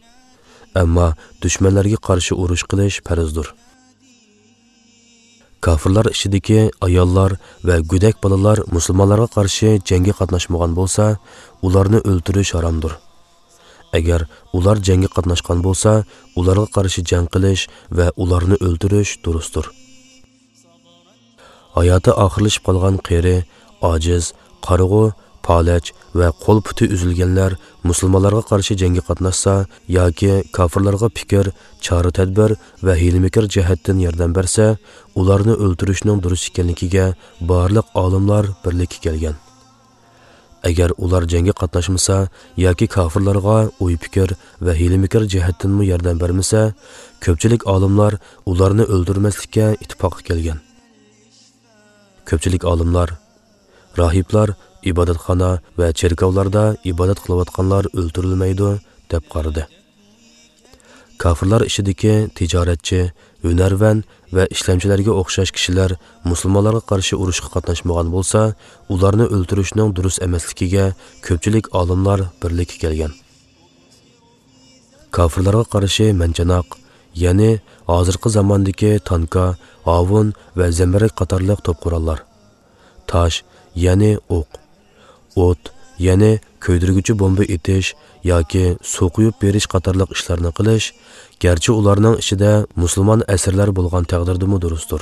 ئەمما دۈشمەنلەرگە قارشى ئۇرۇش قىلىش پەرزدۇر. كاپىرلار ئىچىدىكى ئاياللار ۋە گۆدەك بالىلار مۇسۇلمانلارغا قارشى جەڭگە قاتناشمىغان بولسا، ئۇلارنى ئۆلتۈرۈش ھارامدۇر. ئەگەر ئۇلار جەڭگە قاتناشقان بولسا، ئۇلارغا قارشى جەڭ قىلىش ۋە ئۇلارنى ئۆلتۈرۈش دۇرۇستۇر. ھاياتى ئاخىرلىشىپ قالغان قېرى، ئاجىز، قارىغۇ، پالەچ ۋە قول-پۇتى ئۈزۈلگەنلەر مۇسۇلمانلارغا قارشى جەڭگە قاتناشسا ياكى كاپىرلارغا پىكىر، چارە-تەدبىر ۋە ھىيلە-مىكىر جەھەتتىن ياردەم بەرسە، ئۇلارنى ئۆلتۈرۈشنىڭ دۇرۇس ئىكەنلىكىگە بارلىق ئالىملار بىرلىككە كەلگەن. ئەگەر ئۇلار جەڭگە قاتناشمىسا ياكى كاپىرلارغا ئوي-پىكىر ۋە ھىيلە-مىكىر جەھەتتىنمۇ ياردەم بەرمىسە، كۆپچىلىك ئالىملار ئۇلارنى ئۆلتۈرمەسلىككە ئىتتىپاققا كەلگەن. كۆپچىلىك ئالىملار، راھىبلار ئىبادەتخانا ۋە چېركاۋلاردا ئىبادەت قىلىۋاتقانلار ئۆلتۈرۈلمەيدۇ، دەپ قارىدى. كاپىرلار ئىچىدىكى تىجارەتچى، ھۈنەرۋەن ۋە ئىشلەمچىلەرگە ئوخشاش كىشىلەر مۇسۇلمانلارغا قارشى ئۇرۇشقا قاتناشمىغان بولسا، ئۇلارنى ئۆلتۈرۈشنىڭ دۇرۇس ئەمەسلىكىگە كۆپچىلىك ئالىملار بىرلىككە كەلگەن. كاپىرلارغا قارشى مەنجاناق، يەنى ھازىرقى زاماندىكى تانكا، ھاۋۇن ۋە زەمبىرەك قاتارلىق توپ قوراللار، تاش، يەنى ئوق، ئوت، يەنى كۆيدۈرگۈچى بومبا ئېتىش ياكى سۇ قۇيۇپ بېرىش قاتارلىق ئىشلارنى قىلىش، گەرچە ئۇلارنىڭ ئىچىدە مۇسۇلمان ئەسىرلەر بولغان تەقدىردىمۇ دۇرۇستۇر.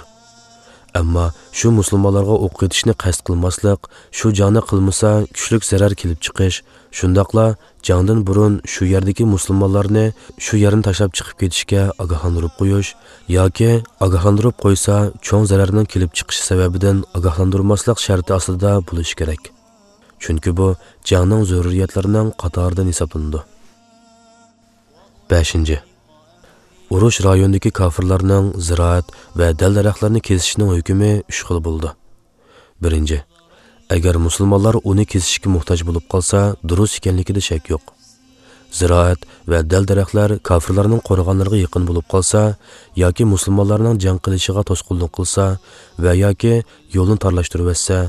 ئەمما شۇ مۇسۇلمانلارغا ئوق ئېتىشنى قەست قىلماسلىق، شۇ جاڭنى قىلمىسا كۈچلۈك زەرەر كېلىپ چىقىش، شۇنداقلا جەڭدىن بۇرۇن شۇ يەردىكى مۇسۇلمانلارنى شۇ يەرنى تاشلاپ چىقىپ كېتىشكە ئاگاھلاندۇرۇپ قويۇش ياكى ئاگاھلاندۇرۇپ قويسا چوڭ زەرەرنىڭ كېلىپ چىقىشى سەۋەبىدىن ئاگاھلاندۇرماسلىق شەرتى ئاستىدا بولۇشى كېرەك. چۈنكى بۇ جەڭنىڭ زۆرۈرىيەتلىرىنىڭ قاتارىدىن ھېسابلىنىدۇ. بەشىنچى، ئۇرۇش رايونىدىكى كاپىرلارنىڭ زىرائەت ۋە دەل-دەرەخلەرنى كېسىشىنىڭ ھۆكمى ئۈچ خىل بولىدۇ. بىرىنچى، ئەگەر مۇسۇلمانلار ئۇنى كېسىشكە موھتاج بولۇپ قالسا، دۇرۇس ئىكەنلىكىدە شەك يوق. زىرائەت ۋە دەل-دەرەخلەر كاپىرلارنىڭ قورغانلىرىغا يېقىن بولۇپ قالسا ياكى مۇسۇلمانلارنىڭ جەڭ قىلىشىغا توسقۇنلۇق قىلسا ۋە ياكى يولنى تارلاشتۇرۇۋەتسە،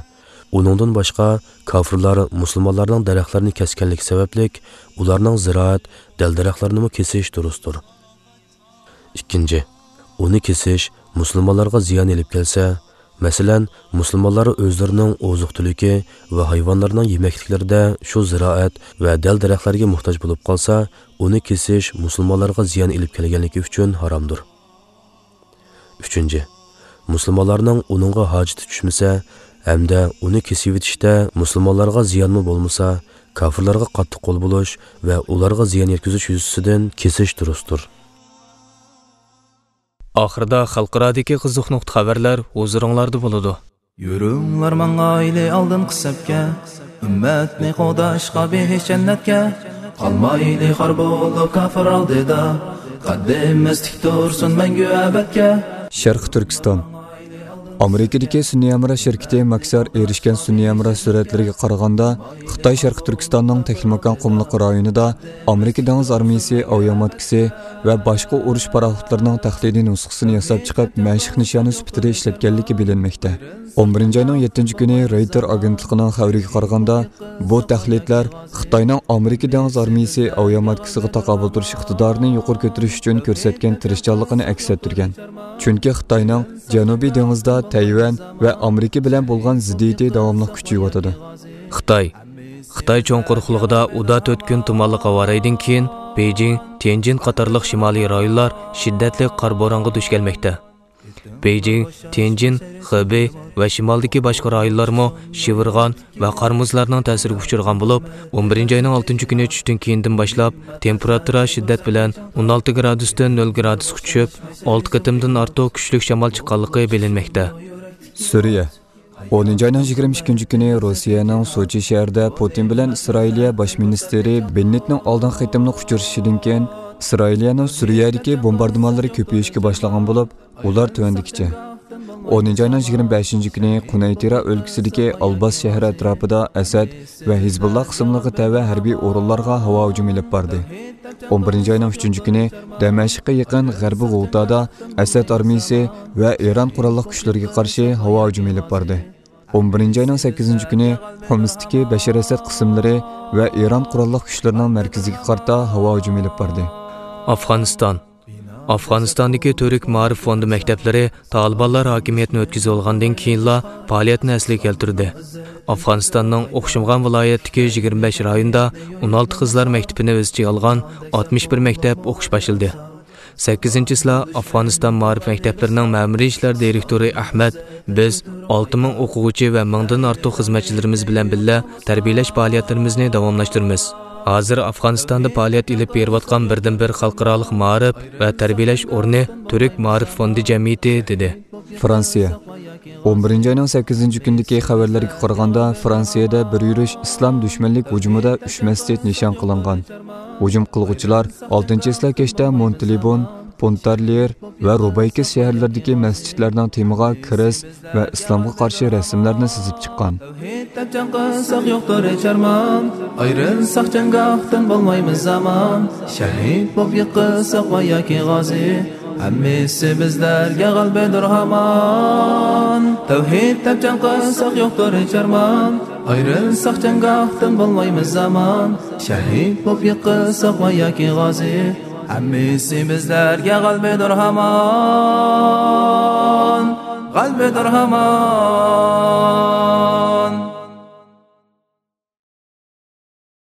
ئۇنىڭدىن باشقا كاپىرلار مۇسۇلمانلارنىڭ دەرەخلىرىنى كەسكەنلىكى سەۋەبلىك ئۇلارنىڭ زىرائەت، دەل-دەرەخلىرىنىمۇ كېسىش دۇرۇستۇر. ئىككىنچى، ئۇنى كېسىش مۇسۇلمانلارغا زىيان ئېلىپ كەلسە، مەسىلەن، مۇسۇلمانلار ئۆزلىرىنىڭ ئوزۇق-تۈلۈكى ۋە ھايۋانلىرىنىڭ يېمەكلىكلىرىدە شۇ زىرائەت ۋە دەل-دەرەخلەرگە موھتاج بولۇپ قالسا، ئۇنى كېسىش مۇسۇلمانلارغا زىيان ئېلىپ كەلگەنلىكى ئۈچۈن ھارامدۇر. ئۈچىنچى، مۇسۇلمانلارنىڭ ئۇنىڭغا ھاجىتى چۈشمىسە ھەمدە ئۇنى كېسىۋېتىشتە مۇسۇلمانلارغا زىيانمۇ بولمىسا، كاپىرلارغا قاتتىق قول بولۇش ۋە ئۇلارغا زىيان يەتكۈزۈش يۈزىسىدىن كېسىش دۇرۇستۇر. ئاخىرىدا خەلقئارادىكى قىزىق نۇقتا خەۋەرلەر ھۇزۇرۇڭلاردا بولىدۇ. يۈرۈڭلار ماڭايلى ئالدىنقى سەپكە، ئۈممەتنى قوغداشقا بېھىش جەننەتكە. قالمايلى خار بولۇپ كاپىر ئالدىدا، قەددىمىز تىك تۇرسۇن مەڭگۈ ئەبەدكە. شەرقىي تۈركىستان. ئامېرىكىدىكى سۈنئىي ھەمراھ شىركىتى ماكسار ئېرىشكەن سۈنئىي ھەمراھ سۈرەتلىرىگە قارىغاندا، خىتاي شەرقىي تۈركىستاننىڭ تەكلىماكان قۇملۇقى رايونىدا ئامېرىكا دېڭىز ئارمىيىسى ئاۋىئاماتكىسى ۋە باشقا ئۇرۇش پاراخوتلىرىنىڭ تەقلىدىي نۇسخىسىنى ياساپ چىقىپ، مەشىق نىشانى سۈپىتىدە ئىشلەتكەنلىكى بىلىنمەكتە. ئون بىرىنچى ئاينىڭ يەتتىنچى كۈنى رويتېر ئاگېنتلىقىنىڭ خەۋىرىگە قارىغاندا، بۇ تەقلىدلەر خىتاينىڭ ئامېرىكا دېڭىز ئارمىيىسى ئاۋىئاماتكىسىغا تاقابىل تۇرۇش ئىقتىدارىنى يۇقىرى كۆتۈرۈش ئۈچۈن كۆرسەتكەن تىرىشچانلىقىنى ئەكس ئەتتۈرگەن. چۈنكى خىتاينىڭ جەنۇبىي دېڭىزدا تەيۋەن ۋە ئامېرىكا بىلەن بولغان زىددىيىتى داۋاملىق كۈچىيىۋاتىدۇ. خىتاي. خىتاي چوڭ قۇرۇقلۇقىدا ئۇدا تۆت كۈن تۇمانلىق ھاۋا رايىدىن كېيىن، بېيجىڭ، تيەنجىن قاتارلىق شىمالىي رايونلار شىددەتلىك قار بورانغا دۇچ كەلمەكتە. بېيجىڭ، تيەنجىن، خېبېي ۋە شىمالدىكى باشقا رايونلارمۇ شىۋىرغان ۋە قار مۇزلارنىڭ تەسىرىگە ئۇچرىغان بولۇپ، ئون بىرىنچى ئاينىڭ ئالتىنچى كۈنى چۈشتىن كېيىندىن باشلاپ تېمپېراتۇرا شىددەت بىلەن ئون ئالتە گرادۇستىن نۆل گرادۇسقا چۈشۈپ، ئالتە قېتىمدىن ئارتۇق كۈچلۈك شامال چىققانلىقى بىلىنمەكتە. سۈرىيە. ئونىنچى ئاينىڭ يىگىرمە ئىككىنچى كۈنى روسىيەنىڭ سوچى شەھىرىدە پۇتىن بىلەن ئىسرائىلىيە باش مىنىستىرى بېننېتنىڭ ئالدىنقى قېتىملىق ئۇچرىشىشىدىن كېيىن، ئىسرائىلىيەنىڭ سۈرىيەدىكى بومباردىمانلىرى كۆپىيىشكە باشلىغان بولۇپ، ئۇلار تۆۋەندىكىچە. ئونىنچى ئاينىڭ يىگىرمە بەشىنچى كۈنى قۇنەيتىرا ئۆلكىسىدىكى ئالباس شەھىرى ئەتراپىدا ئەسەد ۋە ھىزبۇللا قىسىملىرىغا تەۋە ھەربىي ئورۇنلارغا ھاۋا ھۇجۇمى ئېلىپ باردى. ئون بىرىنچى ئاينىڭ ئۈچىنچى كۈنى دەمەشققە يېقىن غەربىي غۇتادا ئەسەد ئارمىيىسى ۋە ئىران قوراللىق كۈچلىرىگە قارشى ھاۋا ھۇجۇمى ئېلىپ باردى. ئون بىرىنچى ئاينىڭ سەككىزىنچى كۈنى خۇمستىكى بەشار ئەسەد قىسىملىرى ۋە ئىران قوراللىق كۈچلىرىنىڭ مەركىزىگە قارىتا ھاۋا ھۇجۇمى ئېلىپ باردى. ئافغانىستان. ئافغانىستاندىكى تۈرك مائارىپ فوندى مەكتەپلىرى تالىبانلار ھاكىمىيەتنى ئۆتكۈزۈۋالغاندىن كېيىنلا پائالىيەتنى ئەسلىگە كەلتۈردى. ئافغانىستاننىڭ ئوخشىمىغان ۋىلايەتتىكى يىگىرمە بەش رايوندا ئون ئالتە قىزلار مەكتىپىنى ئۆز ئىچىگە ئالغان ئاتمىش بىر مەكتەپ ئوقۇش باشلىدى. سەككىزىنچى چىسلا ئافغانىستان مائارىپ مەكتەپلىرىنىڭ مەمۇرىي ئىشلار دىرېكتورى ئەھمەد، بىز ئالتە مىڭ ئوقۇغۇچى ۋە مىڭدىن ئارتۇق خىزمەتچىلىرىمىز بىلەن بىللە تەربىيەلەش پائالىيەتلىرىمىزنى داۋاملاشتۇرىمىز. ھازىر ئافغانىستاندا پائالىيەت ئېلىپ بېرىۋاتقان بىردىنبىر خەلقئارالىق مائارىپ ۋە تەربىيەلەش ئورنى تۈرك مائارىپ فوندى جەمئىيىتى، دېدى. فرانسىيە. ئون بىرىنچى ئاينىڭ سەككىزىنچى كۈنىدىكى خەۋەرلەرگە قارىغاندا، فرانسىيەدە بىر يۈرۈش ئىسلام دۈشمەنلىك ھۇجۇمىدا ئۈچ مەسچىت نىشان قىلىنغان. ھۇجۇم قىلغۇچىلار ئالتىنچى چىسلا كەچتە مونتلېبون، پونتارليېر ۋە روبايكىس شەھەرلىرىدىكى مەسچىتلەرنىڭ تېمىغا كىرېست ۋە ئىسلامغا قارشى رەسىملەرنى سىزىپ چىققان. تەۋھىد دەپ جەڭ قىلساق يوقتۇر ھېچ ئارمان، ئايرىلساق جەڭگاھتىن بولمايمىز ئامان، شەھىد بولۇپ يىقىلساق ۋە ياكى غازى، ھەممىسى بىزلەرگە غەلىبىدۇر ھامان. تەۋھىد دەپ جەڭ قىلساق يوقتۇر ھېچ ئارمان، ئايرىلساق جەڭگاھتىن بولمايمىز ئامان، شەھىد بولۇپ يىقىلساق ۋە ياكى غازى، ھەممىسى بىزلەرگە غەلىبىدۇر ھامان، غەلىبىدۇر ھامان.